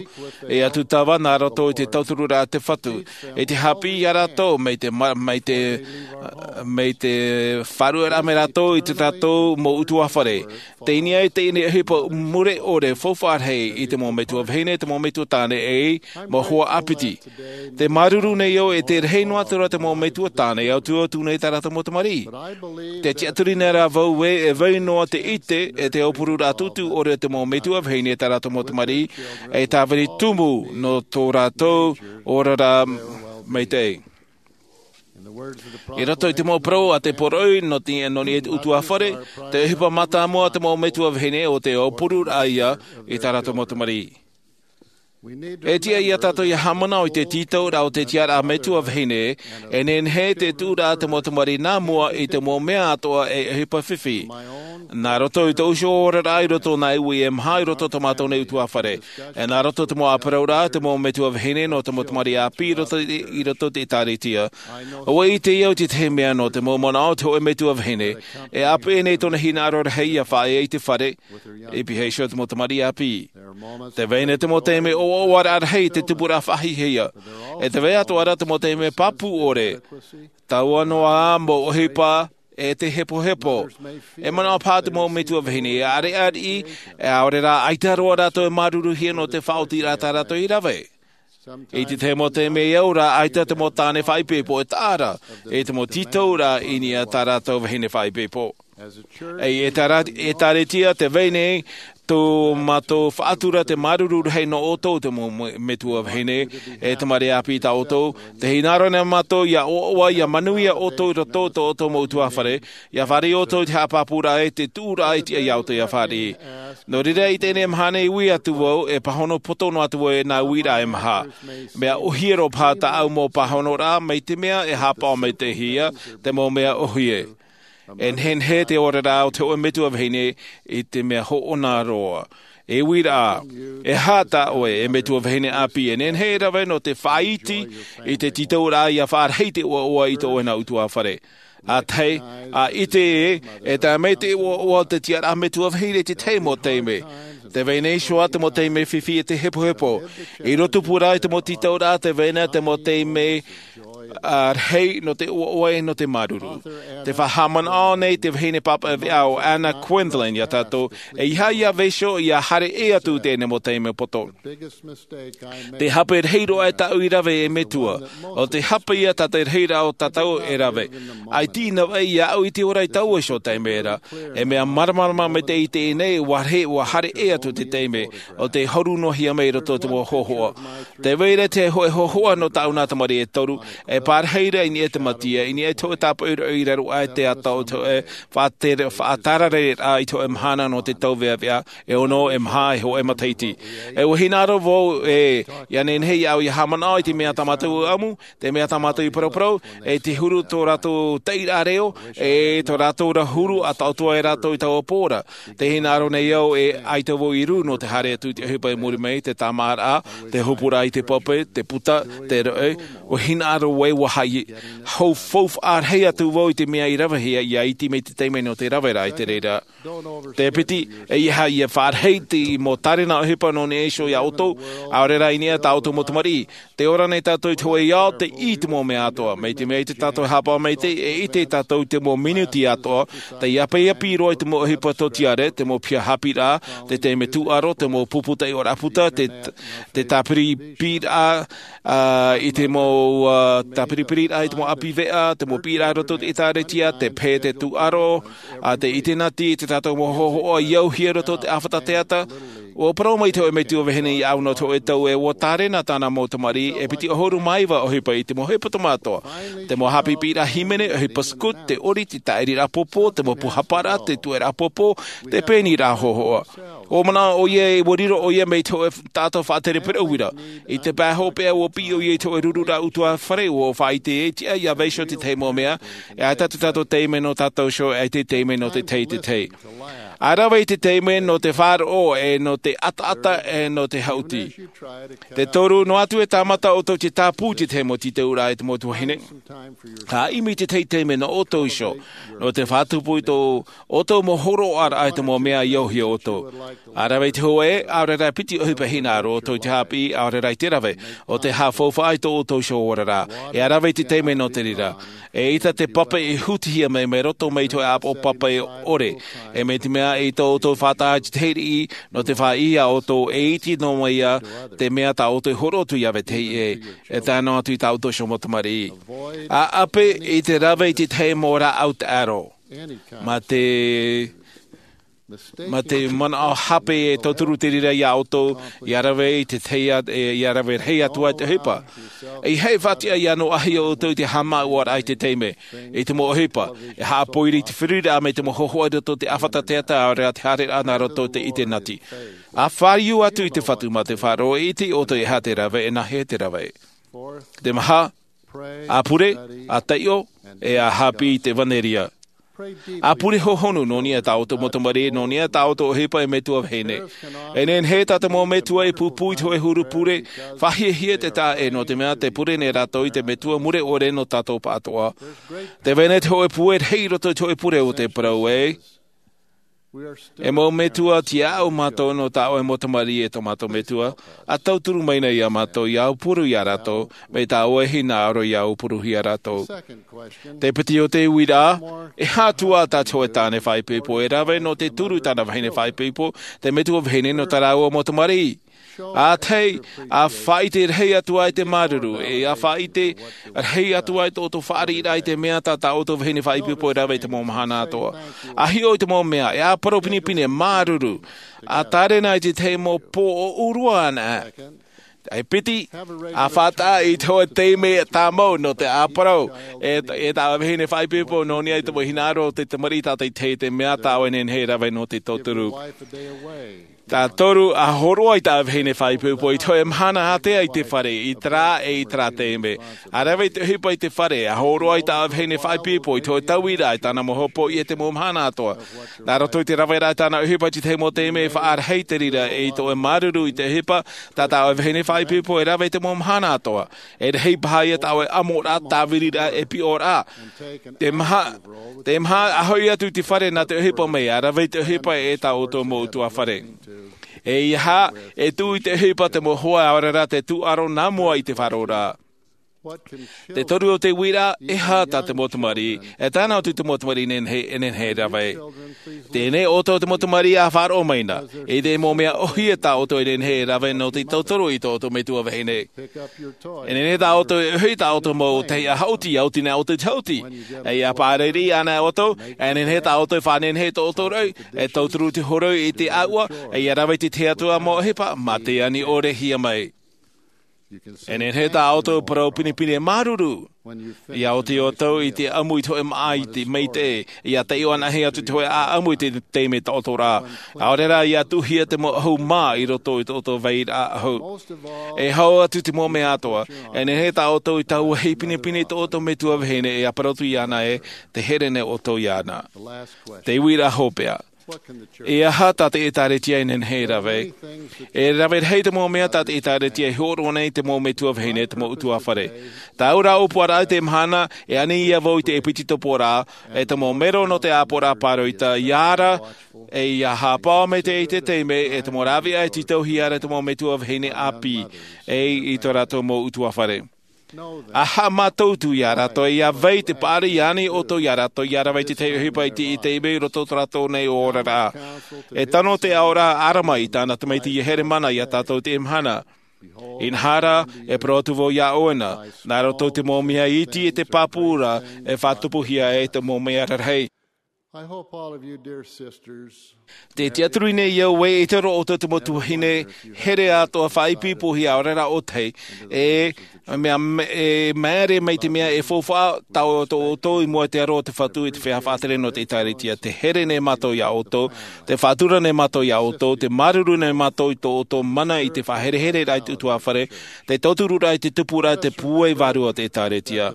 e atu tava nā roto i te tautururaʻa a te Fatu, e te haʻapiʻi ia rātou mai te ma-, mai te, mai te faʻaruʻeraʻa mai rātou i tā tātou mau ʻutuāfare. Teie nei, teie nei ʻohipa mure ʻore faufaʻa rahi i te mau metua vahine, te mau metua tāne, e mau hoa ʻāpiti. Te māuruuru nei au e te rahi noa atu ra te mau metua tāne e ʻautuʻautu nei tā rātou mau tamariʻi. Tē tiʻaturi nei ra vau ē, e vai noa te ʻite, e te aupururaʻa tūtū ʻore o te mau metua vahine tā rātou mau tamariʻi, e tāvini tumu nō tō rātou oraraʻa maitaʻi. I roto i te mau parau a te poroʻi nō te, nō niʻa i te ʻutuāfare, te ʻohipa mātāmua a te mau metua vahine ʻo te aupururaʻa ia i tā rātou mau tamariʻi. E tiʻa ia tātou ia haʻamanaʻo i te tītauraʻa o te tiʻaraʻa metua vahine, e nehenehe te tuʻuraʻa te mau tamariʻi nā mua i te mau mea atoʻa e ʻohipa fifi. Nā roto i tōʻu iho oraraʻa i roto i nā uʻi e maha i roto i tō mātou nei ʻutuāfare. E nā roto i te mau ʻāparauraʻa, te mau metua vahine nō te mau tamariʻi ʻāpī i roto, i roto i te ʻĒtārētia. ʻUa ʻite au i te tahi mea nō te mau manaʻo o te hōʻē metua vahine, e ʻāpeʻe nei tōna hinaʻaro rahi ia faʻaea i te fare, i pihaʻi iho te mau tamariʻi ʻāpī. Tē vai nei te mau taime ʻoaʻoaraʻa rahi i te tupuraʻa faʻahiahia. E tē vai atoʻa ra te mau taime pāpū ʻore. Taua noa ā mau ʻohipa, e te hepohepo. E manaʻo paha te mau metua vahine ia ʻareʻareʻi, e ʻaore rā ʻaita roa rātou e māuruuruhia nō te faʻaotiraʻa tā rātou i rave. I te tahi mau taime e au ra, ʻaita te mau tāne faʻaipoipo e taʻa ra, i te mau tītauraʻa i niʻa i tā rātou vahine faʻaipoipo. E, e tā rā-, ʻĒtārētia tē vai nei, tō mātou faʻatura te māuruuru rahi nō ʻoutou te mau me-, metua vahine, e tamariʻi ʻāpī tā ʻoutou, tē hinaʻaro nei mātou ia ʻoaʻoa, ia manuia ʻoutou i roto i tō ʻoutou mau ʻutuāfare, ia fāriʻi ʻoutou i te haʻapāpūraʻa e te tuʻuraʻa e tiʻa ia ʻoutou ia fāriʻi. Nō reira i teie mahana e ui atu vau, e pāhono poto noa atu vau e nā uiraʻa e maha. Mea ʻōhie roa paha tāʻu mau pāhonoraʻa, mai te mea e haʻapaʻo maitaʻi ia te mau mea ʻōhie. E nehenehe te oraraʻa o te hōʻē metua vahine i te mea hoʻona roa. E uiraʻa, e aha tā ʻoe, e metua vahine ʻāpī, e nehenehe e rave nō te faʻaiti i te tītauraʻa ʻia faʻarahi te ʻoaʻoa i tō ʻoe nā ʻutuāfare? ʻA tahi, ʻa ʻite ē, e tae mai te ʻoaʻoa o te tiʻaraʻa metua vahine i te tahi mau taime. Te vahine iho ā te mau taime fifi e te hepohepo. I roto pū rā i te mau tītauraʻa, te vahine te mau taime ʻa rahi nō te ʻoaʻoa e nō te māuruuru. Tē faʻahaʻamanaʻo nei te vahine pāpaʻi veʻa ʻo Anna Quindlen iā tātou, ʻeiaha ʻia vaiiho, ʻia haere ʻē atu i teie nei mau taime poto. Te hape rahi roa e tāʻu i rave, e metua, ʻo te hape ïa tā te rahiraʻa o tātou e rave. ʻAita i navaʻi iāʻu i te ora i taua iho taime ra. E mea māramarama maitaʻi i teie nei, ʻua rahi, ʻua haere ʻē atu te taime, ʻo tē hōroʻahia mai i roto i te mau hōhoʻa. Tē vai ra te hōʻē hōhoʻa nō tāʻu nā tamariʻi e toru, e pārahi ra i niʻa i te Mesia, i niʻa i te hōʻē tāpaʻo i raro aʻe i te ata o te hōʻē faʻatere-, faʻatarareraʻa i te hōʻē mahana nō te tauveʻaveʻa, e ono, e maha, e hōʻē matahiti. E ʻua hinaʻaro vau ē, ʻia nehenehe iāʻu ʻia haʻamanaʻo i te mea tā mātou i ʻamu, te mea tā mātou i paraparau, e te huru tō rātou taʻiraʻa reo, e tō rātou ra huru ʻa taʻoto ai rātou i taua pō ra. Tē hinaʻaro nei au ē, ʻaita vau i rū nō te haere atu i te ʻohipa i muri mai, te tāmāraʻa, te hopuraʻa i te pape, te puta, te roʻe, ʻua hinaʻaro vau ē ʻua haʻi-, hau faufaʻa rahi atu vau i te mea i ravehia, ʻia iti mai te taime nō te rave ra i te reira. Te piti, ʻeiaha ʻia faʻarahi te mau tārena ʻohipa nō niʻa iho iā ʻoutou, ʻaore rā i niʻa i tā ʻoutou mau tamariʻi. Tē ora nei tātou i te hōʻē ao, tei ʻī i te mau mea atoʻa. Mai te mea ʻaita tātou e haʻapaʻo maitaʻi, e ʻite tātou i te mau minuti atoʻa, tei ʻāpiʻapi roa i te mau ʻohipa tōtiare, te mau piha haʻapiʻiraʻa, te taime tūʻaro, te mau pupu taiʻoraʻa puta, te, te tāpiripiraʻa, ā, i te mau, ā, tāpiripiraʻa, i te mau ʻāpī veʻa, te mau piʻiraʻa i roto i te ʻĒtārētia, te pē, te tūʻaro, ā, te ʻitenati, i tā tātou mau hōhoʻa i auhia i roto i te ʻāfata teata. ʻUa parau mai te hōʻē metua vahine iāʻu nō te hōʻē tau ē, ʻua tārena tāna mau tamariʻi e piti ʻahuru mā iva ʻohipa i te mau hepetoma atoʻa, te mau haʻapiʻiraʻa hīmene, ʻohipa scout, te ʻori, te tāʻiriraʻa pōpō, te mau pūhaparaʻa, te tuʻeraʻa pōpō, te pēniraʻa hōhoʻa. ʻUa manaʻo ʻoia ē ʻua riro ʻoia mai te hōʻē taʻata faʻatere parau ra. I te pae hopeʻa ʻua piʻi ʻoia i te hōʻē rururaʻa ʻutuāfare, ʻua faʻaʻite ē tiʻa ʻia vaiiho te tahi mau mea, e ʻaita tā tātou taime nō tātou iho, e te taime nō te tahi, te tahi. ʻA rave i te taime nō te faʻaroʻo, e nō te ʻataʻata, e nō te haʻuti. Te toru, noa atu e tāmata ʻoutou te tāpū i te tahi mau tītauraʻa e te mau tuahine. ʻA ʻimi i te tahi taime nō ʻoutou iho, nō te faʻatupu i tō ʻoutou mau hōroʻaraʻa i te mau mea i auhia ʻoutou. ʻA rave i te hōʻē, ʻaore rā piti ʻohipa e hinaʻaro ʻoutou i te haʻapiʻi, ʻaore rā i te rave, ʻo tē haʻafaufaʻa i tō ʻoutou iho oraraʻa. E ʻa rave i te taime nō te reira. ʻEita te pape e hutihia mai, mai roto mai i te hōʻē ʻāpoʻo pape ʻore. E mai te mea ʻeita ʻoutou faʻataʻa i te tahi riʻi, nō te faʻaʻī iā ʻoutou, e iti noa mai ïa te mea tā ʻoutou e hōroʻa atu ʻia vetahi ʻē, e tae noa atu i tā ʻoutou iho mau tamariʻi. ʻA ʻape i te rave i te tahi mau rāʻau taʻero. Mā te, mā te manaʻo hape e tauturu te reira iā ʻoutou, ʻia rave i te tahi a-, e, ʻia rave rahi atu ai te ʻohipa. ʻEiaha e faʻatiʻa ʻia noaʻahia ʻoutou i te haʻamāuʻaraʻa i te taime, i te mau ʻohipa, e haʻapoiri i te feruriraʻa mai te mau hōhoʻa i roto i te ʻāfata teata, ʻaore rā te haereraʻa nā roto i te ʻitenati. ʻA fāriu atu i te Fatu mā te faʻaroʻo, e ʻite ʻoutou e aha te rave, e nāhea te rave. Te maha, ʻa pure, ʻa taiʻo, e ʻa haʻapiʻi i te ʻevanelia. ʻA pure hohonu nō niʻa i tā ʻoutou mau tamariʻi, nō niʻa i tā ʻoutou ʻohipa e metua vahine. E nehenehe tā te mau metua e pūpū i te hōʻē huru pure, faʻahiahia te taʻa ʻē, nō te mea tē pure nei rātou i te Metua Mure ʻOre nō tātou pāʻatoʻa. Tē vai nei te hōʻē pūai rahi i roto i te hōʻē pure ʻo tē parau ē, e mau metua tiaʻau mātou nō tā ʻoe mau tamariʻi e tō mātou Metua, ʻa tauturu mai nei iā mātou ʻia aupuru iā rātou, mai tā ʻoe e hinaʻaro ʻia aupuruhia rātou. Te piti o te uiraʻa, e aha atu ā tā te hōʻē tāne faʻaipoipo e rave nō te turu i tāna vahine faʻaipoipo, te metua vahine nō tā rāua mau tamariʻi? ʻA tahi, ʻa faʻaʻite rahi atu ai te māuruuru, e ʻa faʻaʻite rahi atu ai tō ʻoutou fāriʻiraʻa i te mea tā tā ʻoutou vahine faʻaipoipo e rave i te mau mahana atoʻa. ʻA hiʻo i te mau mea, e ʻa parau pinepine, māuruuru, ʻa tārena i te tahi mau pō ʻōʻū roa anaʻe. E piti, ʻa faʻataʻa i te hōʻē taime tāmau nō te ʻāparau, e, e tā vahine faʻaipoipo nō niʻa i te mau hinaʻaro o te tamariʻi tātaʻitahi, te mea tā ʻoe e nehenehe e rave nō te tauturu. Tātou a hōroʻa i tā vahine faʻaipoipo i te hōʻē mahana ātea i te fare, i te rā e i te rā taime. A rave i te ʻohipa i te fare, a hōroʻa i tā vahine faʻaipoipo i te hōʻē tauiraʻa i tāna mau hopoiʻa i te mau mahana atoʻa. Nā roto i te rave rā i tāna ʻohipa i te tahi mau taime e faʻarahi te reira e i tō ʻoe māuruuru i te ʻohipa, tā tā ʻoe vahine faʻaipoipo e rave i te mau mahana atoʻa. E rahi paha ia tā ʻoe ʻamoraʻa, tāviriraʻa e piʻoraʻa. Te maha, te maha a hoʻi atu i te fare nā te ʻohipa mai, a rave i te ʻohipa e tā ʻoutou mau ʻutuāfare. E ia hā, e tuʻu i te ʻohipa te mau hoa, ʻaore rā te tūʻaro nā mua i te faʻaroʻoraʻa. Te toru o te uiraʻa, e aha tā te mau tamariʻi, e tāna atu te mau tamariʻi e nehenehe, e nehenehe e rave. Teie nei ʻoutou te mau tamariʻi a faʻaroʻo mai na, e te mau mea ʻōhie tā ʻoutou e nehenehe e rave nō te tauturu i tō ʻoutou metua vahine. E nehenehe tā ʻoutou e ʻohi tā ʻoutou mau taiʻa haʻuti, ʻia oti nei ʻoutou i te haʻuti. E ʻia pārahi ana ʻoutou, e nehenehe tā ʻoutou e faʻanehenehe i tō ʻoutou raʻi, e tauturu te hōroʻa i te ʻāua, e ʻia rave i te tahi atu mau ʻohipa, mā te ani ʻore hia mai. E nehenehe tā ʻoutou e parau pinepine māuruuru. ʻIa oti ʻoutou i te ʻamu i te hōʻē māʻa i te maitaʻi, ʻia taiʻo anaʻe atu te hōʻē ʻāʻamu i te taime taʻoto rā. ʻAore rā ʻia tuʻuhia te mau ʻahu mā i roto i tō ʻoutou vairaʻa ʻahu. E hau atu te mau mea atoʻa, e nehenehe tā ʻoutou i tauahi pinepine i tō ʻoutou metua vahine ʻia parau atu iāna ē, tē here nei ʻoutou iāna. Te uiraʻa hopeʻa. E aha tā te ʻĒtārētia e nehenehe e rave? E rave rahi te mau mea tā te ʻĒtārētia e hōroʻa nei i te mau metua vahine, te mau ʻutuāfare. Taua rā ʻōpuaraʻa i teie mahana, e ani ia vau i te ʻēpititopo rā, e te mau mero nō te ʻāpoʻoraʻa pāroita, ʻia ara, e ʻia haʻapaʻo maitaʻi i te taime, e te mau rāveʻa e tītauhia ra e te mau metua vahine ʻāpī, e i tō rātou mau ʻutuāfare. ʻA haʻamātautu ia rātou, ʻia vai te paʻari i ani ʻoutou ia rātou, ʻia rave i te tahi ʻohipa i te, i te taime i roto i tō rātou nei oraraʻa. E tano te aʻoraʻa ʻArama i tāna tamaiti ia Heremana ia tātou i teie mahana. Inaha rā, e parau atu vau ia ʻoe na, nā roto i te mau mea iti e te pāpū ra, e faʻatupuhia ai te mau mea rarahi. I hope all of you, dear sisters, Te tiʻaturi nei au ē, ʻaita rā ʻoutou te mau tuahine, here atoʻa faʻaipoipohia ʻaore rā ʻōtahi, e, mea, e, māere mai te mea e faufaʻa tā ʻoutou i mua i te aro o te Fatu i te feiā faʻatere nō te ʻĒtārētia. Tē here nei mātou ia ʻoutou, tē faʻatura nei mātou ia ʻoutou, tē māuruuru nei mātou i tō ʻoutou mana i te faʻaherehereraʻa i te ʻutuāfare, te tautururaʻa i te tupuraʻa, te pūai vārua o te ʻĒtārētia.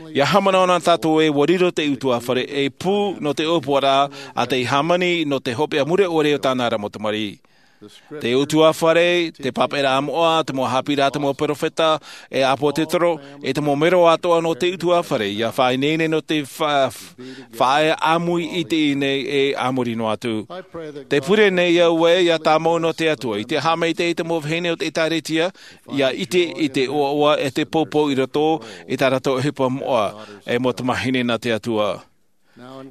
ʻIa haʻamanaʻo na tātou ē, ʻua riro te ʻutuāfare ei pū nō te ʻōpuaraʻa a te hāmani nō te hopeʻa mure ʻore o tāna ra mau tamariʻi. Te ʻutuāfare, te pāpaʻiraʻa moʻa, te mau haʻapiʻiraʻa a te mau perofeta, e ʻāpōsetolo, e te mau mero atoʻa nō te ʻutuāfare, ʻia faʻaineine nō te fa-, faʻaʻāmui i teie nei e a muri noa atu. Tē pure nei au ē, ʻia tāmau nō te Atua, i te haʻamaitaʻi i te mau vahine o te ʻĒtārētia, ʻia ʻite i te ʻoaʻoa e te poupou i roto i tā rātou ʻohipa moʻa, e mau tamāhine nā te Atua.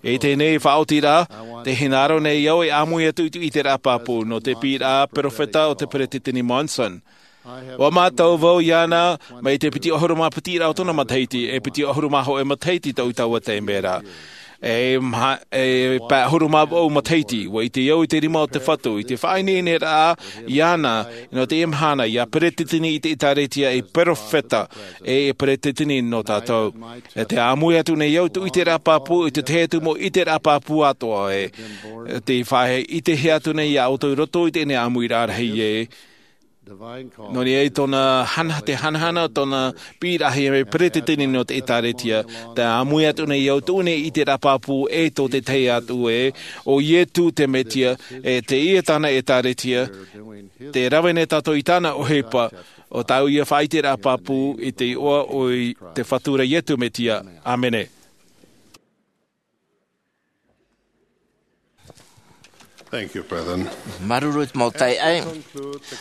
I teie faʻaotiraʻa, tē hinaʻaro nei au e ʻāmui atu i te ʻiteraʻa pāpū nō te piʻiraʻa perofeta o te Peretiteni Monson. ʻUa mātau vau iāna mai te piti ʻahuru mā piti raʻa o tōna matahiti, e piti ʻahuru mā hōʻē matahiti tau i taua taime ra. E mā-, e pae ʻahuru mā vaʻu matahiti, ʻua ʻite au i te rima o te Fatu, i te faʻaineineraʻa iāna, nō teie mahana, ʻia peretiteni i te ʻĒtārētia, e perofeta, e, e peretiteni nō tātou. E tē ʻāmui atu nei au i tō ʻiteraʻa pāpū, i te tahi atu mau ʻiteraʻa pāpū atoʻa ē. Tē faʻaʻitehia atu nei ia ʻoutou i roto i teie ʻāmuiraʻa rahi ē. Nō niʻa i tōna hana-, te hanahana, tōna piʻiraʻahia mai peretiteni nō te ʻĒtārētia, tē ʻāmui atu nei au tō nei ʻiteraʻa pāpū ē tō te tahi atu ē, ʻo Ietu te Metia, e teie tāna ʻĒtārētia, tē rave nei tātou i tāna ʻohipa, ʻo tāʻu ia faʻaʻiteraʻa pāpū i te iʻoa o te Fatu ra Ietu Metia. ʻĀmene. Thank you, brethren. Māuruuru i te mau taeaʻe.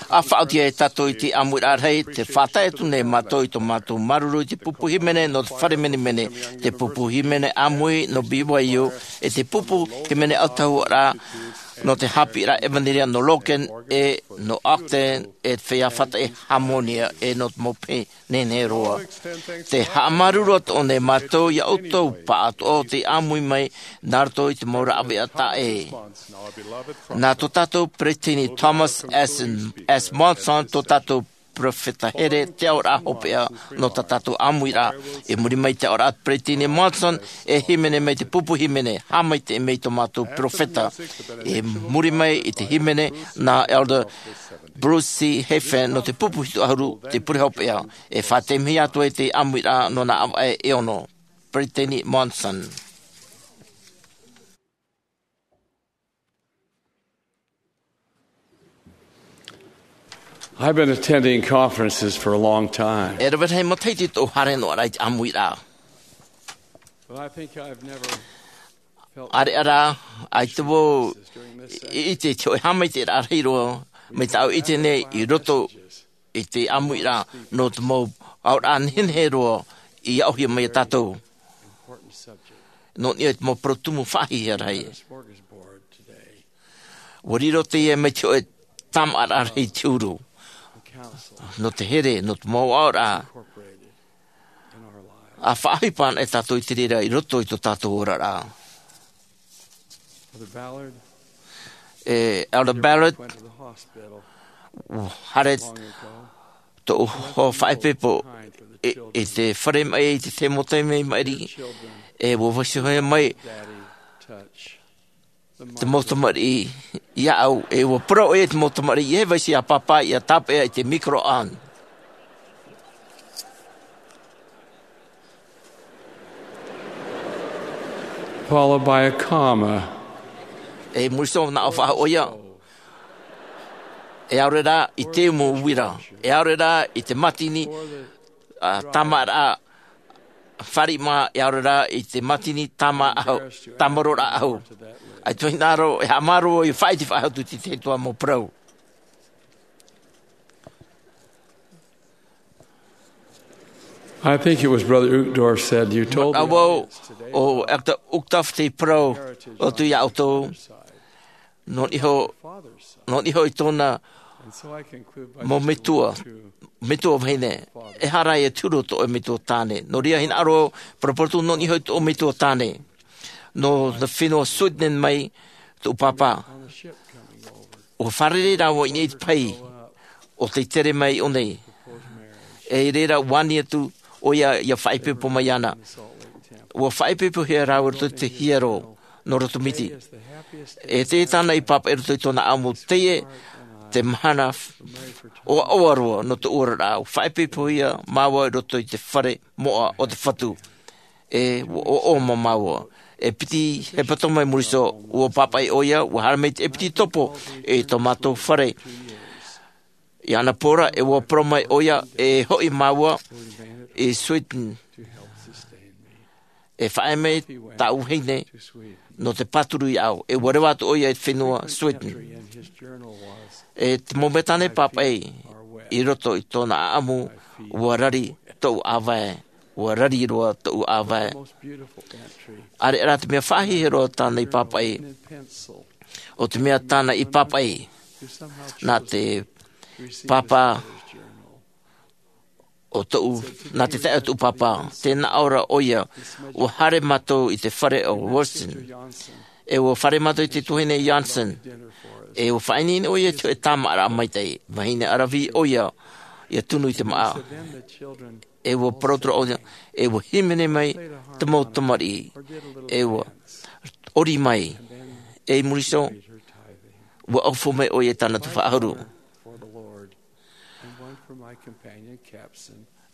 ʻA faʻaoti ai tātou i te ʻāmuiraʻa rahi, tē faʻatae atu nei mātou i tō mātou māuruuru i te pupu hīmene nō te fare menemene, te pupu hīmene ʻāmui nō B Y U, e te pupu hīmene ʻautahuʻaraʻa nō te haʻapiʻiraʻa ʻevanelia nō Logan, e nō Ogden, e te feiā faʻataʻi Harmonia, e nō te mau pē nehenehe roa. Tē haʻamāuruuru atoʻa nei mātou ia ʻoutou pāʻatoʻa o tei ʻāmui mai nā roto i te mau rāveʻa taʻa ʻē. Nā tō tātou Peretiteni Thomas S. S. Monson tō tātou peropheta here, te aoraʻa hopeʻa nō tā tātou ʻāmuiraʻa. I muri mai i te aoraʻa a Peresideni Monson, e hīmene mai te pupu hīmene, haʻamaitaʻi mai tō mātou peropheta. I muri mai i te hīmene nā Elder Bruce C. Hafen nō te pupu hitu ʻahuru, te pure hopeʻa. E faʻaʻite mai atu ai te ʻāmuiraʻa nō nā ʻāvaʻe e ono. Peresideni Monson. I've been attending conferences for a long time. E rave rahi matahiti tōʻu haere noa ra i te ʻāmuiraʻa. But I think I've never felt ʻAreʻa rā, ʻaita vau i ʻite i te hōʻē haʻamaitaʻiraʻa rahi roa mai tāʻu i ʻite nei i roto i te ʻāmuiraʻa nō te mau aoraʻa nehenehe roa i aʻohia mai iā tātou. Nō niʻa i te mau parau tumu faʻahiahia rahi. Ua riro teie mai te hōʻē tāmāʻaraʻa rahi i te huru nō te here, nō te mau aoraʻa. ʻA faʻaʻohipa ana e tātou i te reira i roto i tō tātou oraraʻa. E Elder Ballard, ʻua haere tōʻu hoa faʻaipoipo i, i te fare maʻi, i te tahi mau taime maʻiri, e ʻua vaiiho mai te mau tamariʻi iāʻu, e ʻua parau ʻoia i te mau tamariʻi, ʻeiaha vaiiho iā pāpā ʻia tāpeʻa i te micro-ondes. Followed by a comma. E muri iho nā ʻō faʻahou ʻoia. E ʻaore rā i te umu uira. E ʻaore rā i te mātini, ā, tāmāʻaraʻa, fāriʻi mā, e ʻaore rā i te mātini tāmā ʻahu, tāmāroraʻa ʻahu. ʻAita vau e hinaʻaro, e haʻamāuruuru, e faʻaʻite faʻahou atu i te tahi atu mau parau. I think it was Brother Uchtdorf said, "You told me." Manaʻo vau, ʻo Elder Uchtdorf tei parau atu iā ʻoutou. Nō niʻa iho, nō niʻa iho i tōna mau metua, metua vahine. Ehara e te huru tō ʻoe metua tāne. Nō reira hinaʻaro, paraparau atu nō niʻa iho i tō ʻoe metua tāne. Nō te fenua Sweden mai tōʻu pāpā. ʻUa fārerei rāua i niʻa i te pahi ʻo tei tere mai i ʻō nei. E i reira ʻua ani atu ʻoia ʻia faʻaipoipo mai iāna. ʻUa faʻaipoipohia rāua i roto i te hiero nō roto miti. E teie tāna i pāpaʻi i roto i tōna ʻāʻamu, teie te mahana ʻoaʻoa roa nō tōʻu oraraʻa. ʻUa faʻaipoipohia māua i roto i te fare moʻa o te Fatu. E ʻoaʻoa mā māua. E piti hepetoma i muri iho, ʻua pāpaʻi ʻoia, ʻua haere mai te ʻepitetopo i tō mātou fare. I Annapurna, e ʻua parau mai ʻoia, e hoʻi māua i Sweden. E faʻaea mai tāʻu vahine nō te pāturu iāʻu, e ʻua reva atu ʻoia i te fenua Sweden. E te mau mea tāna i pāpaʻi i roto i tōna ʻāʻamu, ʻua rari tōʻu ʻāvae, ʻua rari roa tōʻu ʻāvae. ʻAreʻa rā te mea faʻahiahia roa tāna i pāpaʻi, ʻo te mea tāna i pāpaʻi, nā te pāpā o tōʻu, nā te taeaʻe o tōʻu pāpā. Tē nā ʻō ra ʻoia, ʻua haere mātou i te fare o Wilson. E ʻua fārerei mātou i te tuahine Johnson. E ʻua faʻaineine ʻoia i te hōʻē tāmāʻaraʻa maitaʻi. Vahine ʻaravihi ʻoia, ʻia tunu i te māʻa. E ʻua parau atu ra ʻoia, e ʻua hīmene mai te mau tamariʻi. E ʻua ʻori mai. E i muri iho, ʻua ʻaufau mai ʻoia i tāna tuhaʻa ʻahuru.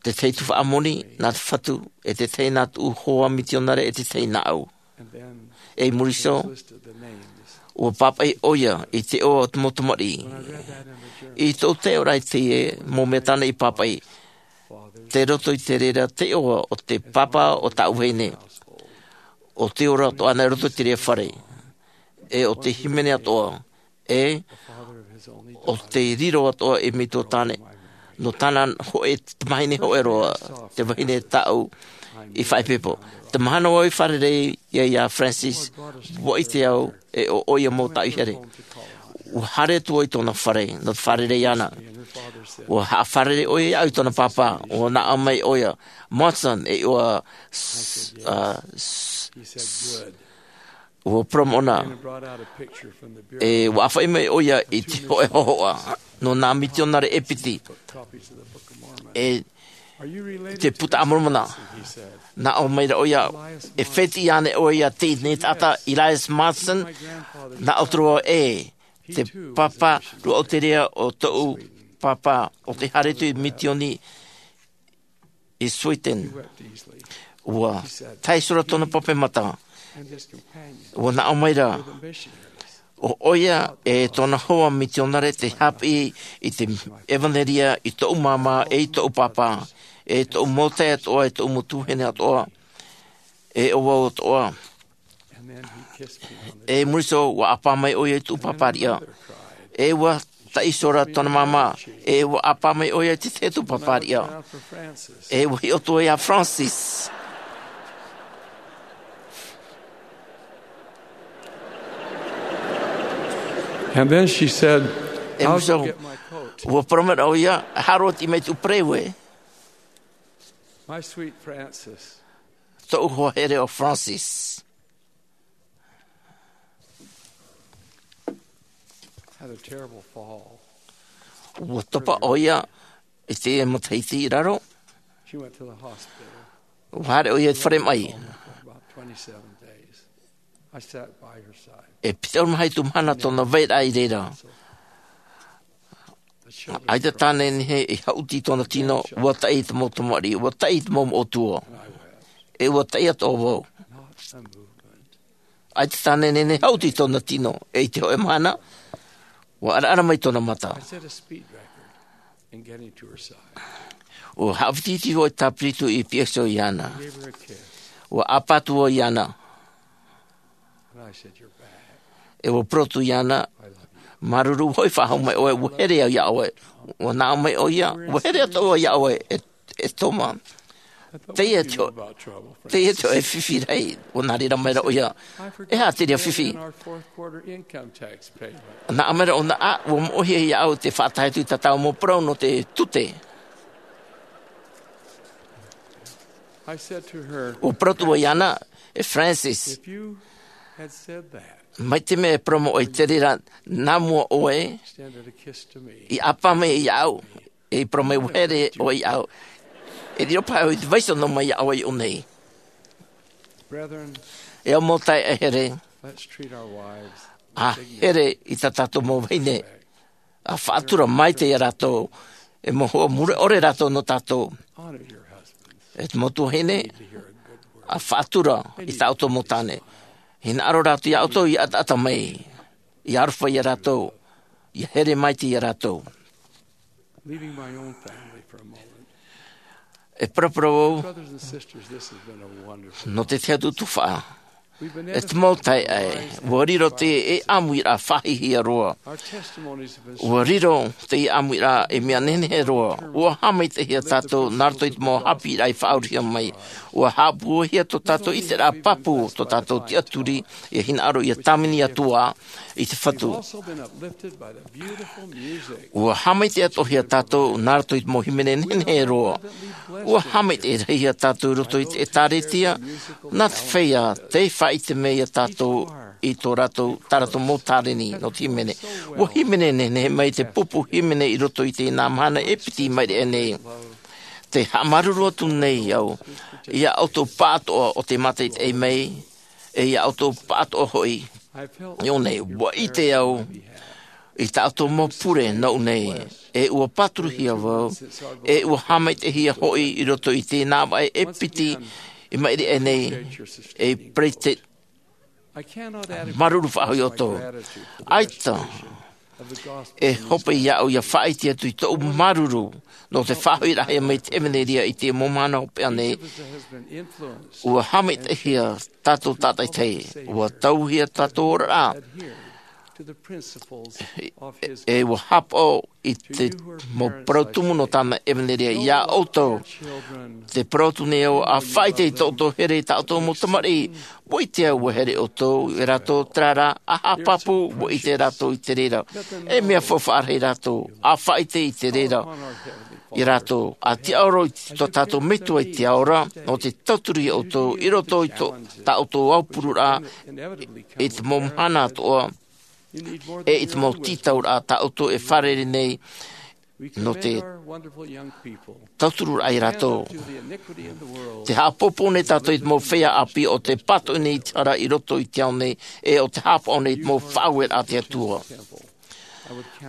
Te tahi tuhaʻa moni nā te Fatu, e te tahi nā tōʻu hoa mitionare, e te tahi nāʻu. E i muri iho, ʻua pāpaʻi ʻoia i te iʻoa o te mau tamariʻi. I tōʻu taiʻoraʻa i teie mau mea tāna i pāpaʻi, tei roto i te reira te iʻoa o te pāpā o tāʻu vahine. ʻO tei ora atoʻa ʻana i roto i te reira fare. E ʻo tei hīmene atoʻa. E ʻo tei riro atoʻa ei metua tāne. Nō tāna hōʻē, tamahine hōʻē roa, te vahine tāʻu i faʻaipoipo. Te mahana vau i fārerei ai iā Francis, ʻua ʻite au, e ʻo ʻoia mau tāʻu i here. ʻUa haere atu vau i tōna fare, nō te fārerei iāna. ʻUa haʻafārerei ʻoia iāʻu i tōna pāpā, ʻua nā ʻō mai ʻoia, Monson, e ʻua s-, a, s-, s-, ʻUa poromoʻona, e ʻua ʻāfaʻi mai ʻoia i te hōʻē hōhoʻa nō nā mitionare e piti, e te Buka a Moromona. Nā ʻō mai ra ʻoia, e fētiʻi ānei ʻoe ia teie nei taʻata, Elias Monson? Nā ʻō atu ra au, ʻē, te pāpā roʻotiʻa o tōʻu pāpā, ʻo tē haere atu i mitioni i Sweden. ʻUa taiʻo roa tōna pape mata. ʻUa nā ʻō mai ra, ʻo ʻoia e tōna hoa mitionare tei haʻapiʻi i te ʻevanelia i tōʻu māmā, e i tōʻu pāpā, e tōʻu mau taeaʻe atoʻa, e tōʻu mau tuahine atoʻa, e ʻo vau atoʻa. E muri iho, ʻua ʻāpā mai ʻoia i tōʻu pāpāriʻa. E ʻua taiʻo ra tōna māmā, e ʻua ʻāpā mai ʻoia i te tahi atu pāpāriʻa. E ʻua hiʻo atu ia Francis. And then she said, e muri iho, ʻua parau mai ra ʻoia, haere ʻoe mai i tōʻu pereue. My sweet Francis. Tōʻu hoa here ʻo Francis. Had a terrible fall. ʻUa topa ʻoia i te matahiti i raro. She went to the hospital. ʻUa haere ʻoia i te fare maʻi. About twenty-seven days. I sat by her side. E piti ʻahuru mā hitu mahana tōna vairaʻa i reira. ʻAita tāne nehenehe e haʻuti i tōna tino, ʻua taʻi i te mau tamariʻi, ʻua taʻi i te mau moʻotua. E ʻua taʻi atoʻa vau. ʻAita tāne nehenehe e haʻuti i tōna tino, e i te hōʻē mahana, ʻua ʻaraʻara mai tōna mata. ʻUa haʻavitiiti vau i te tāpiritu i piʻi iho iāna. ʻUa ʻāpā atu vau iāna. E ʻua parau atu iāna, māuruuru, hoʻi faʻahou mai ʻoe, ʻua here au iā ʻoe. ʻUa nā ʻō mai ʻoia, ʻua here atoʻa vau iā ʻoe, e, e Toma. Teie te hō-, teie te hōʻē fifi rahi, ʻua nā reira mai ra ʻoia. E aha te reira fifi? Nā ʻō mai ra ʻōna, ʻua moʻehia iā ʻu te faʻatae atu i tā tāua mau parau nō te tute. ʻUa parau atu vau iāna, e Francis, mai te mea e parau mai ʻoe i te reira, nā mua ʻoe i ʻāpā mai iā ʻu, e i parau mai ʻua here ʻoe iā ʻu. E riro paha ʻoe i te vaiiho noa mai iā ʻoe i ʻō nei. E au mau taeaʻe here, ʻa here i tā tātou mau vahine. ʻA faʻatura maitaʻi ia rātou, e mau hoa mure ʻore rātou nō tātou. E te mau tuahine, ʻa faʻatura i tā ʻoutou mau tāne. Hinaʻaro rātou iā ʻoutou ʻia ʻataʻata mai, ʻia aroha ia rātou, ʻia here maitaʻi ia rātou. Leaving my own family for a moment. E paraparau au, brothers and sisters, this has been a wonderful nō te tahi atu tuhaʻa. We've been E te mau edified by taeaʻe, ua riro te e ʻāmuiraʻa faʻahiahia roa. Our testimonies have been ua riro te e ʻāmuiraʻa e mea nehenehe roa. Ua haʻamaitaʻihia tātou nā roto i te mau haʻapiʻiraʻa i faʻaurahia mai. Ua haʻapūaihia tō tātou ʻiteraʻa pāpū, tō tātou tiʻaturi, ʻia hinaʻaro ʻia tāvini atu ā i te Fatu. We've also been uplifted by the beautiful music. Ua haʻamaitaʻi atoʻahia tātou nā roto i te mau hīmene nehenehe roa. Ua haʻamaitaʻi rahi ia tātou i roto i te ʻĒtārētia, nā te feiā tei faʻaʻite mai ia tātou i tō rātou, tā rātou mau tāreni nō te hīmene. Ua hīmene nehenehe mai te pupu hīmene i roto i teie mahana e piti i maʻiri aʻe nei. Tē haʻamāuruuru atu nei au, ia ʻoutou pāʻatoʻa o tē mātaʻitaʻi mai, e ia ʻoutou pāʻatoʻa hoʻi i ʻō nei. Ua ʻite au i tā ʻoutou mau pure nōʻu nei, e ua pāturuhia vau, e ua haʻamaitaʻihia hoʻi i roto i teie vaʻe e piti i maʻiri aʻe nei, e Peresideni, māuruuru faʻahou ia ʻoutou. ʻAita e hope iāʻu ia faʻaʻite atu i tōʻu māuruuru nō te faʻahoʻiraʻahia mai te ʻevanelia i te mau mahana hopeʻa nei. Ua haʻamaitaʻihia tātou tātaʻitahi, ua tauhia tātou oraraʻa, e ua haʻapaʻo i te mau parau tumu nō tāna ʻevanelia. Iā ʻoutou, tē parau atu nei au, ʻa faʻaʻite i tō ʻoutou here i tā ʻoutou mau tamariʻi. Ua ʻite au ua here ʻoutou ia rātou, terā rā, ʻa haʻapāpū, ua ʻite rātou i te reira. E mea faufaʻa rahi rātou, ʻa faʻaʻite i te reira. ia rātou. ʻA tiʻaoro i tō tātou Metua i te ao ra, nō te tauturu ia ʻoutou, i roto i tō, tā ʻoutou aupururaʻa, i te mau mahana atoʻa, e i te mau tītauraʻa tā ʻoutou e fārerei nei, nō te tauturu ia rātou. Te haʻapōpou nei tātou i te mau feiā ʻāpī ʻo tē pātoʻi nei i te hara i roto i te ao nei, e ʻo tē haʻapaʻo nei i te mau faʻaueraʻa a te Atua.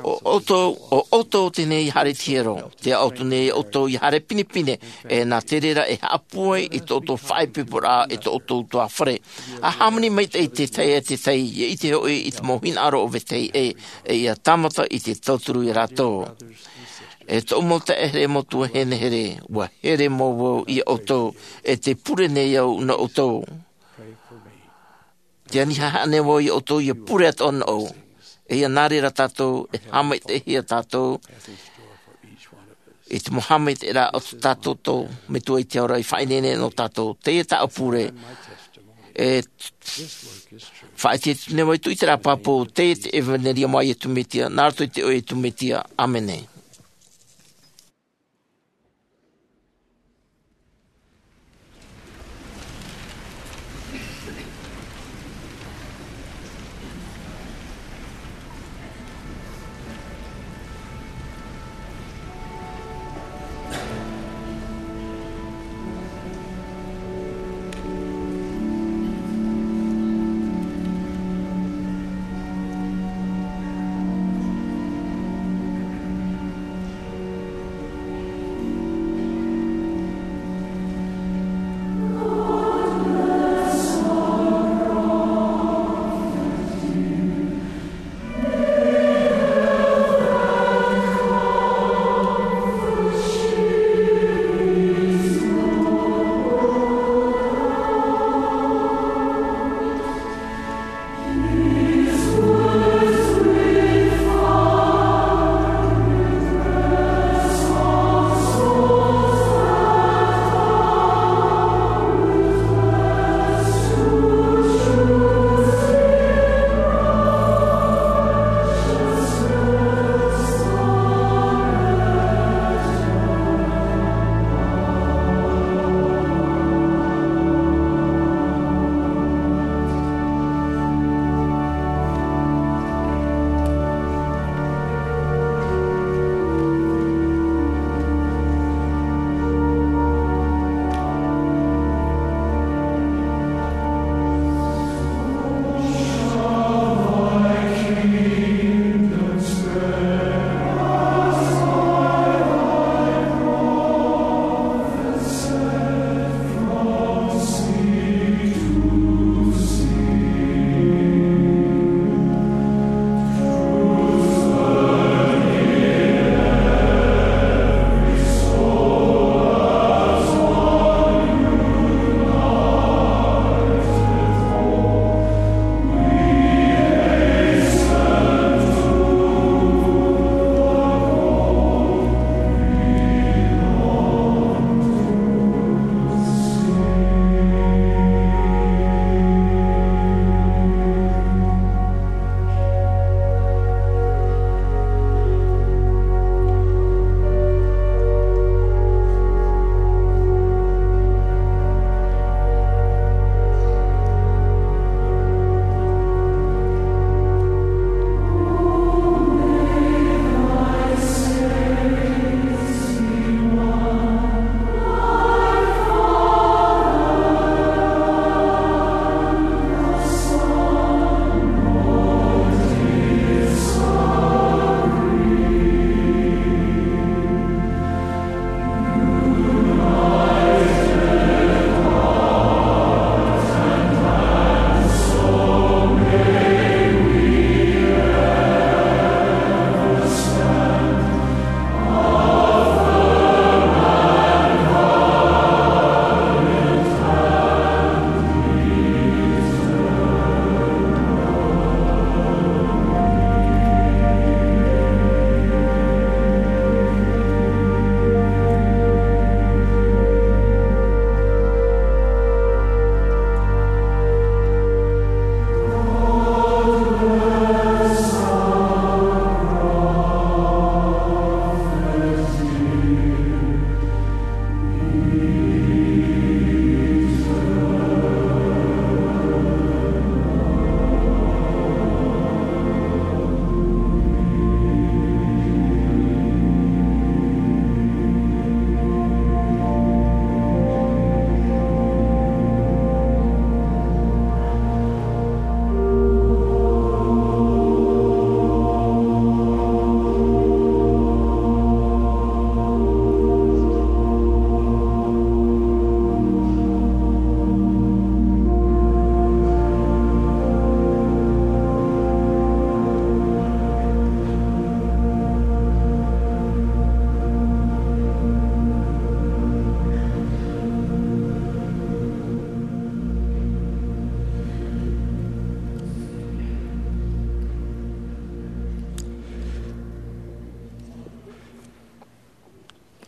ʻO ʻoutou, ʻo ʻoutou teie nei i haere i te hiero, tē ʻaʻau atu nei ʻoutou i haere pinepine, e nā te reira e haʻapūai i tō ʻoutou faʻaipoiporaʻa e tō ʻoutou ʻutuāfare. ʻA hāmani maitaʻi i te tahi e te tahi, ʻia ʻite hoʻi i te mau hinaʻaro o vetahi ʻē, e ʻia tāmata i te tauturu ia rātou. E tōʻu mau taeaʻe here, mau tuahine here, ʻua here mau vau ia ʻoutou, e tē pure nei au nō ʻoutou. Tē ani haʻehaʻa nei vau ia ʻoutou ʻia pure atoʻa nōʻu. E ʻia nā reira tātou, e haʻamaitaʻihia tātou, i te mau haʻamaitaʻiraʻa o tō tātou Metua i te ao ra i faʻaineine nō tātou. Teie tāʻu pure, e faʻaʻite atu nei vau i tōʻu ʻite pāpū, teie te ʻevanelia mai Iesu Mesia, nā roto i te iʻoa o Iesu Mesia. ʻĀmene.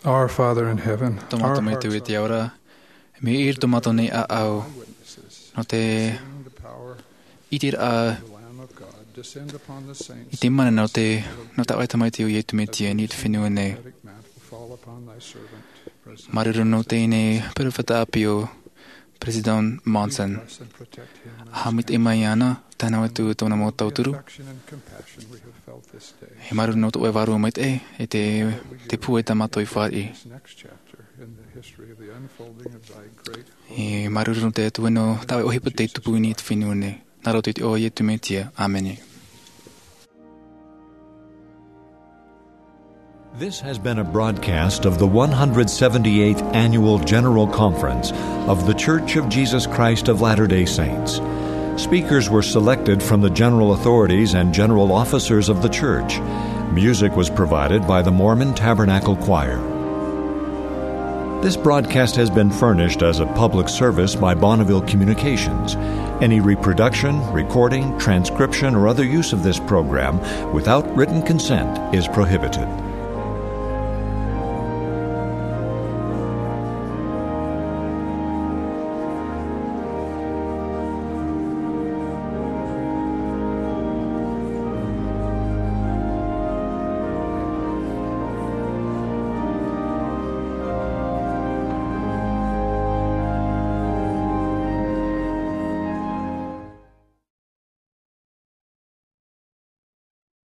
Our Father in heaven, tō mātou Maitaʻi i te ao ra, mea ʻī ra tō mātou nei ʻāʻau nō te ʻiteraʻa i te mana nō te, nō taʻu tamaiti ʻo Iesu Mesia i niʻa i te fenua nei. Māuruuru nō teie nei peropheta ʻāpī ʻo Peresideni Monson. ʻA haʻamaitaʻi mai iāna, tāna atu tōna mau tauturu. E māuruuru nō tō ʻoe vārua maitaʻi, e te, te pūai tā mātou i fāriʻi. E māuruuru nō te Atua nō tā ʻoe ʻohipa tei tupu i niʻa i te fenua nei. Nā roto i te iʻoa o Iesu Mesia. ʻĀmene. This has been a broadcast of the one hundred seventy-eighth Annual General Conference of The Church of Jesus Christ of Latter-day Saints. Speakers were selected from the general authorities and general officers of the church. Music was provided by the Mormon Tabernacle Choir. This broadcast has been furnished as a public service by Bonneville Communications. Any reproduction, recording, transcription, or other use of this program without written consent is prohibited.